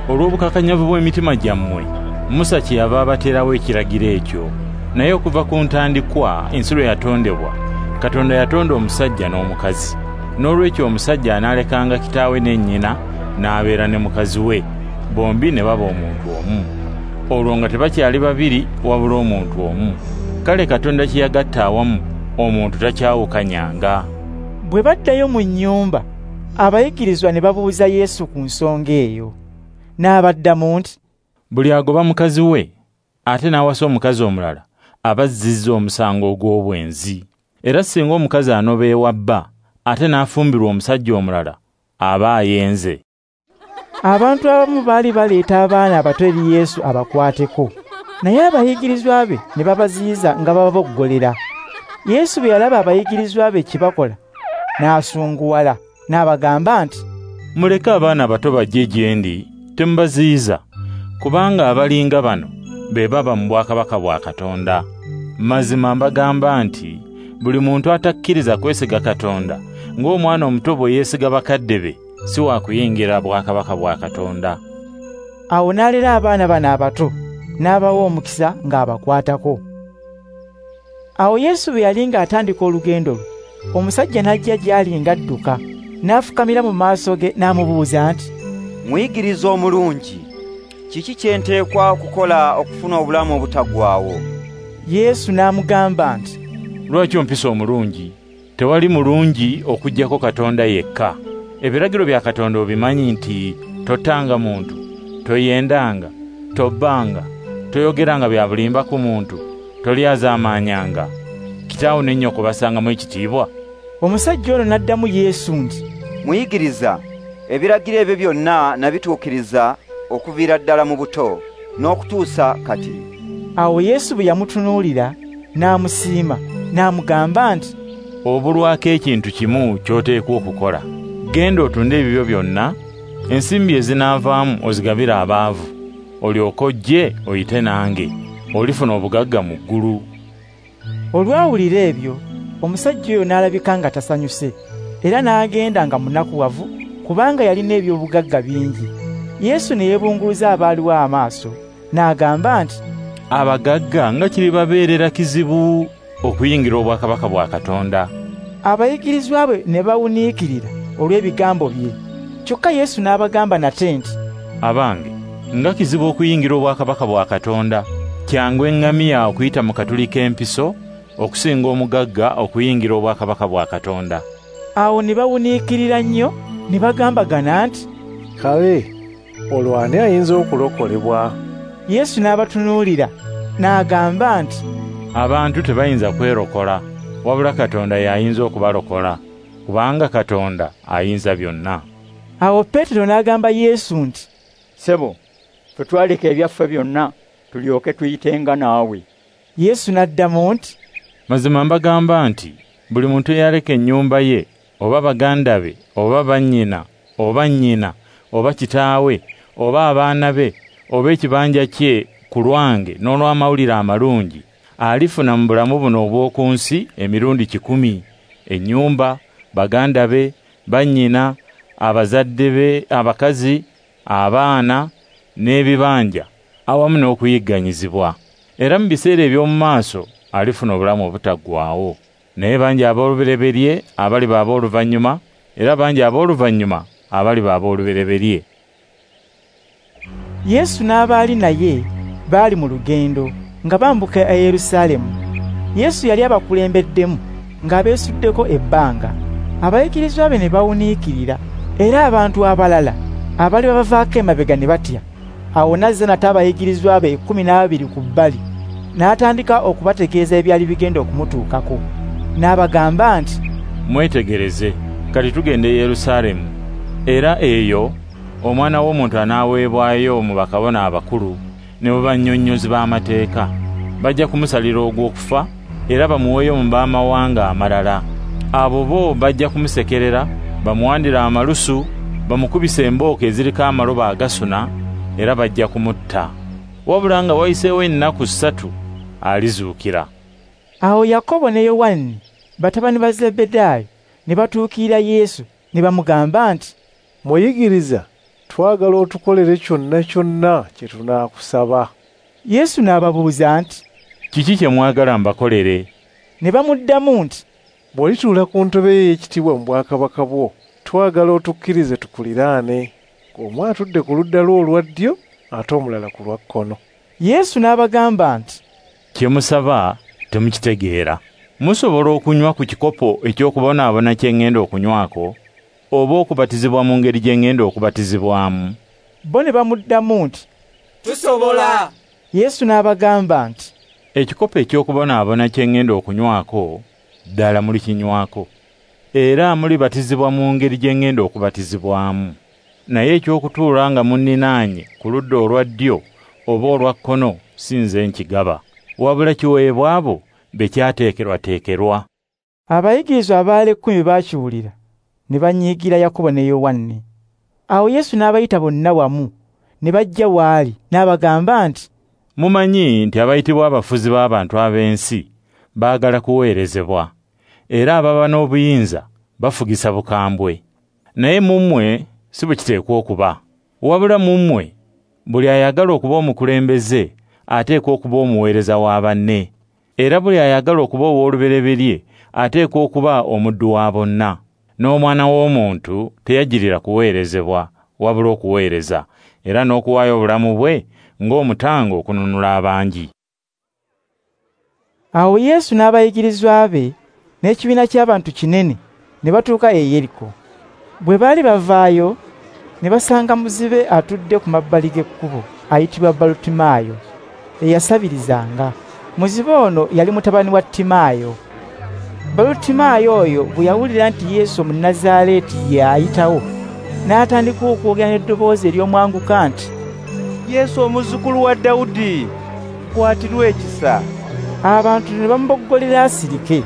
"Olw'obukakanyavu bw'emitima gyammwe, Musa kyeyava abateerawo ekiragiro ekyo. Naye okuva ku ntandikwa ensi lwe yatondebwa, Katonda yatonda omusajja n'omukazi. N'olwekyo omusajja anaalekanga kitaawe ne nnyina n'abeera ne mukazi we, bombi ne baba omuntu omu. Olwo nga tebakyali babiri wabula omuntu omu. Kale Katonda kye yagatta awamu, omuntu takyawukanyanga. Bwe baddayo mu nnyumba, abayigirizwa ne babuuza Yesu ku nsonga eyo. N'abaddamu nti, buli agoba mukazi we ate n'awasa omukazi omulala aba azzizza omusango ogw'obwenzi. Era singa omukazi anoba ewa bba ate n'afumbirwa omusajja omulala aba ayenze. Abantu abamu baali baleeta abaana abato eri Yesu abakwateko, naye abayigirizwa be ne babaziyiza nga bababoggolera. Yesu bwe yalaba abayigirizwa be kye bakola, n'asunguwala, n'abagamba nti, muleke abaana abato bajje gye ndi, temubaziyiza, kubanga abalinga bano be baba mu bwakabaka bwa Katonda. Mazima mbagamba nti buli muntu atakkiriza kwesiga Katonda ng'omwana omuto bwe yeesiga bakadde be, si wa kuyingira bwakabaka bwa Katonda. Awo n'alera abaana bano abato, n'abawa omukisa ng'abakwatako. Awo Yesu bwe yali ng'atandika olugendo lwe, omusajja n'ajja gy'ali ng'adduka, n'afukamira mu maaso ge n'amubuuza nti, Muyigiriza omulungi, kiki kye nteekwa okukola okufuna obulamu obutaggwaawo? Yesu n'amugamba nti, lwaki ompisa omulungi? Tewali mulungi okuggyako Katonda yekka. Ebiragiro bya Katonda obimanyi nti tottanga muntu, toyendanga, tobbanga, toyogeranga bya bulimba ku muntu, tolyazaamaanyanga. Kitaawo ne nnyoko basangamu ekitiibwa. Omusajja ono n'addamu Yesu nti, Muyigiriza, ebiragiro ebyo byonna nabituukiriza okuviira ddala mu buto n'okutuusa kati. Awo Yesu bwe yamutunuulira n'amusiima, n'amugamba nti, obulwako ekintu kimu ky'oteekwa okukola. Genda otunde ebibyo byonna, ensimbi ezinaavaamu ozigabire abaavu, olyoke ojje oyite nange, olifuna obugagga mu ggulu. Olwawulira ebyo, omusajja oyo n'alabika nga tasanyuse, era n'agenda nga munakuwavu, kubanga yalina eby'obugagga bingi. Yesu ne yeebunguluza abaaliwo amaaso, n'agamba nti, abagagga nga kiribabeerera kizibu okuyingira obwakabaka bwa Katonda. Abayigirizwa be ne bawuniikirira olw'ebigambo bye. Kyokka Yesu n'abagamba nate nti, abange, nga kizibu okuyingira obwakabaka bwa Katonda. Kyangu eŋŋamiya okuyita mu katuli k'empiso okusinga omugagga okuyingira obwakabaka bwa Katonda. Awo ne bawuniikirira nnyo, ne bagambagana nti, kale olwo ani ayinza okulokolebwa? Yesu n'abatunuulira n'agamba nti, abantu tebayinza kwerokola, wabula Katonda y'ayinza okubalokola, kubanga Katonda ayinza byonna. Awo Peetero n'agamba Yesu nti, Ssebo, ffe twaleka ebyaffe byonna tulyoke tuyitenga naawe. Yesu n'addamu nti, mazima mbagamba nti buli muntu eyaleka ennyumba ye, oba baganda be, oba bannyina, oba nnyina, oba kitaawe, oba abaana be, oba ekibanja kye ku lwange n'olw'amawulire amalungi, alifuna mu bulamu buno obw'oku nsi emirundi 100, ennyumba, baganda be, bannyina, abazadde be, abakazi, abaana n'ebibanja, awamu n'okuyigganyizibwa. Era mu biseera eby'omu maaso alifuna obulamu obutaggwaawo. Naye bangi ab'olubereberye abaliba ab'oluvannyuma, era bangi ab'oluvannyuma abaliba ab'olubereberye. Yesu n'abaali naye baali mu lugendo nga bambuka e Yerusaalemu. Yesu yali abakulembeddemu ng'abeesuddeko ebbanga. Abayigirizwa be ne bawuniikirira, era abantu abalala abaali babavaako emabega ne batya. Awo n'azza nate abayigirizwa be 12 ku bbali, n'atandika okubategeeza ebyali bigenda okumutuukako. N'abagamba nti, mwetegereze, kati tugenda e Yerusaalemu, era eyo Omwana w'omuntu anaaweebwayo mu bakabona abakulu ne mu bannyonnyozi b'amateeka. Bajja kumusalira ogw'okufa era bamuweeyo mu b'amawanga amalala. Abo bo bajja kumusekerera, bamuwandire amalusu, bamukubise embooko eziriko amalobo agasuna, era bajja kumutta. Wabula nga wayiseewo ennaku 3 alizuukira. Awo Yakobo ne Yowanne batabani ba Zebbedaayo ne batuukirira Yesu ne bamugamba nti, Muyigiriza, twagala otukolere kyonna kyonna kye tunaakusaba. Yesu n'ababuuza nti, "Kiki kye mwagala mbakolere?" Ne bamuddamu nti, "Bw'olituula ku ntebe ey'ekitiibwa mu bwakabaka bwo, twagala otukkirize tukuliraane, omu atudde ku ludda lwo olwa ddyo ate omulala ku lwa kkono." Yesu n'abagamba nti, "Kye musaba temukitegeera. Musobola okunywa ku kikopo eky'okubonaabona kye ŋŋenda okunywako, oba okubatizibwa mu ngeri gye ŋŋenda okubatizibwamu?" Bo ne bamuddamu nti, "Tusobola." Yesu n'abagamba nti, "Ekikopo eky'okubonaabona kye ŋŋenda okunywako, ddala mulikinywako, era mulibatizibwa mu ngeri gye ŋŋenda okubatizibwamu. Naye eky'okutuula nga munninaanye ku ludda olwa ddyo oba olwa kkono si nze nkigaba, wabula kiweebwa abo be kyateekerwateekerwa." Abayigirizwa abaali 10 baakiwulira, ne banyiigira Yakobo ne Yowanne. Awo Yesu n'abayita bonna wamu, ne bajja w'ali, n'abagamba nti, "Mumanyi nti abayitibwa abafuzi b'abantu ab'ensi baagala kuweerezebwa, era ababa n'obuyinza bafugisa bukambwe. Naye mu mmwe si bwe kiteekwa okuba. Wabula mu mmwe buli ayagala okuba omukulembeze ateekwa okuba omuweereza wa banne, era buli ayagala okuba ow'olubereberye ateekwa okuba omuddu wa bonna. N'Omwana w'Omuntu teyajjirira kuweerezebwa, wabula okuweereza, era n'okuwaayo obulamu bwe ng'omutango okununula abangi." Awo Yesu n'abayigirizwa be n'ekibiina ky'abantu kinene ne batuuka e Yeriko. Bwe baali bavaayo, ne basanga muzibe atudde ku mabbali g'ekkubo ayitibwa Balutimaayo, eyasabirizanga. Muzibe ono yali mutabani wa Timaayo. Balutimaayo oyo bwe yawulira nti Yesu Omunnazaaleeti ye ayitawo, n'atandika okwogera n'eddoboozi ery'omwanguka nti, "Yesu omuzzukulu wa Dawudi, nkwatirwa ekisa." Abantu ne bamuboggolera asirike.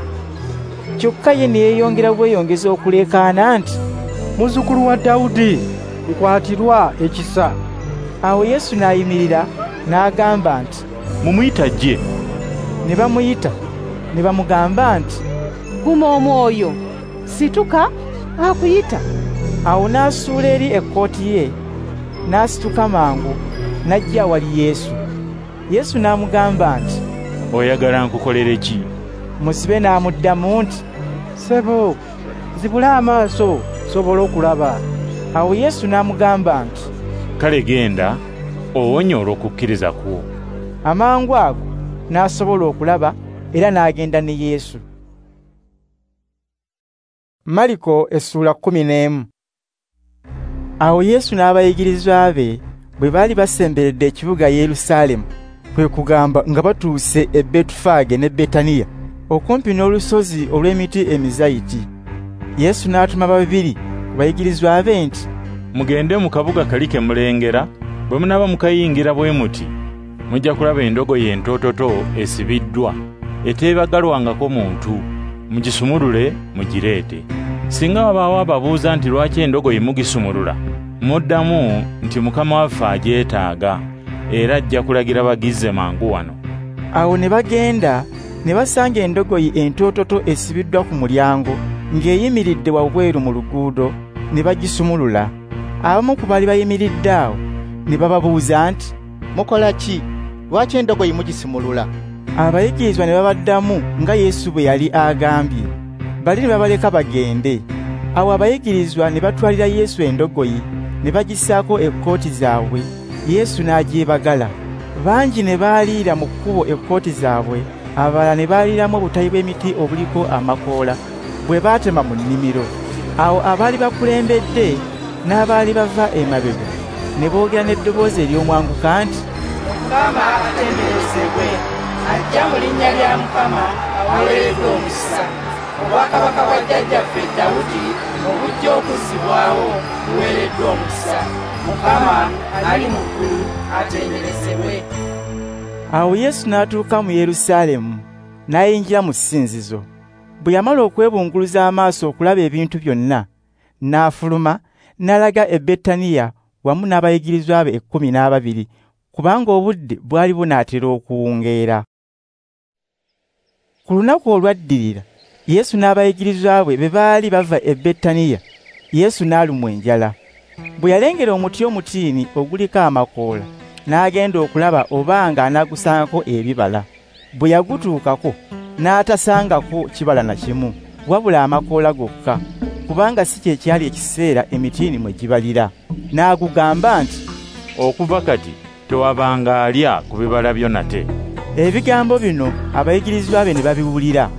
Kyokka ye ne yeeyongera bweyongeza okuleekaana nti, "Muzzukulu wa Dawudi, nkwatirwa ekisa." Awo Yesu n'ayimirira n'agamba nti, "Mumuyite ajje." Ne bamuyita ne bamugamba nti, "Guma omwoyo, situka, akuyita." Awo n'asuula eri ekkooti ye, n'asituka mangu, n'ajja awali Yesu. Yesu n'amugamba nti, "Oyagala nkukolere ki?" Muzibe n'amuddamu nti, "Ssebo, nzibula amaaso nsobole okulaba." Awo Yesu n'amugamba nti, "Kale genda, owonye olw'okukkiriza kwo." Amangu ago n'asobola okulaba era n'agenda ne Yesu. Mariko essula 11. Awo Yesu n'abayigirizwa be bwe baali basemberedde ekibuga Yerusaalemu, kwe kugamba nga batuuse e Betufaage ne Betaniya, okumpi n'olusozi olw'emiti emizayiti. Yesu n'atuma babiri ku bayigirizwa be nti, "Mugende mu kabuga kali ke mulengera, bwe munaaba mukayingira bwe muti, mujja kulaba endogoyi entoototo esibiddwa, eteebagalwangako muntu. Mugisumulule mugireete. Singa wabaawo ababuuza nti lwaki endogoyi mugisumulula, muddamu nti Mukama waffe agyetaaga, era ajja kulagira bagizze mangu wano." Awo ne bagenda ne basanga endogoyi entoototo esibiddwa ku mulyango ng'eyimiridde wabweru mu luguudo, ne bagisumulula. Abamu ku baali bayimiridde awo ne bababuuza nti, "Mukola ki? Lwaki endogoyi mugisumulula?" Abayigirizwa ne babaddamu nga Yesu bwe yali agambye. Bali ne babaleka bagende. Awo abayigirizwa ne batwalira Yesu endogoyi, ne bagissaako ekkooti zaabwe. Yesu n'agyebagala. Bangi ne baaliira mu kkubo ekkooti zaabwe, abalala ne baaliiramu obutabi bw'emiti obuliko amakoola bwe baatema mu nnimiro. Awo abaali bakulembedde n'abaali bava emabega ne boogera n'eddoboozi ery'omwanguka nti, "Mukama atenderezebwe, ajja mu linnya lya Mukama aweereddwa omukisa. Obwakabaka bwa jjajjaffe Dawudi obujja okuzzibwawo buweereddwa omukisa. Mukama ali mu ggulu atenderezebwe." Awo Yesu n'atuuka mu Yerusaalemu, n'ayingira mu ssinzizo. Bwe yamala okwebunguluza amaaso okulaba ebintu byonna, n'afuluma, n'alaga e Betaniya wamu n'abayigirizwa be 12, kubanga obudde bwali bunaatera okuwungeera. Ku lunaku olwaddirira, Yesu n'abayigirizwa be baali bava e Betaniya, Yesu n'alumwa enjala. Bwe yalengera omuti omutiini oguliko amakoola, n'agenda okulaba obanga anaagusangako ebibala. Bwe yagutuukako n'atasangako kibala na kimu, wabula amakoola gokka, kubanga si kye kyali ekiseera emitiini mwe gibalira. N'agugamba nti, "Okuva kati tewabanga alya ku bibala byo nate." Ebigambo bino abayigirizwa be ne babiwulira.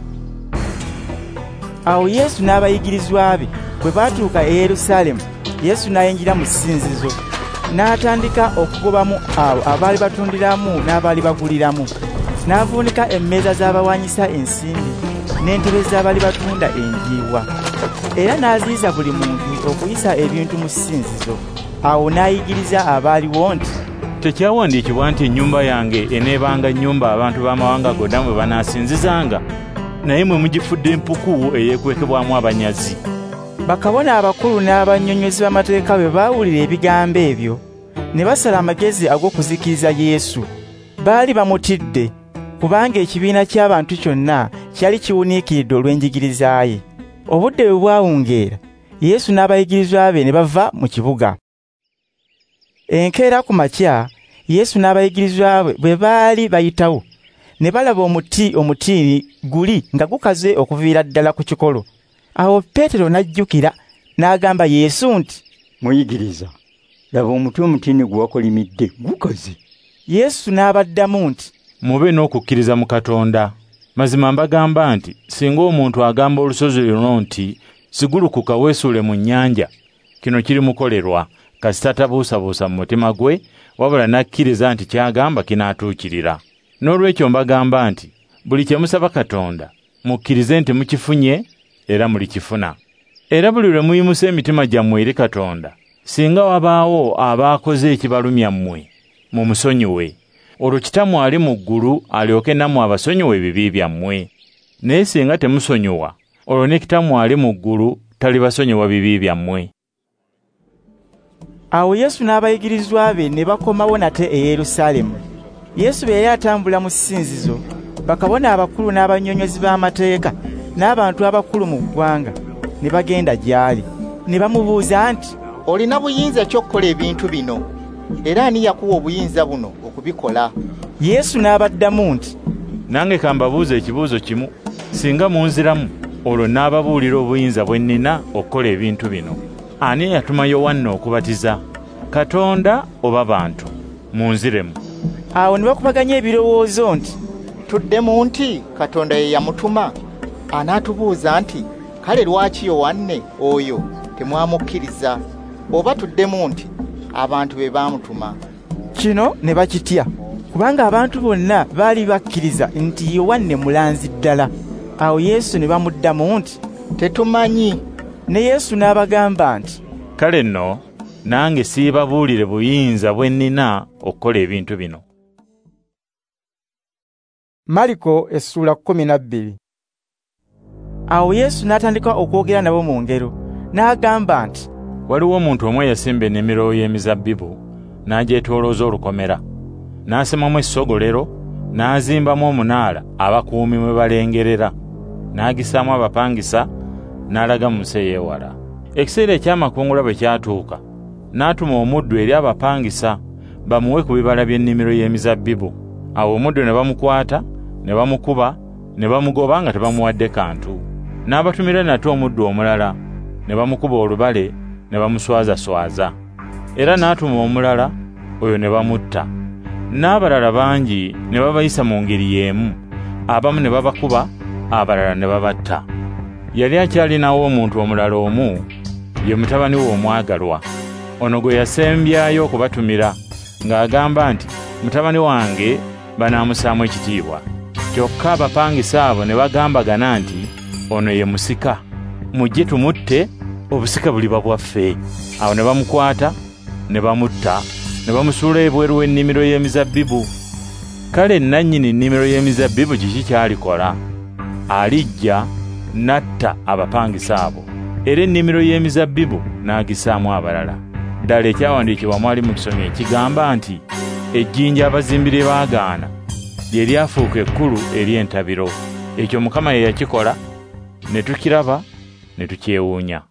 Awo Yesu n'abayigirizwa be bwe baatuuka e Yerusaalemu, Yesu n'ayingira mu ssinzizo, n'atandika okugobamu abo abaali batundiramu n'abaali baguliramu. N'avuunika emmeeza z'abawanyisa ensimbi n'entebe z'abaali batunda enjiibwa. Era n'aziyiza buli muntu okuyisa ebintu mu ssinzizo. Awo n'ayigiriza abaaliwo nti, "Tekyawandiikibwa nti ennyumba yange eneebanga nnyumba abantu b'amawanga gonna mwe banaasinzizanga, naye mwe mugifudde empuku eyeekwekebwamu abanyazi." Bakabona abakulu n'abannyonnyozi b'amateeka bwe baawulira ebigambo ebyo, ne basala amagezi ag'okuzikiriza Yesu. Baali bamutidde, kubanga ekibiina ky'abantu kyonna kyali kiwuniikiridde olw'enjigiriza ye. Obudde bwe bwawungeera, Yesu n'abayigirizwa be ne bava mu kibuga. Enkeera ku makya, Yesu n'abayigirizwa be bwe baali bayitawo, ne balaba omuti omutiini guli nga gukaze okuviira ddala ku kikolo. Awo Peetero n'ajjukira n'agamba Yesu nti, "Muyigiriza, laba omuti omutiini gwe wakolimidde gukaze." Yesu n'abaddamu nti, "Mube n'okukkiriza mu Katonda. Mazima mbagamba nti singa omuntu agamba olusozi luno nti, 'Sigulukuka weesuule mu nnyanja,' kino kirimukolerwa, kasita tabuusabuusa mu mutima gwe, wabula n'akkiriza nti ky'agamba kinaatuukirira. Noolwekyo mbagamba nti buli kye musaba Katonda, mukkirize nti mukifunye era mulikifuna. Era buli lwe muyimusa emitima gyammwe eri Katonda, singa wabaawo abaakoze ekibalumya mmwe, mumusonyiwe. Olwo Kitammwe ali mu ggulu alyoke nammwe abasonyiwe ebibi byammwe. Naye singa temusonyiwa, olwo ne Kitammwe ali mu ggulu talibasonyiwa bibi byammwe." Awo Yesu n'abayigirizwa be ne bakomawo nate e Yerusaalemu. Yesu bwe yali atambula mu ssinzizo, bakabona abakulu n'abannyonnyozi b'amateeka n'abantu abakulu mu ggwanga ne bagenda gy'ali, ne bamubuuza nti, "Olina buyinza ki okukola ebintu bino? Era ani yakuwa obuyinza buno okubikola?" Yesu n'abaddamu nti, "Nange ka mbabuuze ekibuuzo kimu, singa munziramu, olwo n'ababuulira obuyinza bwe nnina okukola ebintu bino. Ani yatuma Yowanna okubatiza? Katonda oba bantu? Munziremu." Awo ne bakubaganya ebirowoozo nti, "Tuddemu nti Katonda ye yamutuma, anaatubuuza nti, 'Kale lwaki Yowanne oyo temwamukkiriza?' Oba tuddemu nti, 'Abantu be baamutuma.'" Kino ne bakitya, kubanga abantu bonna baali bakkiriza nti Yowanne mulanzi ddala. Awo Yesu ne bamuddamu nti, "Tetumanyi." Ne Yesu n'abagamba nti, "Kale nno nange siibabuulire buyinza bwe nnina okukola ebintu bino." Mariko essula 12. Awo Yesu n'atandika okwogera nabo mu ngero, n'agamba nti, "Waliwo omuntu omu eyasimba ennimiro y'emizabbibu, n'agyetoolooza olukomera, n'asemamu essogolero, n'azimbamu omunaala abakuumi mwe balengerera, n'agisaamu abapangisa, n'alaga mu nsi ey'ewala. Ekiseera eky'amakungula bwe kyatuuka, n'atuma omuddu eri abapangisa bamuwe ku bibala by'ennimiro y'emizabbibu. Awo omuddu ne bamukwata, ne bamukuba, ne bamugoba nga tebamuwadde kantu. N'abatumira nate omuddu omulala, ne bamukuba olubale, ne bamuswazaswaza. Era n'atuma omulala, oyo ne bamutta. N'abalala bangi ne babayisa mu ngeri y'emu, abamu ne babakuba, abalala ne babatta. Yali akyalinawo omuntu omulala omu, ye mutabani we omwagalwa. Ono gwe yasembyayo okubatumira, ng'agamba nti, 'Mutabani wange banaamusaamu ekitiibwa.' Kyokka abapangisa abo ne bagambagana nti, 'Ono ye musika, mujje tumutte, obusika buliba bwaffe.' Awo ne bamukwata, ne bamutta, ne bamusuula ebweru w'ennimiro y'emizabbibu. Kale nannyini nnimiro y'emizabbibu kiki ky'alikola? Alijja n'atta abapangisa abo, era ennimiro y'emizabbibu n'agisaamu abalala. Ddala ekyawandiikibwa mwali mukisomye ekigamba nti, 'Ejjinja abazimbi lye baagaana lye lyafuuka ekkulu ery'entabiro.' Ekyo Mukama ye yakikola, ne tukiraba ne tukyewuunya."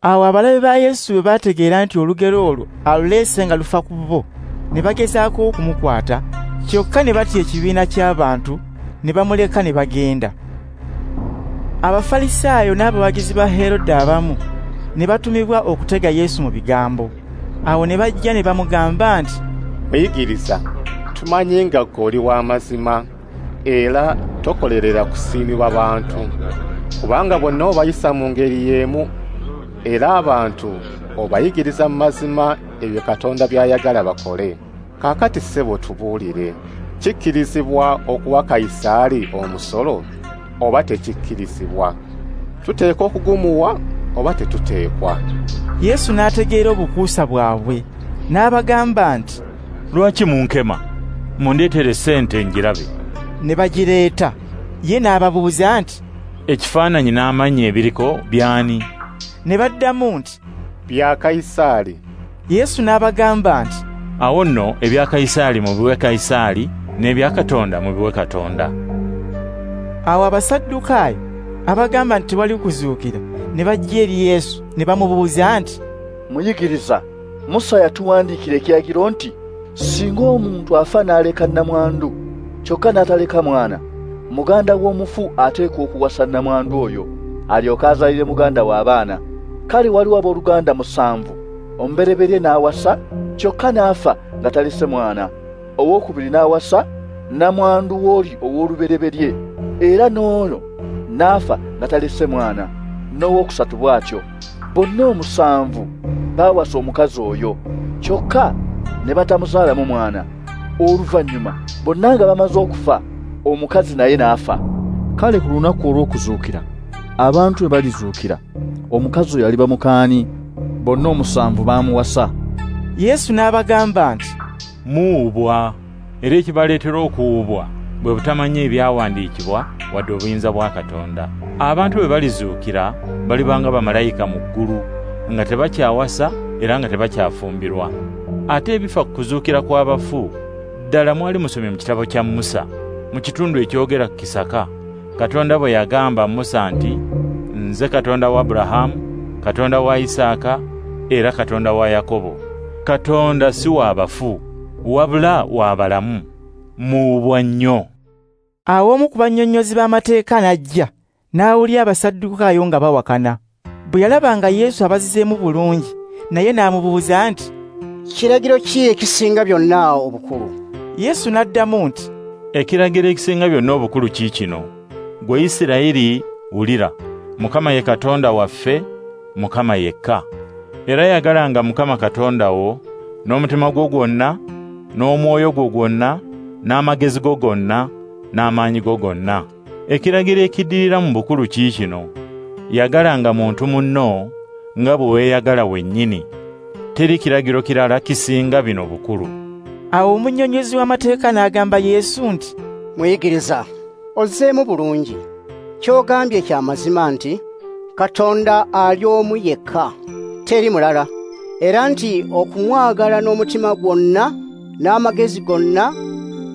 Awo abalabe ba Yesu bwe baategeera nti olugero olwo aluleese nga lufa ku bo, Ne bagezaako okumukwata, kyokka ne batya ekibiina ky'abantu, ne bamuleka ne bagenda. Abafalisaayo n'abawagizi ba Herode abamu ne batumibwa okutega Yesu mu bigambo. Awo ne bajja ne bamugamba nti, Muyigiriza, tumanyi nga ggwe oli w'amazima era tokolerera kusiimibwa bantu, kubanga bonna obayisa mu ngeri y'emu, era abantu obayigiriza mu mazima ebyo Katonda by'ayagala bakole. Kaakati ssebo tubuulire, kikkirizibwa okuwa Kayisaali omusolo oba tekikkirizibwa? Tuteekwa okugumuwa oba tetuteekwa? Yesu n'ategeera obukuusa bwabwe, n'abagamba nti, Lwaki munkema? Mundeetere ssente ngirabe. Ne bagireeta. Ye n'ababuuza nti, Ekifaananyi n'amannya ebiriko by'ani? Ne baddamu nti, Bya Kayisaali. Yesu n'abagamba nti, Awo nno ebya Kayisaali mubiwe Kayisaali, n'ebya Katonda mubiwe Katonda. Awo Abasaddukaayo abagamba nti tewali kuzuukira ne bajja eri Yesu ne bamubuuza nti, Muyigiriza, Musa yatuwandiikira ekiragiro nti singa omuntu afa n'aleka nnamwandu, kyokka n'ataleka mwana, muganda w'omufu ateekwa okuwasa nnamwandu oyo, alyoke azaalire muganda we abaana. Kale waliwo abooluganda 7, omubereberye n'awasa, kyokka n'afa nga talese mwana. Owookubiri n'awasa nnamwandu w'oli ow'olubereberye, era n'ono n'afa nga talese mwana, n'owookusatu bw'atyo. Bonna 7 baawasa omukazi oyo, kyokka ne batamuzaalamu mwana. Oluvannyuma bonna nga bamaze okufa, omukazi naye n'afa. Kale ku lunaku olw'okuzuukira, abantu bwe balizuukira, omukazi oyo aliba mukaani? Bonna 7 baamuwasa. Yesu n'abagamba nti, Muwubwa, era ekibaleetera okuwubwa bwe butamanya ebyawandiikibwa wadde obuyinza bwa Katonda. Abantu bwe balizuukira balibanga bamalayika mu ggulu, nga tebakyawasa era nga tebakyafumbirwa. Ate ebifa ku kuzuukira kw'abafu, ddala mwali musomye mu kitabo kya Musa, mu kitundu ekyogera ku kisaka, Katonda bwe yagamba Musa nti, Nze Katonda wa Aburahamu, Katonda wa Isaaka, era Katonda wa Yakobo. Katonda si wa bafu, wabula wa balamu. Muwubwa nnyo. Awo omu ku bannyonnyozi b'amateeka n'ajja, n'awulira Abasaddukaayo nga bawakana. Bwe yalaba nga Yesu abazizeemu bulungi, naye n'amubuuza nti, Kiragiro ki ekisinga byonna obukulu? Yesu n'addamu nti, Ekiragiro ekisinga byonna obukulu kiikino: Ggwe Isirayiri, wulira, Mukama ye Katonda waffe, Mukama yekka. Era yagalanga Mukama Katonda wo n'omutima gwo gwonna, n'omwoyo gwo gwonna, n'amagezi go gonna, n'amaanyi go gonna. Ekiragiro ekiddirira mu bukulu kiikino: yagalanga muntu munno nga bwe weeyagala wennyini. Teri kiragiro kirala kisinga bino bukulu. Awo omunnyonnyozi w'amateeka n'agamba Yesu nti, Muyigiriza, ozzeemu bulungi. Ky'ogambye kya mazima nti Katonda ali omu yekka, teri mulala, era nti okumwagala n'omutima gwonna, n'amagezi gonna,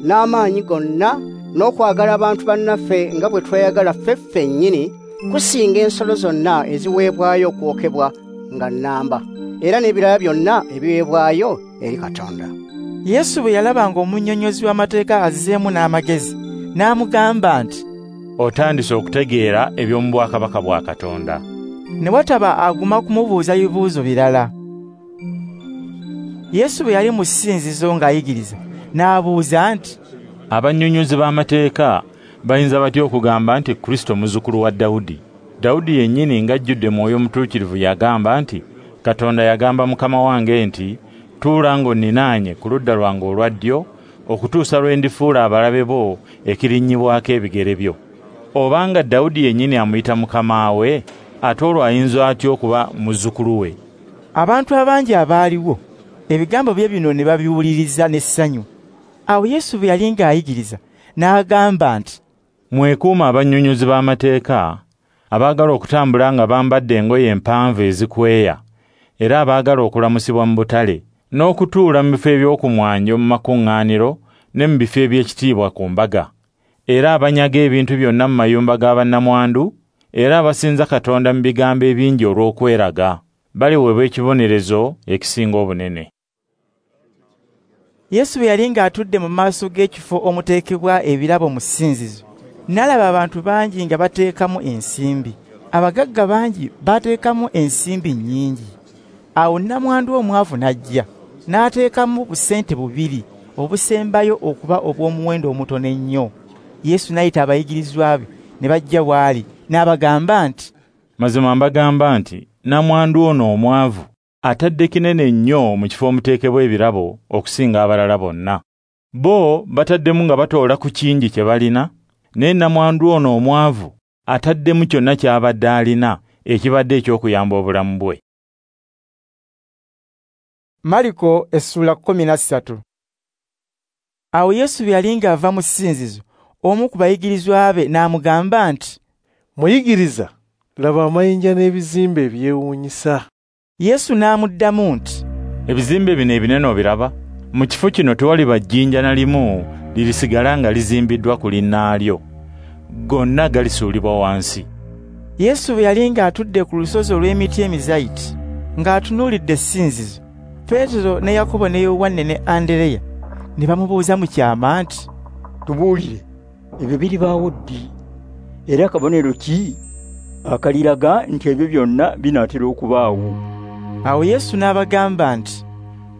n'amaanyi gonna, n'okwagala abantu bannaffe nga bwe tweyagala ffe ffennyini, kusinga ensolo zonna eziweebwayo okwokebwa nga nnamba, era n'ebirala byonna ebiweebwayo eri Katonda. Yesu bwe yalaba ng'omunnyonnyozi w'amateeka azzeemu n'amagezi, n'amugamba nti, Otandise okutegeera eby'omu bwakabaka bwa Katonda. Ne wataba aguma kumubuuza bibuuzo birala. Yesu bwe yali mu ssinzizo ng'ayigiriza, n'abuuza nti, Abannyonnyozi b'amateeka bayinza batya okugamba nti Kristo muzzukulu wa Dawudi? Dawudi yennyini ng'ajjudde Mwoyo Mutuukirivu yagamba nti, Katonda yagamba Mukama wange nti, Tuula ng'onninaanye ku ludda lwange olwa ddyo, okutuusa lwe ndifuula abalabe bo ekirinnyibwako ebigere byo. Obanga Dawudi yennyini amuyita Mukama we, ate olwo ayinza atya okuba muzzukulu we? Abantu abangi abaaliwo ebigambo bye bino ne babiwuliriza n'essanyu. Awo Yesu bwe yali ng'ayigiriza, n'agamba nti, Mwekuume abannyonnyozi b'amateeka abaagala okutambula nga bambadde engoye empanvu ezikweya, era abaagala okulamusibwa mu butale, n'okutuula mu bifo eby'okumwanjo mu makuŋŋaaniro ne mu bifo eby'ekitiibwa ku mbaga, era abanyaga ebintu byonna mu mayumba ga bannamwandu, era abasinza Katonda mu bigambo ebingi olw'okweraga, baliweebwa ekibonerezo ekisinga obunene. Yesu bwe yali ng'atudde mu maaso g'ekifo omuteekebwa ebirabo mu ssinzizo, n'alaba abantu bangi nga bateekamu ensimbi. Abagagga bangi bateekamu ensimbi nnyingi. Awo nnamwandu omwavu n'ajja, n'ateekamu busente bubiri obusembayo okuba obw'omuwendo omutono ennyo. Yesu n'ayita abayigirizwa be ne bajja w'ali, n'abagamba nti, Mazima mbagamba nti nnamwandu ono omwavu atadde kinene nnyo mu kifo omuteekebwa ebirabo okusinga abalala bonna. Bo bataddemu nga batoola ku kingi kye balina, naye nnamwandu ono omwavu ataddemu kyonna ky'abadde alina ekibadde eky'okuyamba obulamu bwe. Mariko essula 13. Awo Yesu bwe yali ng'ava mu ssinzizo, omu ku bayigirizwa be n'amugamba nti, Muyigiriza, laba amayinja n'ebizimbe ebyewuunyisa. Yesu n'amuddamu nti, Ebizimbe bino ebinene obiraba? Mu kifo kino tewaliba jjinja na limu lirisigala nga lizimbiddwa ku linnaalyo. Gonna galisuulibwa wansi. Yesu bwe yali ng'atudde ku lusozi olw'emiti emizayiti, ng'atunuulidde essinzizo, Peetero ne Yakobo ne Yowanne ne Andereya ne bamubuuza mu kyama nti, Tubuulire, ebyo biribaawo ddi? Era kabonero ki akaliraga nti ebyo byonna binaatera okubaawo? Awo Yesu n'abagamba nti,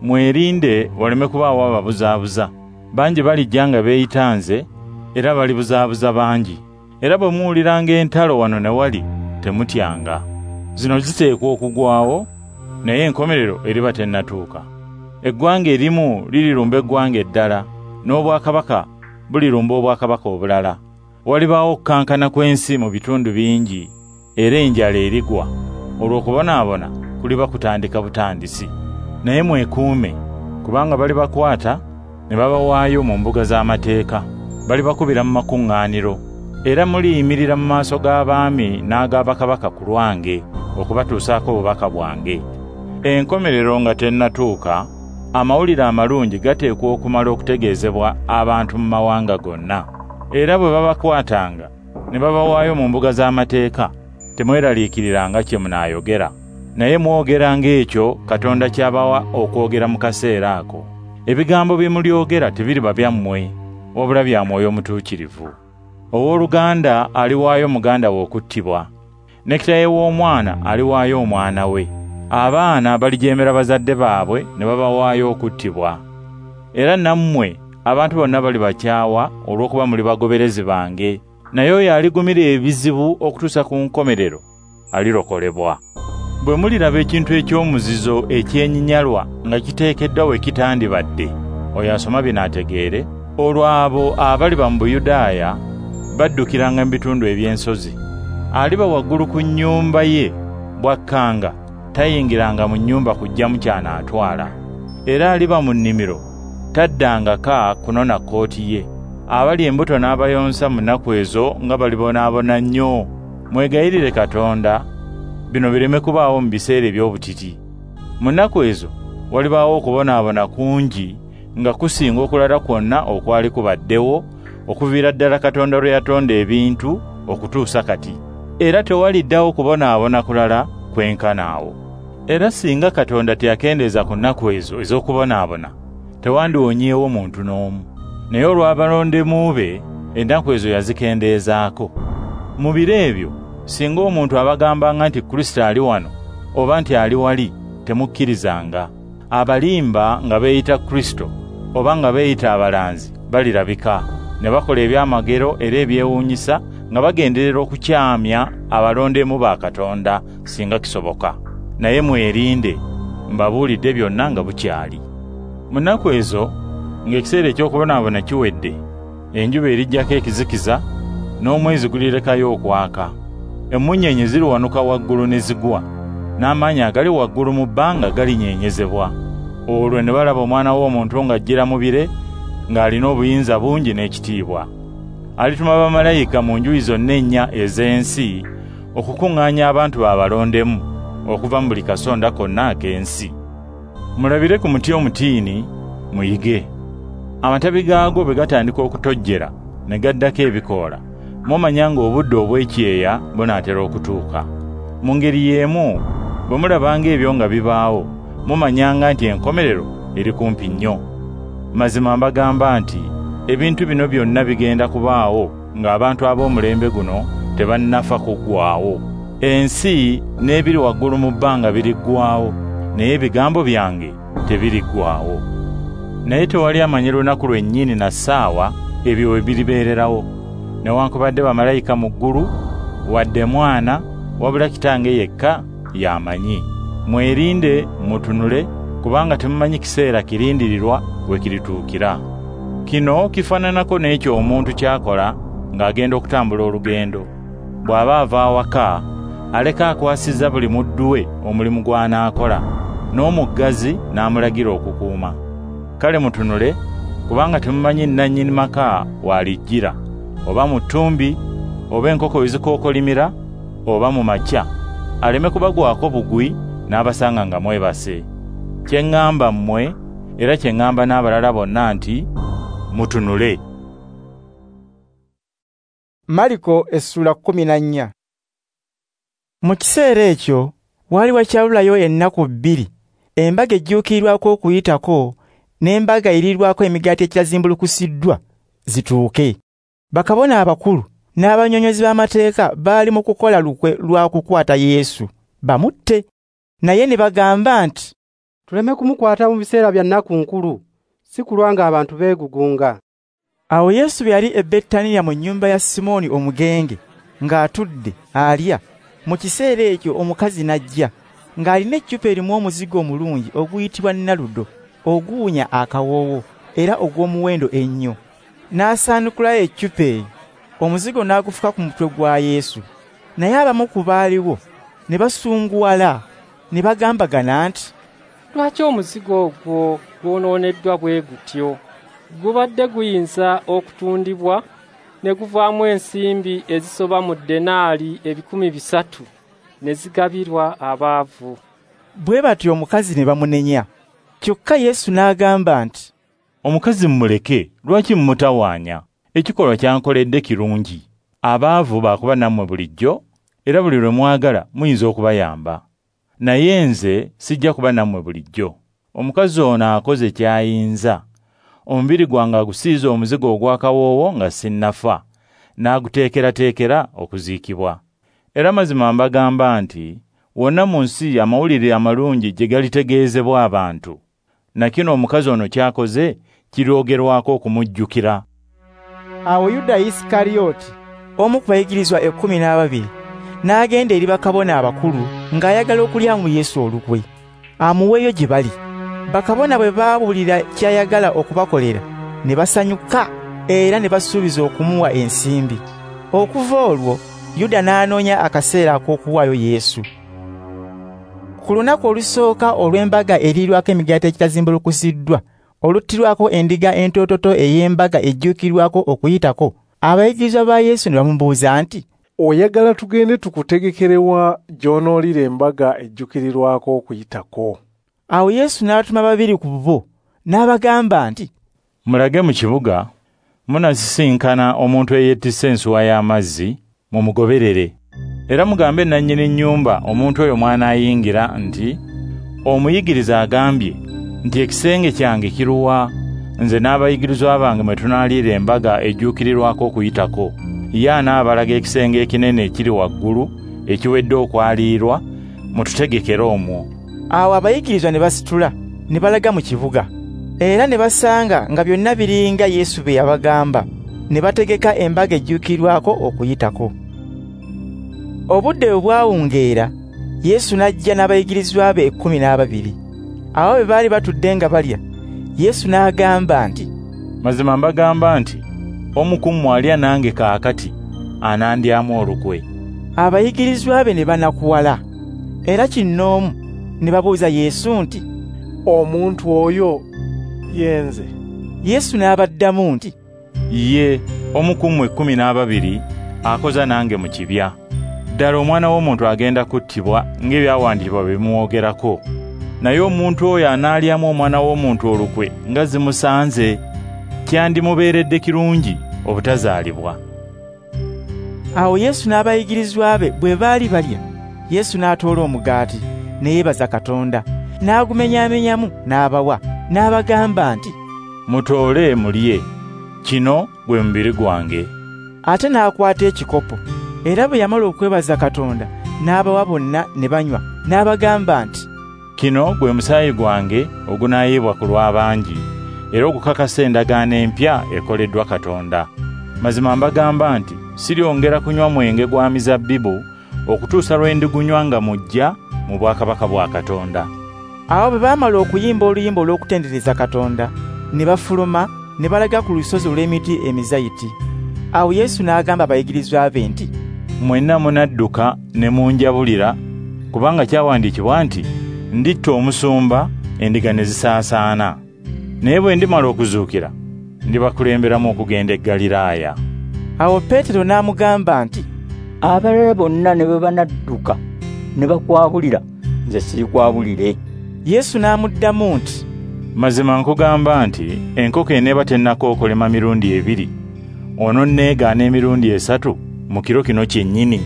Mwerinde waleme kubaawo ababuzaabuza. Bangi balijja nga beeyita nze, era balibuzaabuza bangi. Era bwe muwuliranga entalo wano ne wali, temutyanga. Zino ziteekwa okugwawo, naye enkomerero eriba tennatuuka. Eggwanga erimu lirirumba eggwanga eddala, n'obwakabaka bulirumba obwakabaka obulala. Walibaawo okukankana kw'ensi mu bitundu bingi, era enjala erigwa. Olw'okubonaabona kuliba kutandika butandisi. Naye mwekuume, kubanga balibakwata ne babawaayo mu mbuga z'amateeka, balibakubira mu makuŋŋaaniro, era muliyimirira mu maaso g'abaami n'ag'abakabaka ku lwange okubatuusaako obubaka bwange. Enkomerero nga tennatuuka, amawulire amalungi gateekwa okumala okutegeezebwa abantu mu mawanga gonna. Era bwe babakwatanga ne babawaayo mu mbuga z'amateeka, temweraliikiriranga kye munaayogera, naye mwogeranga ekyo Katonda ky'abawa okwogera mu kaseera ako. Ebigambo bye mulyogera tebiriba byammwe, wabula bya Mwoyo Mutuukirivu. Owooluganda aliwaayo muganda we okuttibwa, ne kitaawe w'omwana aliwaayo omwana we. Abaana balijeemera bazadde baabwe ne babawaayo okuttibwa. Era nammwe abantu bonna balibakyawa olw'okuba muli bagoberezi bange. Naye oyo aligumira ebizibu okutuusa ku nkomerero alirokolebwa. Bwe muliraba ekintu eky'omuzizo ekyenyinyalwa nga kiteekeddwa we kitandibadde, oyo asoma bino ategeere, olwo abo abaliba mu Buyudaaya baddukiranga mu bitundu eby'ensozi. Aliba waggulu ku nnyumba ye bw'akkanga, tayingiranga mu nnyumba kuggyamu ky'anaatwala. Era aliba mu nnimiro, taddangaka kunona kkooti ye. Abali embuto n'abayonsa mu nnaku ezo nga balibonaabona nnyo. Mwegayirire Katonda bino bireme kubaawo mu biseera eby'obutiti. Mu nnaku ezo walibaawo okubonaabona kungi nga kusinga okulala kwonna okwali kubaddewo okuviira ddala Katonda lwe yatonda ebintu okutuusa kati. Era tewaliddawo kubonaabona kulala kwenkana awo. Era singa Katonda teyakendeeza ku nnaku ezo ez'okubonaabona, tewandiwonyeewo muntu n'omu. Naye olw'abalondemu be, ennaku ezo yazikendeezaako. Mu biro ebyo, singa omuntu abagambanga nti Kristo ali wano oba nti ali wali, temukkirizanga. Abalimba nga beeyita Kristo oba nga beeyita abalanzi balirabika, ne bakola ebyamagero era ebyewuunyisa nga bagenderera okukyamya abalondemu ba Katonda singa kisoboka. Naye mwerinde, mbabuulidde byonna nga bukyali. Mu nnaku ezo, ng'ekiseera eky'okubonaabona kiwedde, enjuba erijjako ekizikiza, n'omwezi gulirekayo okwaka. Emmunyeenye ziriwanuka waggulu ne zigwa, n'amaanyi agali waggulu mu bbanga galinyeenyezebwa. Olwo ne balaba Omwana w'Omuntu ng'ajjira mu bire, ng'alina obuyinza bungi n'ekitiibwa. Alituma bamalayika mu njuyi zonna ennya ez'ensi okukuŋŋaanya abantu be abalondemu okuva mu buli kasonda konna ak'ensi. Mulabire ku muti omutiini, muyige. Amatabi gaagwo bwe gatandika okutojjera ne gaddako ebikoola, mumanya ng'obudde obw'ekyeya bunaatera okutuuka. Mu ngeri y'emu, bwe mulabanga ebyo nga bibaawo, mumanyanga nti enkomerero eri kumpi nnyo. Mazima mbagamba nti ebintu bino byonna bigenda kubaawo ng'abantu ab'omulembe guno tebannafa kuggwaawo. Ensi n'ebiri waggulu mu bbanga biriggwaawo, naye ebigambo byange tebiriggwaawo. Naye tewali amanyi lunaku lwennyini na ssaawa ebyo we biribeererawo, newankubadde bamalayika mu ggulu, wadde mwana, wabula Kitange yekka y'amanyi. Mwerinde mutunule, kubanga temumanyi kiseera kirindirirwa we kirituukira. Kino kifaananako n'ekyo omuntu ky'akola ng'agenda okutambula olugendo. Bw'aba ava awaka, aleka akwasizza buli muddu we omulimu gw'anaakola, n'omuggazi n'amulagira okukuuma. Kale mutunule, kubanga temumanyi nnannyini maka w'alijjira, oba mu ttumbi, oba enkoko we zikookolimira, oba mu makya, aleme kubagwako bugwi n'abasanga nga mwebase. Kye ŋŋamba mmwe, era kye ŋŋamba n'abalala bonna nti mutunule. Mariko essula 14. Mu kiseera ekyo waali wakyabulayo ennaku 2 embaga ejjuukirirwako okuyitako n'embaga eriirwako emigaati egitazimbulukusiddwa zituuke. Bakabona abakulu n'abannyonnyozi b'amateeka baali mu kukola lukwe lwa kukwata Yesu bamutte, naye ne bagamba nti tuleme kumukwata mu biseera bya nnaku nkulu, si kulwa ng'abantu beegugunga. Awo Yesu bwe yali e Betaniya mu nnyumba ya Simooni omugenge ng'atudde alya, mu kiseera ekyo omukazi n'ajja ng'alina eccupa erimu omuzigo omulungi oguyitibwa naludo, oguwunya akawoowo era ogw'omuwendo ennyo. N'asaanukulayo eccupa eyo, omuzigo n'agufuka ku mutwe gwa Yesu. Naye abamu ku baaliwo ne basunguwala ne bagambagana nti, lwaki omuzigo ogwo gwonooneddwa bwe gutyo? Gubadde guyinza okutundibwa ne guvaamu ensimbi ezisoba mu denaali 300 ne zigabirwa abaavu. Bwe batyo omukazi ne bamunenya. Kyokka Yesu n'agamba nti, omukazi mmuleke, lwaki mmutawaanya? Ekikolwa kyankoledde kirungi. Abaavu baakuba nammwe bulijjo, era buli lwe mwagala muyinza okubayamba. Naye nze sijja kuba nammwe bulijjo. Omukazi ono akoze ky'ayinza. Omubiri gwange agusiize omuzigo ogw'akawoowo nga sinnafa, n'aguteekerateekera okuziikibwa. Era mazima mbagamba nti wonna mu nsi amawulire amalungi gye galitegeezebwa abantu, na kino omukazi ono ky'akoze kiryogerwako okumujjukira. Awo Yuda Isikariyoti, omu ku bayigirizwa 12, n'agenda eri bakabona abakulu ng'ayagala okulyamu Yesu olukwe, amuweeyo gye bali. Bakabona bwe baawulira ky'ayagala okubakolera, ne basanyuka era ne basuubiza okumuwa ensimbi. Okuva olwo Yuda n'anoonya akaseera ak'okuwaayo Yesu. Ku lunaku olusooka olw'embaga eriirwako emigaati egitazimbulukusiddwa, oluttirwako endiga entoototo ey'embaga ejjuukirwako okuyitako, abayigirizwa ba Yesu ne bamubuuza nti, oyagala tugende tukutegekerewa gy'onoolira embaga ejjuukirirwako okuyitako? Awo Yesu n'atuma 2 ku bo n'abagamba nti, mulage mu kibuga, munasisinkana omuntu eyettisse ensuwa y'amazzi, mumugoberere. Era mugambe nannyini nnyumba omuntu oyo mw'anaayingira nti, omuyigiriza agambye nti ekisenge kyange kiruwa, nze n'abayigirizwa bange mwe tunaaliira embaga ejjuukirirwako okuyitako. Ye anaabalaga ekisenge ekinene ekiri waggulu ekiwedde okwaliirwa, mututegekere omwo. Awo abayigirizwa ne basitula ne balaga mu kibuga, era ne basanga nga byonna biringa Yesu bwe yabagamba, ne bategeka embaga ejjuukirwako okuyitako. Obudde bwe bwawungeera, Yesu n'ajja n'abayigirizwa be 12. Awo bwe baali batudde nga balya, Yesu n'agamba nti, mazima mbagamba nti omu ku mmwe alya nange kaakati anandyamu olukwe. Abayigirizwa be ne banakuwala, era kinnoomu ne babuuza Yesu nti, omuntu oyo ye nze? Yesu n'abaddamu nti, ye omu ku mmwe 12 akoza nange mu kibya. Ddala omwana w'omuntu agenda kuttibwa ng'ebyawandiikibwa bwe bimwogerako. Naye omuntu oyo anaalyamu omwana w'omuntu olukwe nga zimusanze, kyandimubeeredde kirungi obutazaalibwa. Awo Yesu n'abayigirizwa be bwe baali balya, Yesu n'atoola omugaati ne yeebaza Katonda, n'agumenyaamenyamu n'abawa, n'abagamba nti, "Mutoole mulye, kino gwe mubiri gwange." Ate n'akwata ekikopo, era bwe yamala okwebaza Katonda, n'abawa bonna ne banywa, n'abagamba nti, "Kino gwe musaayi gwange ogunaayiibwa ku lw'abangi, era ogukakasa endagaano empya ekoleddwa Katonda. Mazima mbagamba nti siryongera kunywa mwenge gwa mizabbibu okutuusa lwe ndigunywa nga mujja mu bwakabaka bwa Katonda." Awo bwe baamala okuyimba oluyimba olw'okutendereza Katonda, ne bafuluma ne balaga ku lusozi olw'emiti emizayiti. Awo Yesu n'agamba abayigirizwa be nti, "Mwenna munadduka ne munjabulira, kubanga kyawandiikibwa nti, nditta omusumba, endiga ne zisaasaana. Naye bwe ndimala okuzuukira, ndibakulemberamu okugenda e Ggaliraaya." Awo Peetero n'amugamba nti, "Abalala bonna ne bwe banadduka ne bakwabulira, nze sirikwabulire." Yesu n'amuddamu nti, "Mazima nkugamba nti enkoko eneeba tennakookolema mirundi ebiri, ononneegaana emirundi 3 mu kiro kino kyennyini."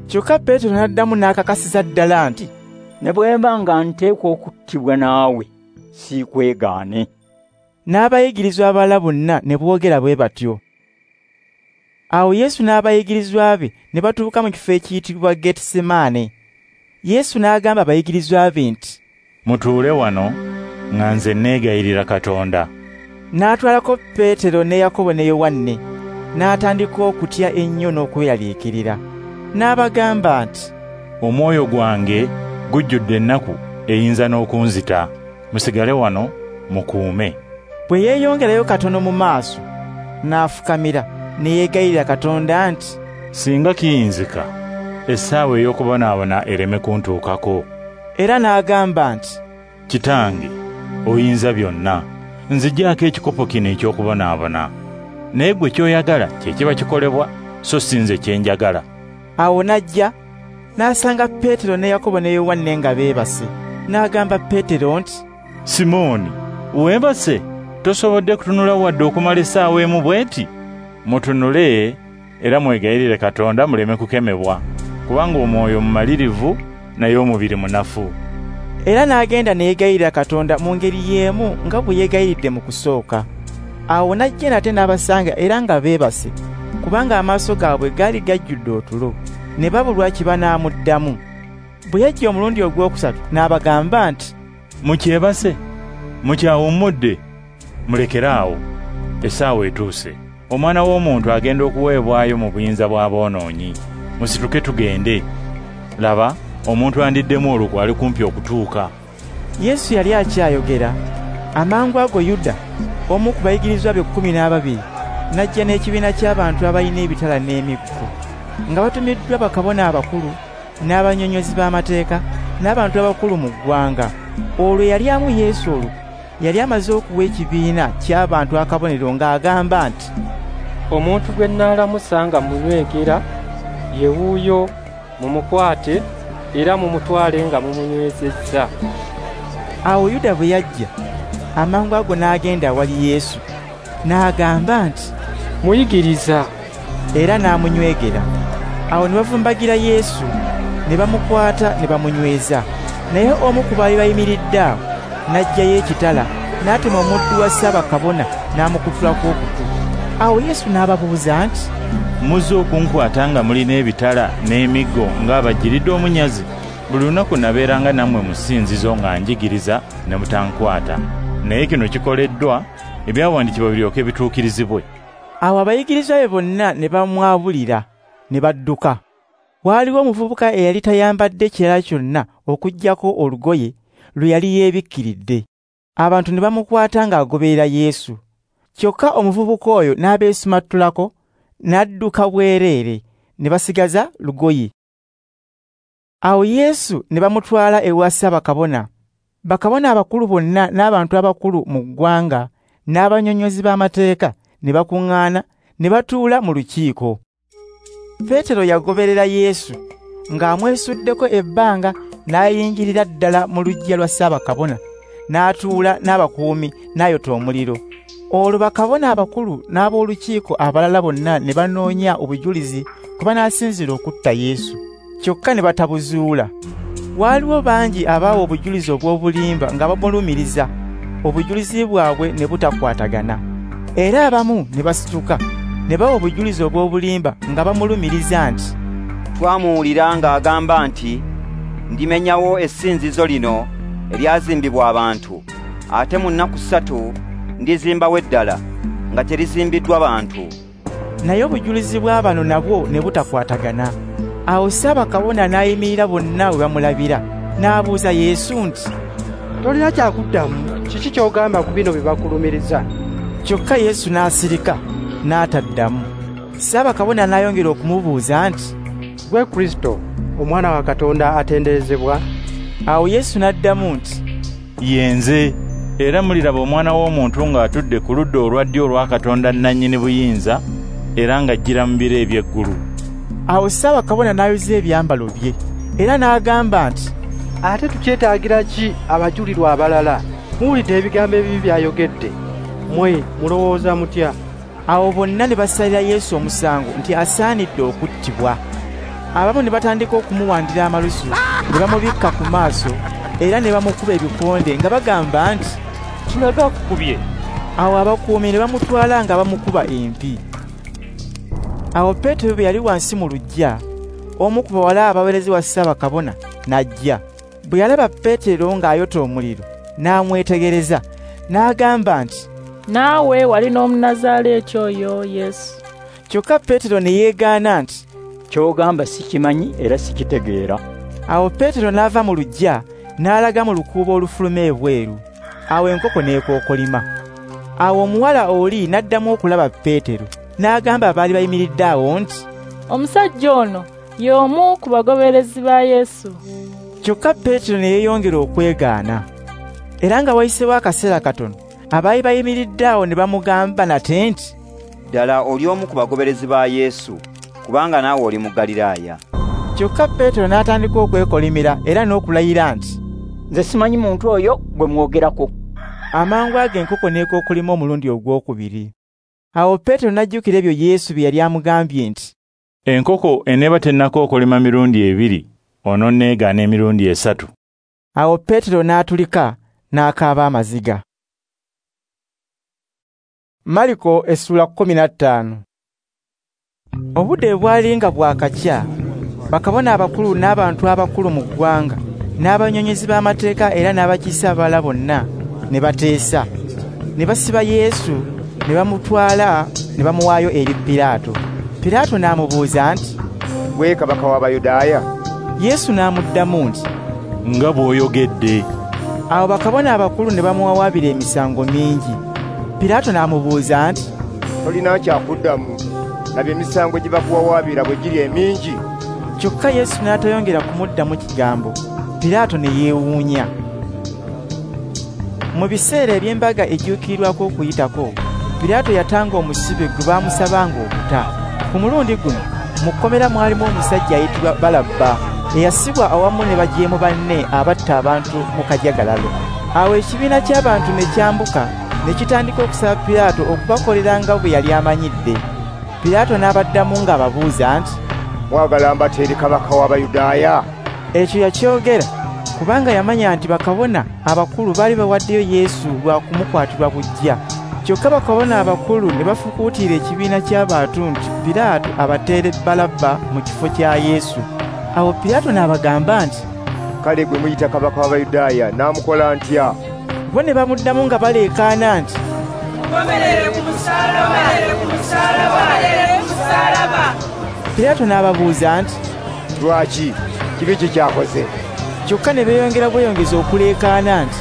Kyokka Peetero n'addamu n'akakasiza ddala nti, "Ne bwe mba nga nteekwa okuttibwa naawe, siikwegaane." N'abayigirizwa abalala bonna ne boogera bwe batyo. Awo Yesu n'abayigirizwa be ne batuuka mu kifo ekiyitibwa Getsemane. Yesu n'agamba abayigirizwa be nti, "Mutuule wano nga nze neegayirira Katonda." N'atwalako Peetero ne Yakobo ne Yowanne, n'atandika okutya ennyo n'okweraliikirira. N'abagamba nti, "Omwoyo gwange gujjudde ennaku eyinza n'okunzita. Musigale wano mukuume." Bwe yeeyongerayo katono mu maaso, n'afukamira ne yeegayirira Katonda nti, "Singa kiyinzika, essaawa ey'okubonaabona ereme kuntuukako." Era n'agamba nti, "Kitange, oyinza byonna, nziggyako ekikopo kino eky'okubonaabona. Naye ggwe ky'oyagala kye kiba kikolebwa, so si nze kye njagala." Awo n'ajja n'asanga Peetero ne Yakobo ne Yowanne nga beebase. N'agamba Peetero nti, "Simooni, weebase? Tosobodde kutunula wadde okumala essaawa emu bw'eti? Mutunule era mwegayirire Katonda muleme kukemebwa, kubanga omwoyo mumalirivu naye omubiri munafu." Era n'agenda ne yeegayirira Katonda mu ngeri y'emu nga bwe yeegayiridde mu kusooka. Awo n'ajja nate n'abasanga era nga beebase, kubanga amaaso gaabwe gaali gajjudde otulo, ne babulwa kye banaamuddamu. Bwe yajja omulundi ogwokusatu n'abagamba nti, "Mukyebase, mukyawummudde, mulekere awo, essaawa etuuse. Omwana w'omuntu agenda okuweebwayo mu buyinza bw'aboonoonyi. Musituke tugende. Laba, omuntu andiddemu olukwe ali kumpi okutuuka." Yesu yali akyayogera, amangu ago Yuda, omu ku bayigirizwa be 12, n'ajja n'ekibiina ky'abantu abalina ebitala n'emiggo, nga batumiddwa bakabona abakulu n'abannyonnyozi b'amateeka n'abantu abakulu mu ggwanga. Olwo yali amu Yesu olukwe yali amaze okuwa ekibiina ky'abantu akabonero ng'agamba nti, "Omuntu gwe nnaalamusa nga munywegera ye wuuyo, mumukwate era mumutwale nga mumunywezezza." Awo Yuda bwe yajja, amangu ago n'agenda awali Yesu, n'agamba nti, "Muyigiriza," era n'amunywegera. Awo ne bavumbagira Yesu, ne bamukwata ne bamunyweza. Naye omu ku baali bayimiridde awo n'aggyayo ekitala, n'atema omuddu wa Ssaabakabona n'amukutulako okutu. Awo Yesu n'ababuuza nti, "Muzze okunkwata nga mulina ebitala n'emiggo ng'abajjiridde omunyazi? Buli lunaku nabeeranga nammwe mu ssinzizo nga njigiriza ne mutankwata. Naye kino kikoleddwa ebyawandiikibwa biryoke bituukirizibwe." Awo abayigirizwa be bonna ne bamwabulira ne badduka. Waaliwo omuvubuka eyali tayambadde kirala kyonna okuggyako olugoye lwe yali yeebikkiridde. Abantu ne bamukwata ng'agoberera Yesu. Kyokka omuvubuka oyo n'abeesumattulako n'adduka bwereere, ne basigaza lugoye. Awo Yesu ne bamutwala ewa Ssaabakabona. Bakabona abakulu bonna n'abantu abakulu mu ggwanga n'abannyonnyozi b'amateeka ne bakuŋŋaana ne batuula mu lukiiko. Peetero yagoberera Yesu ng'amwesuddeko ebbanga n'ayingirira ddala mu luggya lwa Ssaabakabona, n'atuula n'abakuumi n'ayota omuliro. Olwo bakabona abakulu n'ab'olukiiko abalala bonna ne banoonya obujulizi ku banaasinziira okutta Yesu, kyokka ne batabuzuula. Waaliwo bangi abaawa obujulizi obw'obulimba nga bamulumiriza, Obujulizi bwabwe ne butakwatagana. Era abamu ne basituka ne bawa obujulizi obw'obulimba nga bamulumiriza nti, "Twamuwulira ng'agamba nti, ndimenyawo essinzizo lino eryazimbibwa abantu, ate mu nnaku 3 ndizimbawo eddala nga terizimbiddwa bantu." Naye obujulizi bwa bano nabwo ne butakwatagana. Awo Ssaabakabona n'ayimirira bonna we bamulabira, n'abuuza Yesu nti, "Tolina kyakuddamu? Kiki ky'ogamba ku bino bye bakulumiriza?" Kyokka Yesu n'asirika, n'ataddamu. Ssaabakabona n'ayongera okumubuuza nti, "Gwe Kristo, Omwana wa Katonda atenderezebwa?" Awo Yesu n'addamu nti, "Ye nze, era muliraba Omwana w'Omuntu ng'atudde ku ludda olwa ddyo olwa Katonda nnannyini buyinza, era ng'ajjira mu biro eby'eggulu." Awo Ssaabakabona n'ayuza ebyambalo bye, era n'agamba nti, "Ate tukyetaagira ki abajulirwa abalala? Muwulidde ebigambo ebibi by'ayogedde. Mmwe mulowooza mutya?" Awo bonna ne basalira Yesu omusango nti asaanidde okuttibwa. Abamu ne batandika okumuwandira amalusu, ne bamubikka ku maaso, era ne bamukuba ebikonde nga bagamba nti, "Tulaga akukubye." Awo abakuumi ne bamutwala nga bamukuba empi. Awo Peetero bwe yali wansi mu luggya, omu ku bawala abaweerezi wa Ssaabakabona n'ajja. Bwe yalaba Peetero ng'ayota omuliro, n'amwetegereza, n'agamba nti, "Naawe wali n'Omunazaaleeti oyo Yesu." Kyokka Peetero ne yeegaana nti, "Ky'ogamba sikimanyi era sikitegeera." Awo Peetero n'ava mu luggya n'alaga mu lukuubo olufuluma ebweru. Awo enkoko n'ekookolima. Awo omuwala oli n'addamu okulaba Peetero, n'agamba abaali bayimiridde awo nti, "Omusajja ono y'omu ku bagoberezi ba Yesu." Kyokka Peetero ne yeeyongera okwegaana. Era nga wayiseewo akaseera katono, abaali bayimiridde awo ne bamugamba nate nti, "Ddala oli omu ku bagoberezi ba Yesu, kubanga naawe oli mu Ggaliraaya." Kyokka Peetero n'atandika okwekolimira era n'okulayira nti, "Nze simanyi muntu oyo gwe mwogerako." Amangu ago enkoko n'ekookolima omulundi ogwokubiri. Awo Peetero n'ajjukira ebyo Yesu bye yali amugambye nti, "Enkoko eneeba tennakookolima mirundi 2, ononneegaana emirundi 3. Awo Peetero n'atulika n'akaaba amaziga. Mariko essula 15. Obudde bwali nga bwakakya, bakabona abakulu n'abantu abakulu mu ggwanga, n'abanyonyezi b'amateeka era n'abakiise abalala bonna ne bateesa. Ne basiba Yesu, ne bamutwala ne bamuwaayo eri Piraato. Piraato n'amubuuza nti, "Gwe kabaka w'Abayudaaya?" Yesu n'amuddamu nti, "Nga bw'oyogedde." Awo bakabona abakulu ne bamuwawaabira emisango mingi. Piraato n'amubuuza nti, "Tolina kyakuddamu? Laba emisango gye bakuwawaabira bwe giri emingi." Kyokka Yesu n'atayongera kumuddamu kigambo. Piraato ne yeewuunya. Mu biseera eby'embaga ejjuukirirwako Okuyitako, Piraato yatanga omusibe gwe baamusabanga okuta. Ku mulundi guno mu kkomera mwalimu omusajja ayitibwa Balabba, eyasibwa awamu ne bajeemu banne abatta abantu mu kajagalalo. Awo ekibiina ky'abantu ne kyambuka ne kitandika okusaba Piraato okubakolera nga bwe yali amanyidde. Piraato n'abaddamu ng'ababuuza nti, "Mwagala mbateere kabaka w'Abayudaaya?" Ekyo yakyogera kubanga yamanya nti bakabona abakulu baali bawaddeyo Yesu lwa kumukwatirwa buggya. Kyokka bakabona abakulu ne bafukuutira ekibiina ky'abantu nti Piraato abateere Balabba mu kifo kya Yesu. Awo Piraato n'abagamba nti, "Kale gwe muyita kabaka w'Abayudaaya naamukola ntya?" Bo ne bamuddamu nga baleekaana nti, "Mukomerere ku musaalaba! Ku musaalaba! Ku musaalaba!" Piraato n'ababuuza nti, "Lwaki? Kibi ki ky'akoze?" Kyokka ne beeyongera bweyongeza okuleekaana nti,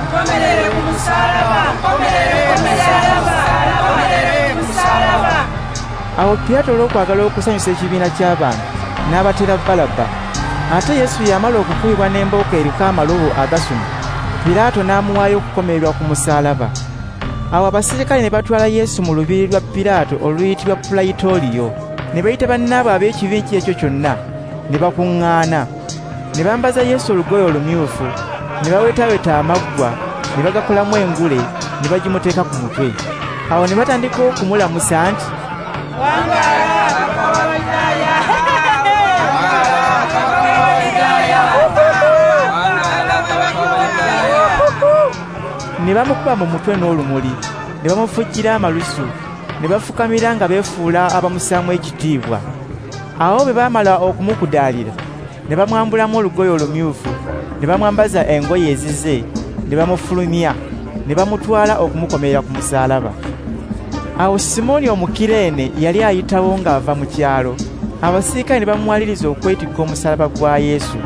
"Mukomerere ku musaalaba! Mukomerere ku musaalaba! Mukomerere ku musaalaba!" Awo Piraato olw'okwagala okusanyusa ekibiina ky'abantu n'abatera Balabba. Ate Yesu yamala okukubibwa n'embooko eriko amalobo agasuma, Piraato n'amuwaayo okukomererwa ku musaalaba. Awo abasirikale ne batwala Yesu mu lubiri lwa Piraato oluyitibwa Pulayitoliyo, ne bayita bannaabwe ab'ekibiina ekyo kyonna, ne bakuŋŋaana. Ne bambaza Yesu olugoye olumyufu, ne bawetaaweta amaggwa, ne bagakolamu engule, ne bagimuteeka ku mutwe. Awo ne batandika okumulamusa nti, "Wangaala kabaka w'Abayudaaya! Wangaala kabaka w'Abayudaaya! Wangaala kabaka w'Abayudaaya!" Ne bamukuba mu mutwe n'olumuli, ne bamufujjira amalusu, ne bafukamira nga beefuula abamussaamu ekitiibwa. Awo bwe baamala okumukudaalira, ne bamwambulamu olugoye olumyufu, ne bamwambaza engoye ezize, ne bamufulumya, ne bamutwala okumukomerera ku musaalaba. Awo Simooni Omukireene yali ayitawo ng'ava mu kyalo, abasirikale ne bamuwaliriza okwetikka omusaalaba gwa Yesu.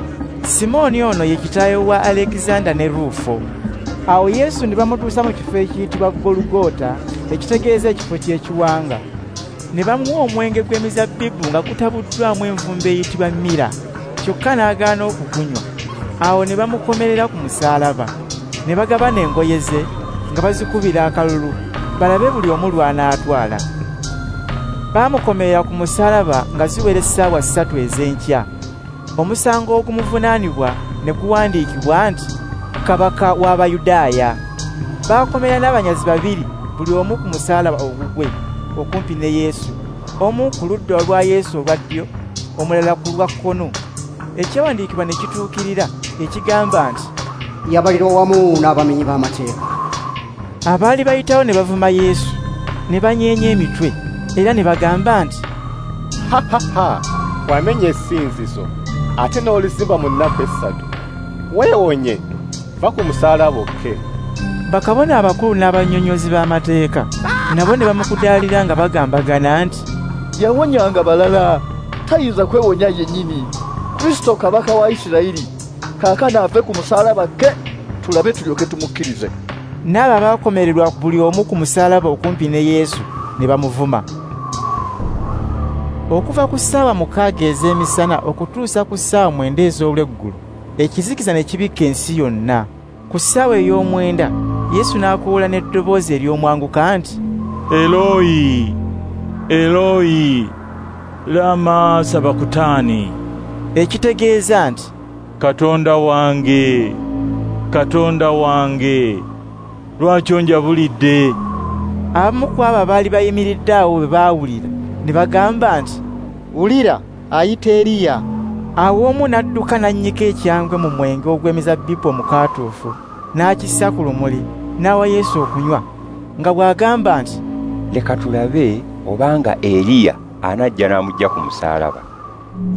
Simooni ono ye kitaawe wa Alekizanda ne Ruufo. Awo Yesu ne bamutuusa mu kifo ekiyitibwa Golugota, ekitegeeza ekifo ky'ekiwanga. Ne bamuwa omwenge gw'emizabbibu nga gutabuddwamu envumbo eyitibwa mira, kyokka n'agaana okugunywa. Awo ne bamukomerera ku musaalaba, ne bagabana engoye ze nga bazikubira akalulu, balabe buli omu lw'anaatwala. Baamukomerera ku musaalaba nga ziwera essaawa 3 ez'enkya. Omusango ogumuvunaanibwa ne guwandiikibwa nti, Kabaka w'Abayudaaya. Baakomera n'abanyazi babiri, buli omu ku musaalaba ogugwe, okumpi ne Yesu, omu ku ludda olwa Yesu olwa ddyo, omulala ku lwa kkono. Ekyawandiikibwa ne kituukirira ekigamba nti, Yabalirwa wamu n'abamenyi b'amateeka. Abaali bayitawo ne bavuma Yesu, ne banyeenya emitwe, era ne bagamba nti, Ha ha ha, wamenya essinzizo, ate n'olizimba mu nnaku 3. Weewonye, va ku musaalaba okke. Bakabona abakulu n'abannyonnyozi b'amateeka nabo ne bamukudaalira nga bagambagana nti, Yawonyanga balala, tayinza kwewonya yennyini. Kristo kabaka wa Isirayiri, kaakano ave ku musaalaba ke, tulabe tulyoke tumukkirize. N'abo abaakomererwa buli omu ku musaalaba okumpi ne Yesu ne bamuvuma. Okuva ku ssaawa 6 ez'emisana okutuusa ku ssaawa 9 ez'olweggulo, ekizikiza ne kibikka ensi yonna. Ku ssaawa ey'omwenda, Yesu n'akoowoola n'eddoboozi ery'omwanguka nti, Eloyi, Eloyi, lama sabakutani, ekitegeeza nti, Katonda wange, Katonda wange, lwaki onjabulidde? Abamu ku abo abaali bayimiridde awo bwe baawulira, ne bagamba nti, Wulira, ayita Eriya. Awo omu n'adduka n'annyika ekyangwe mu mwenge ogw'emizabbibu omukaatuufu, n'akissa ku lumuli, n'awa Yesu okunywa, nga bw'agamba nti, Leka tulabe obanga Eriya anajja n'amuggya ku musaalaba.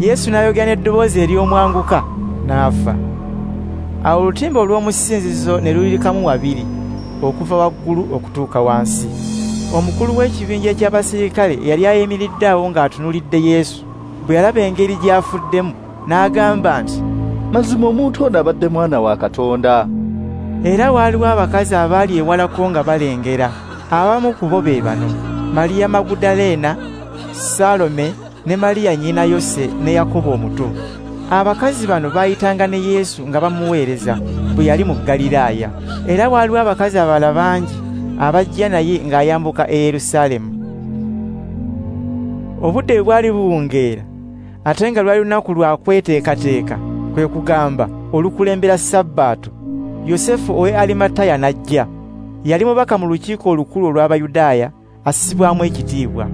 Yesu n'ayogera n'eddoboozi ery'omwanguka, n'afa. Awo olutimbe olw'omu ssinzizo ne luyulikamu wabiri, okuva waggulu okutuuka wansi. Omukulu w'ekibinja eky'abasirikale yali ayimiridde awo ng'atunuulidde Yesu, bwe yalaba engeri gy'afuddemu, n'agamba nti, Mazima omuntu ono abadde mwana wa Katonda. Era waaliwo abakazi abaali ewalako nga balengera. Abamu ku bo be bano: Mariya Magudaleena, Salome ne Mariya nnyina Yose ne Yakobo omuto. Abakazi bano baayitanga ne Yesu nga bamuweereza bwe yali mu Ggaliraaya. Era waaliwo abakazi abalala bangi abajja naye ng'ayambuka e Yerusaalemu. Obudde bwe bwali buwungeera, ate nga lwali lunaku lwa kweteekateeka, kwe kugamba olukulembera Sabbaato, Yosefu ow'e Arimataya n'ajja. Yali mubaka mu lukiiko olukulu olw'Abayudaaya, assibwamu ekitiibwa.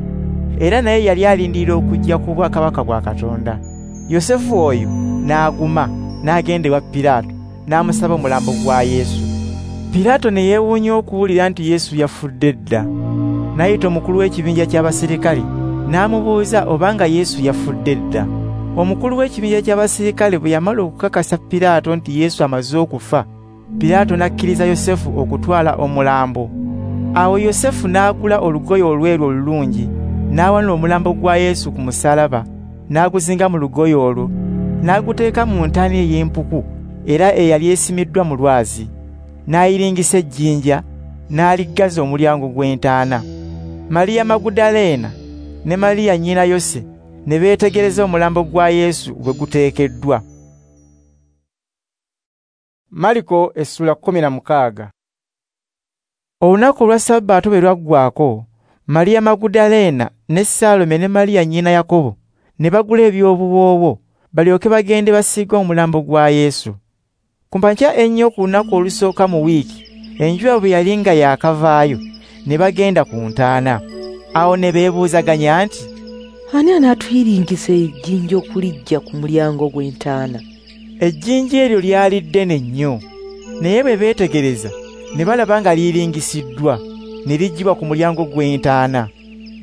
Era naye yali alindirira okujja ku bwakabaka bwa Katonda. Yosefu oyo n'aguma, n'agenda ewa Piraato, n'amusaba omulambo gwa Yesu. Piraato ne yeewuunya okuwulira nti Yesu yafudde dda. N'ayita omukulu w'ekibinja ky'abasirikale, n'amubuuza obanga Yesu yafudde dda. Omukulu w'ekibinja ky'abasirikale bwe yamala okukakasa Piraato nti Yesu amaze okufa, Piraato n'akkiriza Yosefu okutwala omulambo. Awo Yosefu n'agula olugoye olweru olulungi, n'awanula omulambo gwa Yesu ku musaalaba, n'aguzinga mu lugoye olwo, n'aguteeka mu ntaana ey'empuku era eyali esimiddwa mu lwazi. N'ayiringisa ejjinja, n'aliggaza omulyango gw'entaana. Mariya Magudaleena ne Mariya nnyina Yose ne beetegereza omulambo gwa Yesu bwe guteekeddwa. Mariko essula 16. Olunaku olwa Sabbaato bwe lwaggwaako, Mariya Magudaleena ne Salome ne Mariya nnyina Yakobo ne bagula eby'obuwoowo balyoke bagende basiige omulambo gwa Yesu. Ku makya ennyo ku lunaku olusooka mu wiiki, enjuba bwe yali nga yaakavaayo, ne bagenda ku ntaana. Awo ne beebuuzaganya nti, Ani anaatuyiringisa ejjinja okuliggya ku mulyango gw'entaana? Ejjinja eryo lyali ddene nnyo, naye bwe beetegereza Ne balaba nga liyiringisiddwa, ne liggyibwa ku mulyango gw'entaana.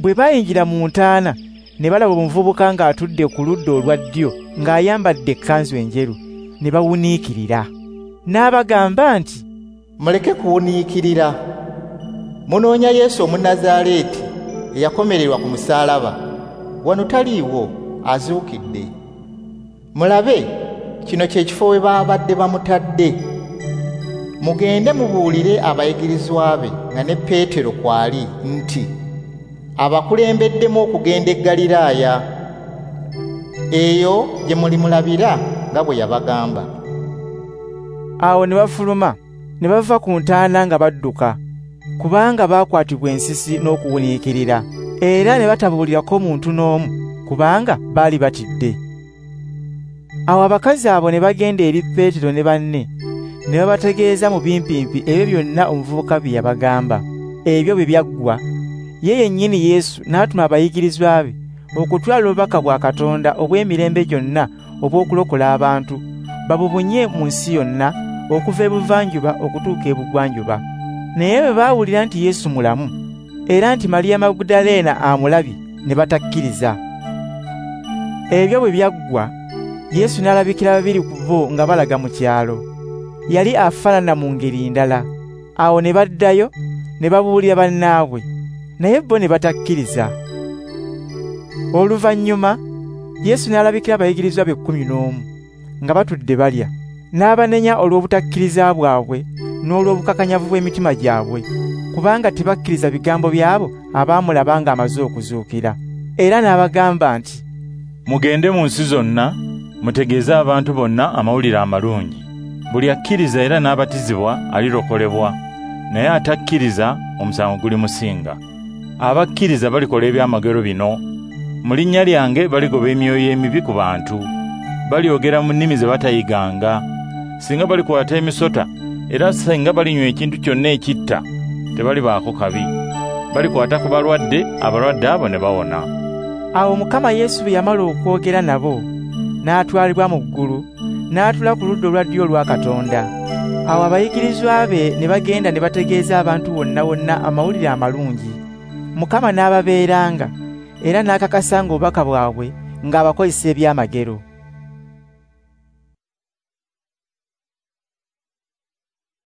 Bwe bayingira mu ntaana, ne balaba omuvubuka ng'atudde ku ludda olwa ddyo ng'ayambadde ekkanzu enjeru, ne bawuniikirira. N'abagamba nti, "Muleke kuwuniikirira. Munoonya Yesu Omunnazaaleeti eyakomererwa ku musaalaba. Wano taliiwo, azuukidde. Mulabe, kino kye kifo we baabadde bamutadde. Mugende mubuulire abayigirizwa be nga ne Peetero kw'ali nti, abakulembeddemu okugenda e Ggaliraaya. Eyo gye mulimulabira nga bwe yabagamba." Awo ne bafuluma, ne bava ku ntaana nga badduka, kubanga baakwatibwa ensisi n'okuwuniikirira, era ne batabuulirako muntu n'omu, kubanga baali batidde. Awo abakazi abo ne bagenda eri Peetero ne banne, ne babategeeza mu bimpimpi ebyo byonna omuvubuka bye yabagamba. Ebyo bwe byaggwa, ye yennyini Yesu n'atuma abayigirizwa be okutwala obubaka bwa Katonda obw'emirembe gyonna obw'okulokola abantu, babubunye mu nsi yonna okuva ebuvanjuba okutuuka ebugwanjuba. Naye bwe baawulira nti Yesu mulamu, era nti Mariya Magudaleena amulabye, ne batakkiriza. Ebyo bwe byaggwa, Yesu n'alabikira babiri ku bo nga balaga mu kyalo. Yali afaanana mu ngeri ndala. Awo ne baddayo ne babuulira bannaabwe, naye bo ne batakkiriza. Oluvannyuma Yesu n'alabikira abayigirizwa be 11 nga batudde balya, n'abanenya olw'obutakkiriza bwabwe n'olw'obukakanyavu bw'emitima gyabwe, kubanga tebakkiriza bigambo byabo abaamulaba ng'amaze okuzuukira. Era n'abagamba nti, "Mugende mu nsi zonna, mutegeeze abantu bonna amawulire amalungi. Buli akkiriza era n'abatizibwa alirokolebwa, naye atakkiriza omusango gulimusinga. Abakkiriza balikola ebyamagero bino: mu linnya lyange baligoba emyoyo emibi ku bantu, balyogera mu nnimi ze batayiganga, singa balikwata emisota, era singa balinywa ekintu kyonna ekitta, tebalibaako kabi. Balikwata ku balwadde, abalwadde abo ne bawona." Awo Mukama Yesu bwe yamala okwogera nabo, n'atwalibwa mu ggulu, n'atula ku ludda olwa ddyo olwa Katonda. Awo abayigirizwa be ne bagenda ne bategeeza abantu wonna wonna amawulire amalungi. Mukama n'ababeeranga, era n'akakasanga obubaka bwabwe ng'abakozesa ebyamagero.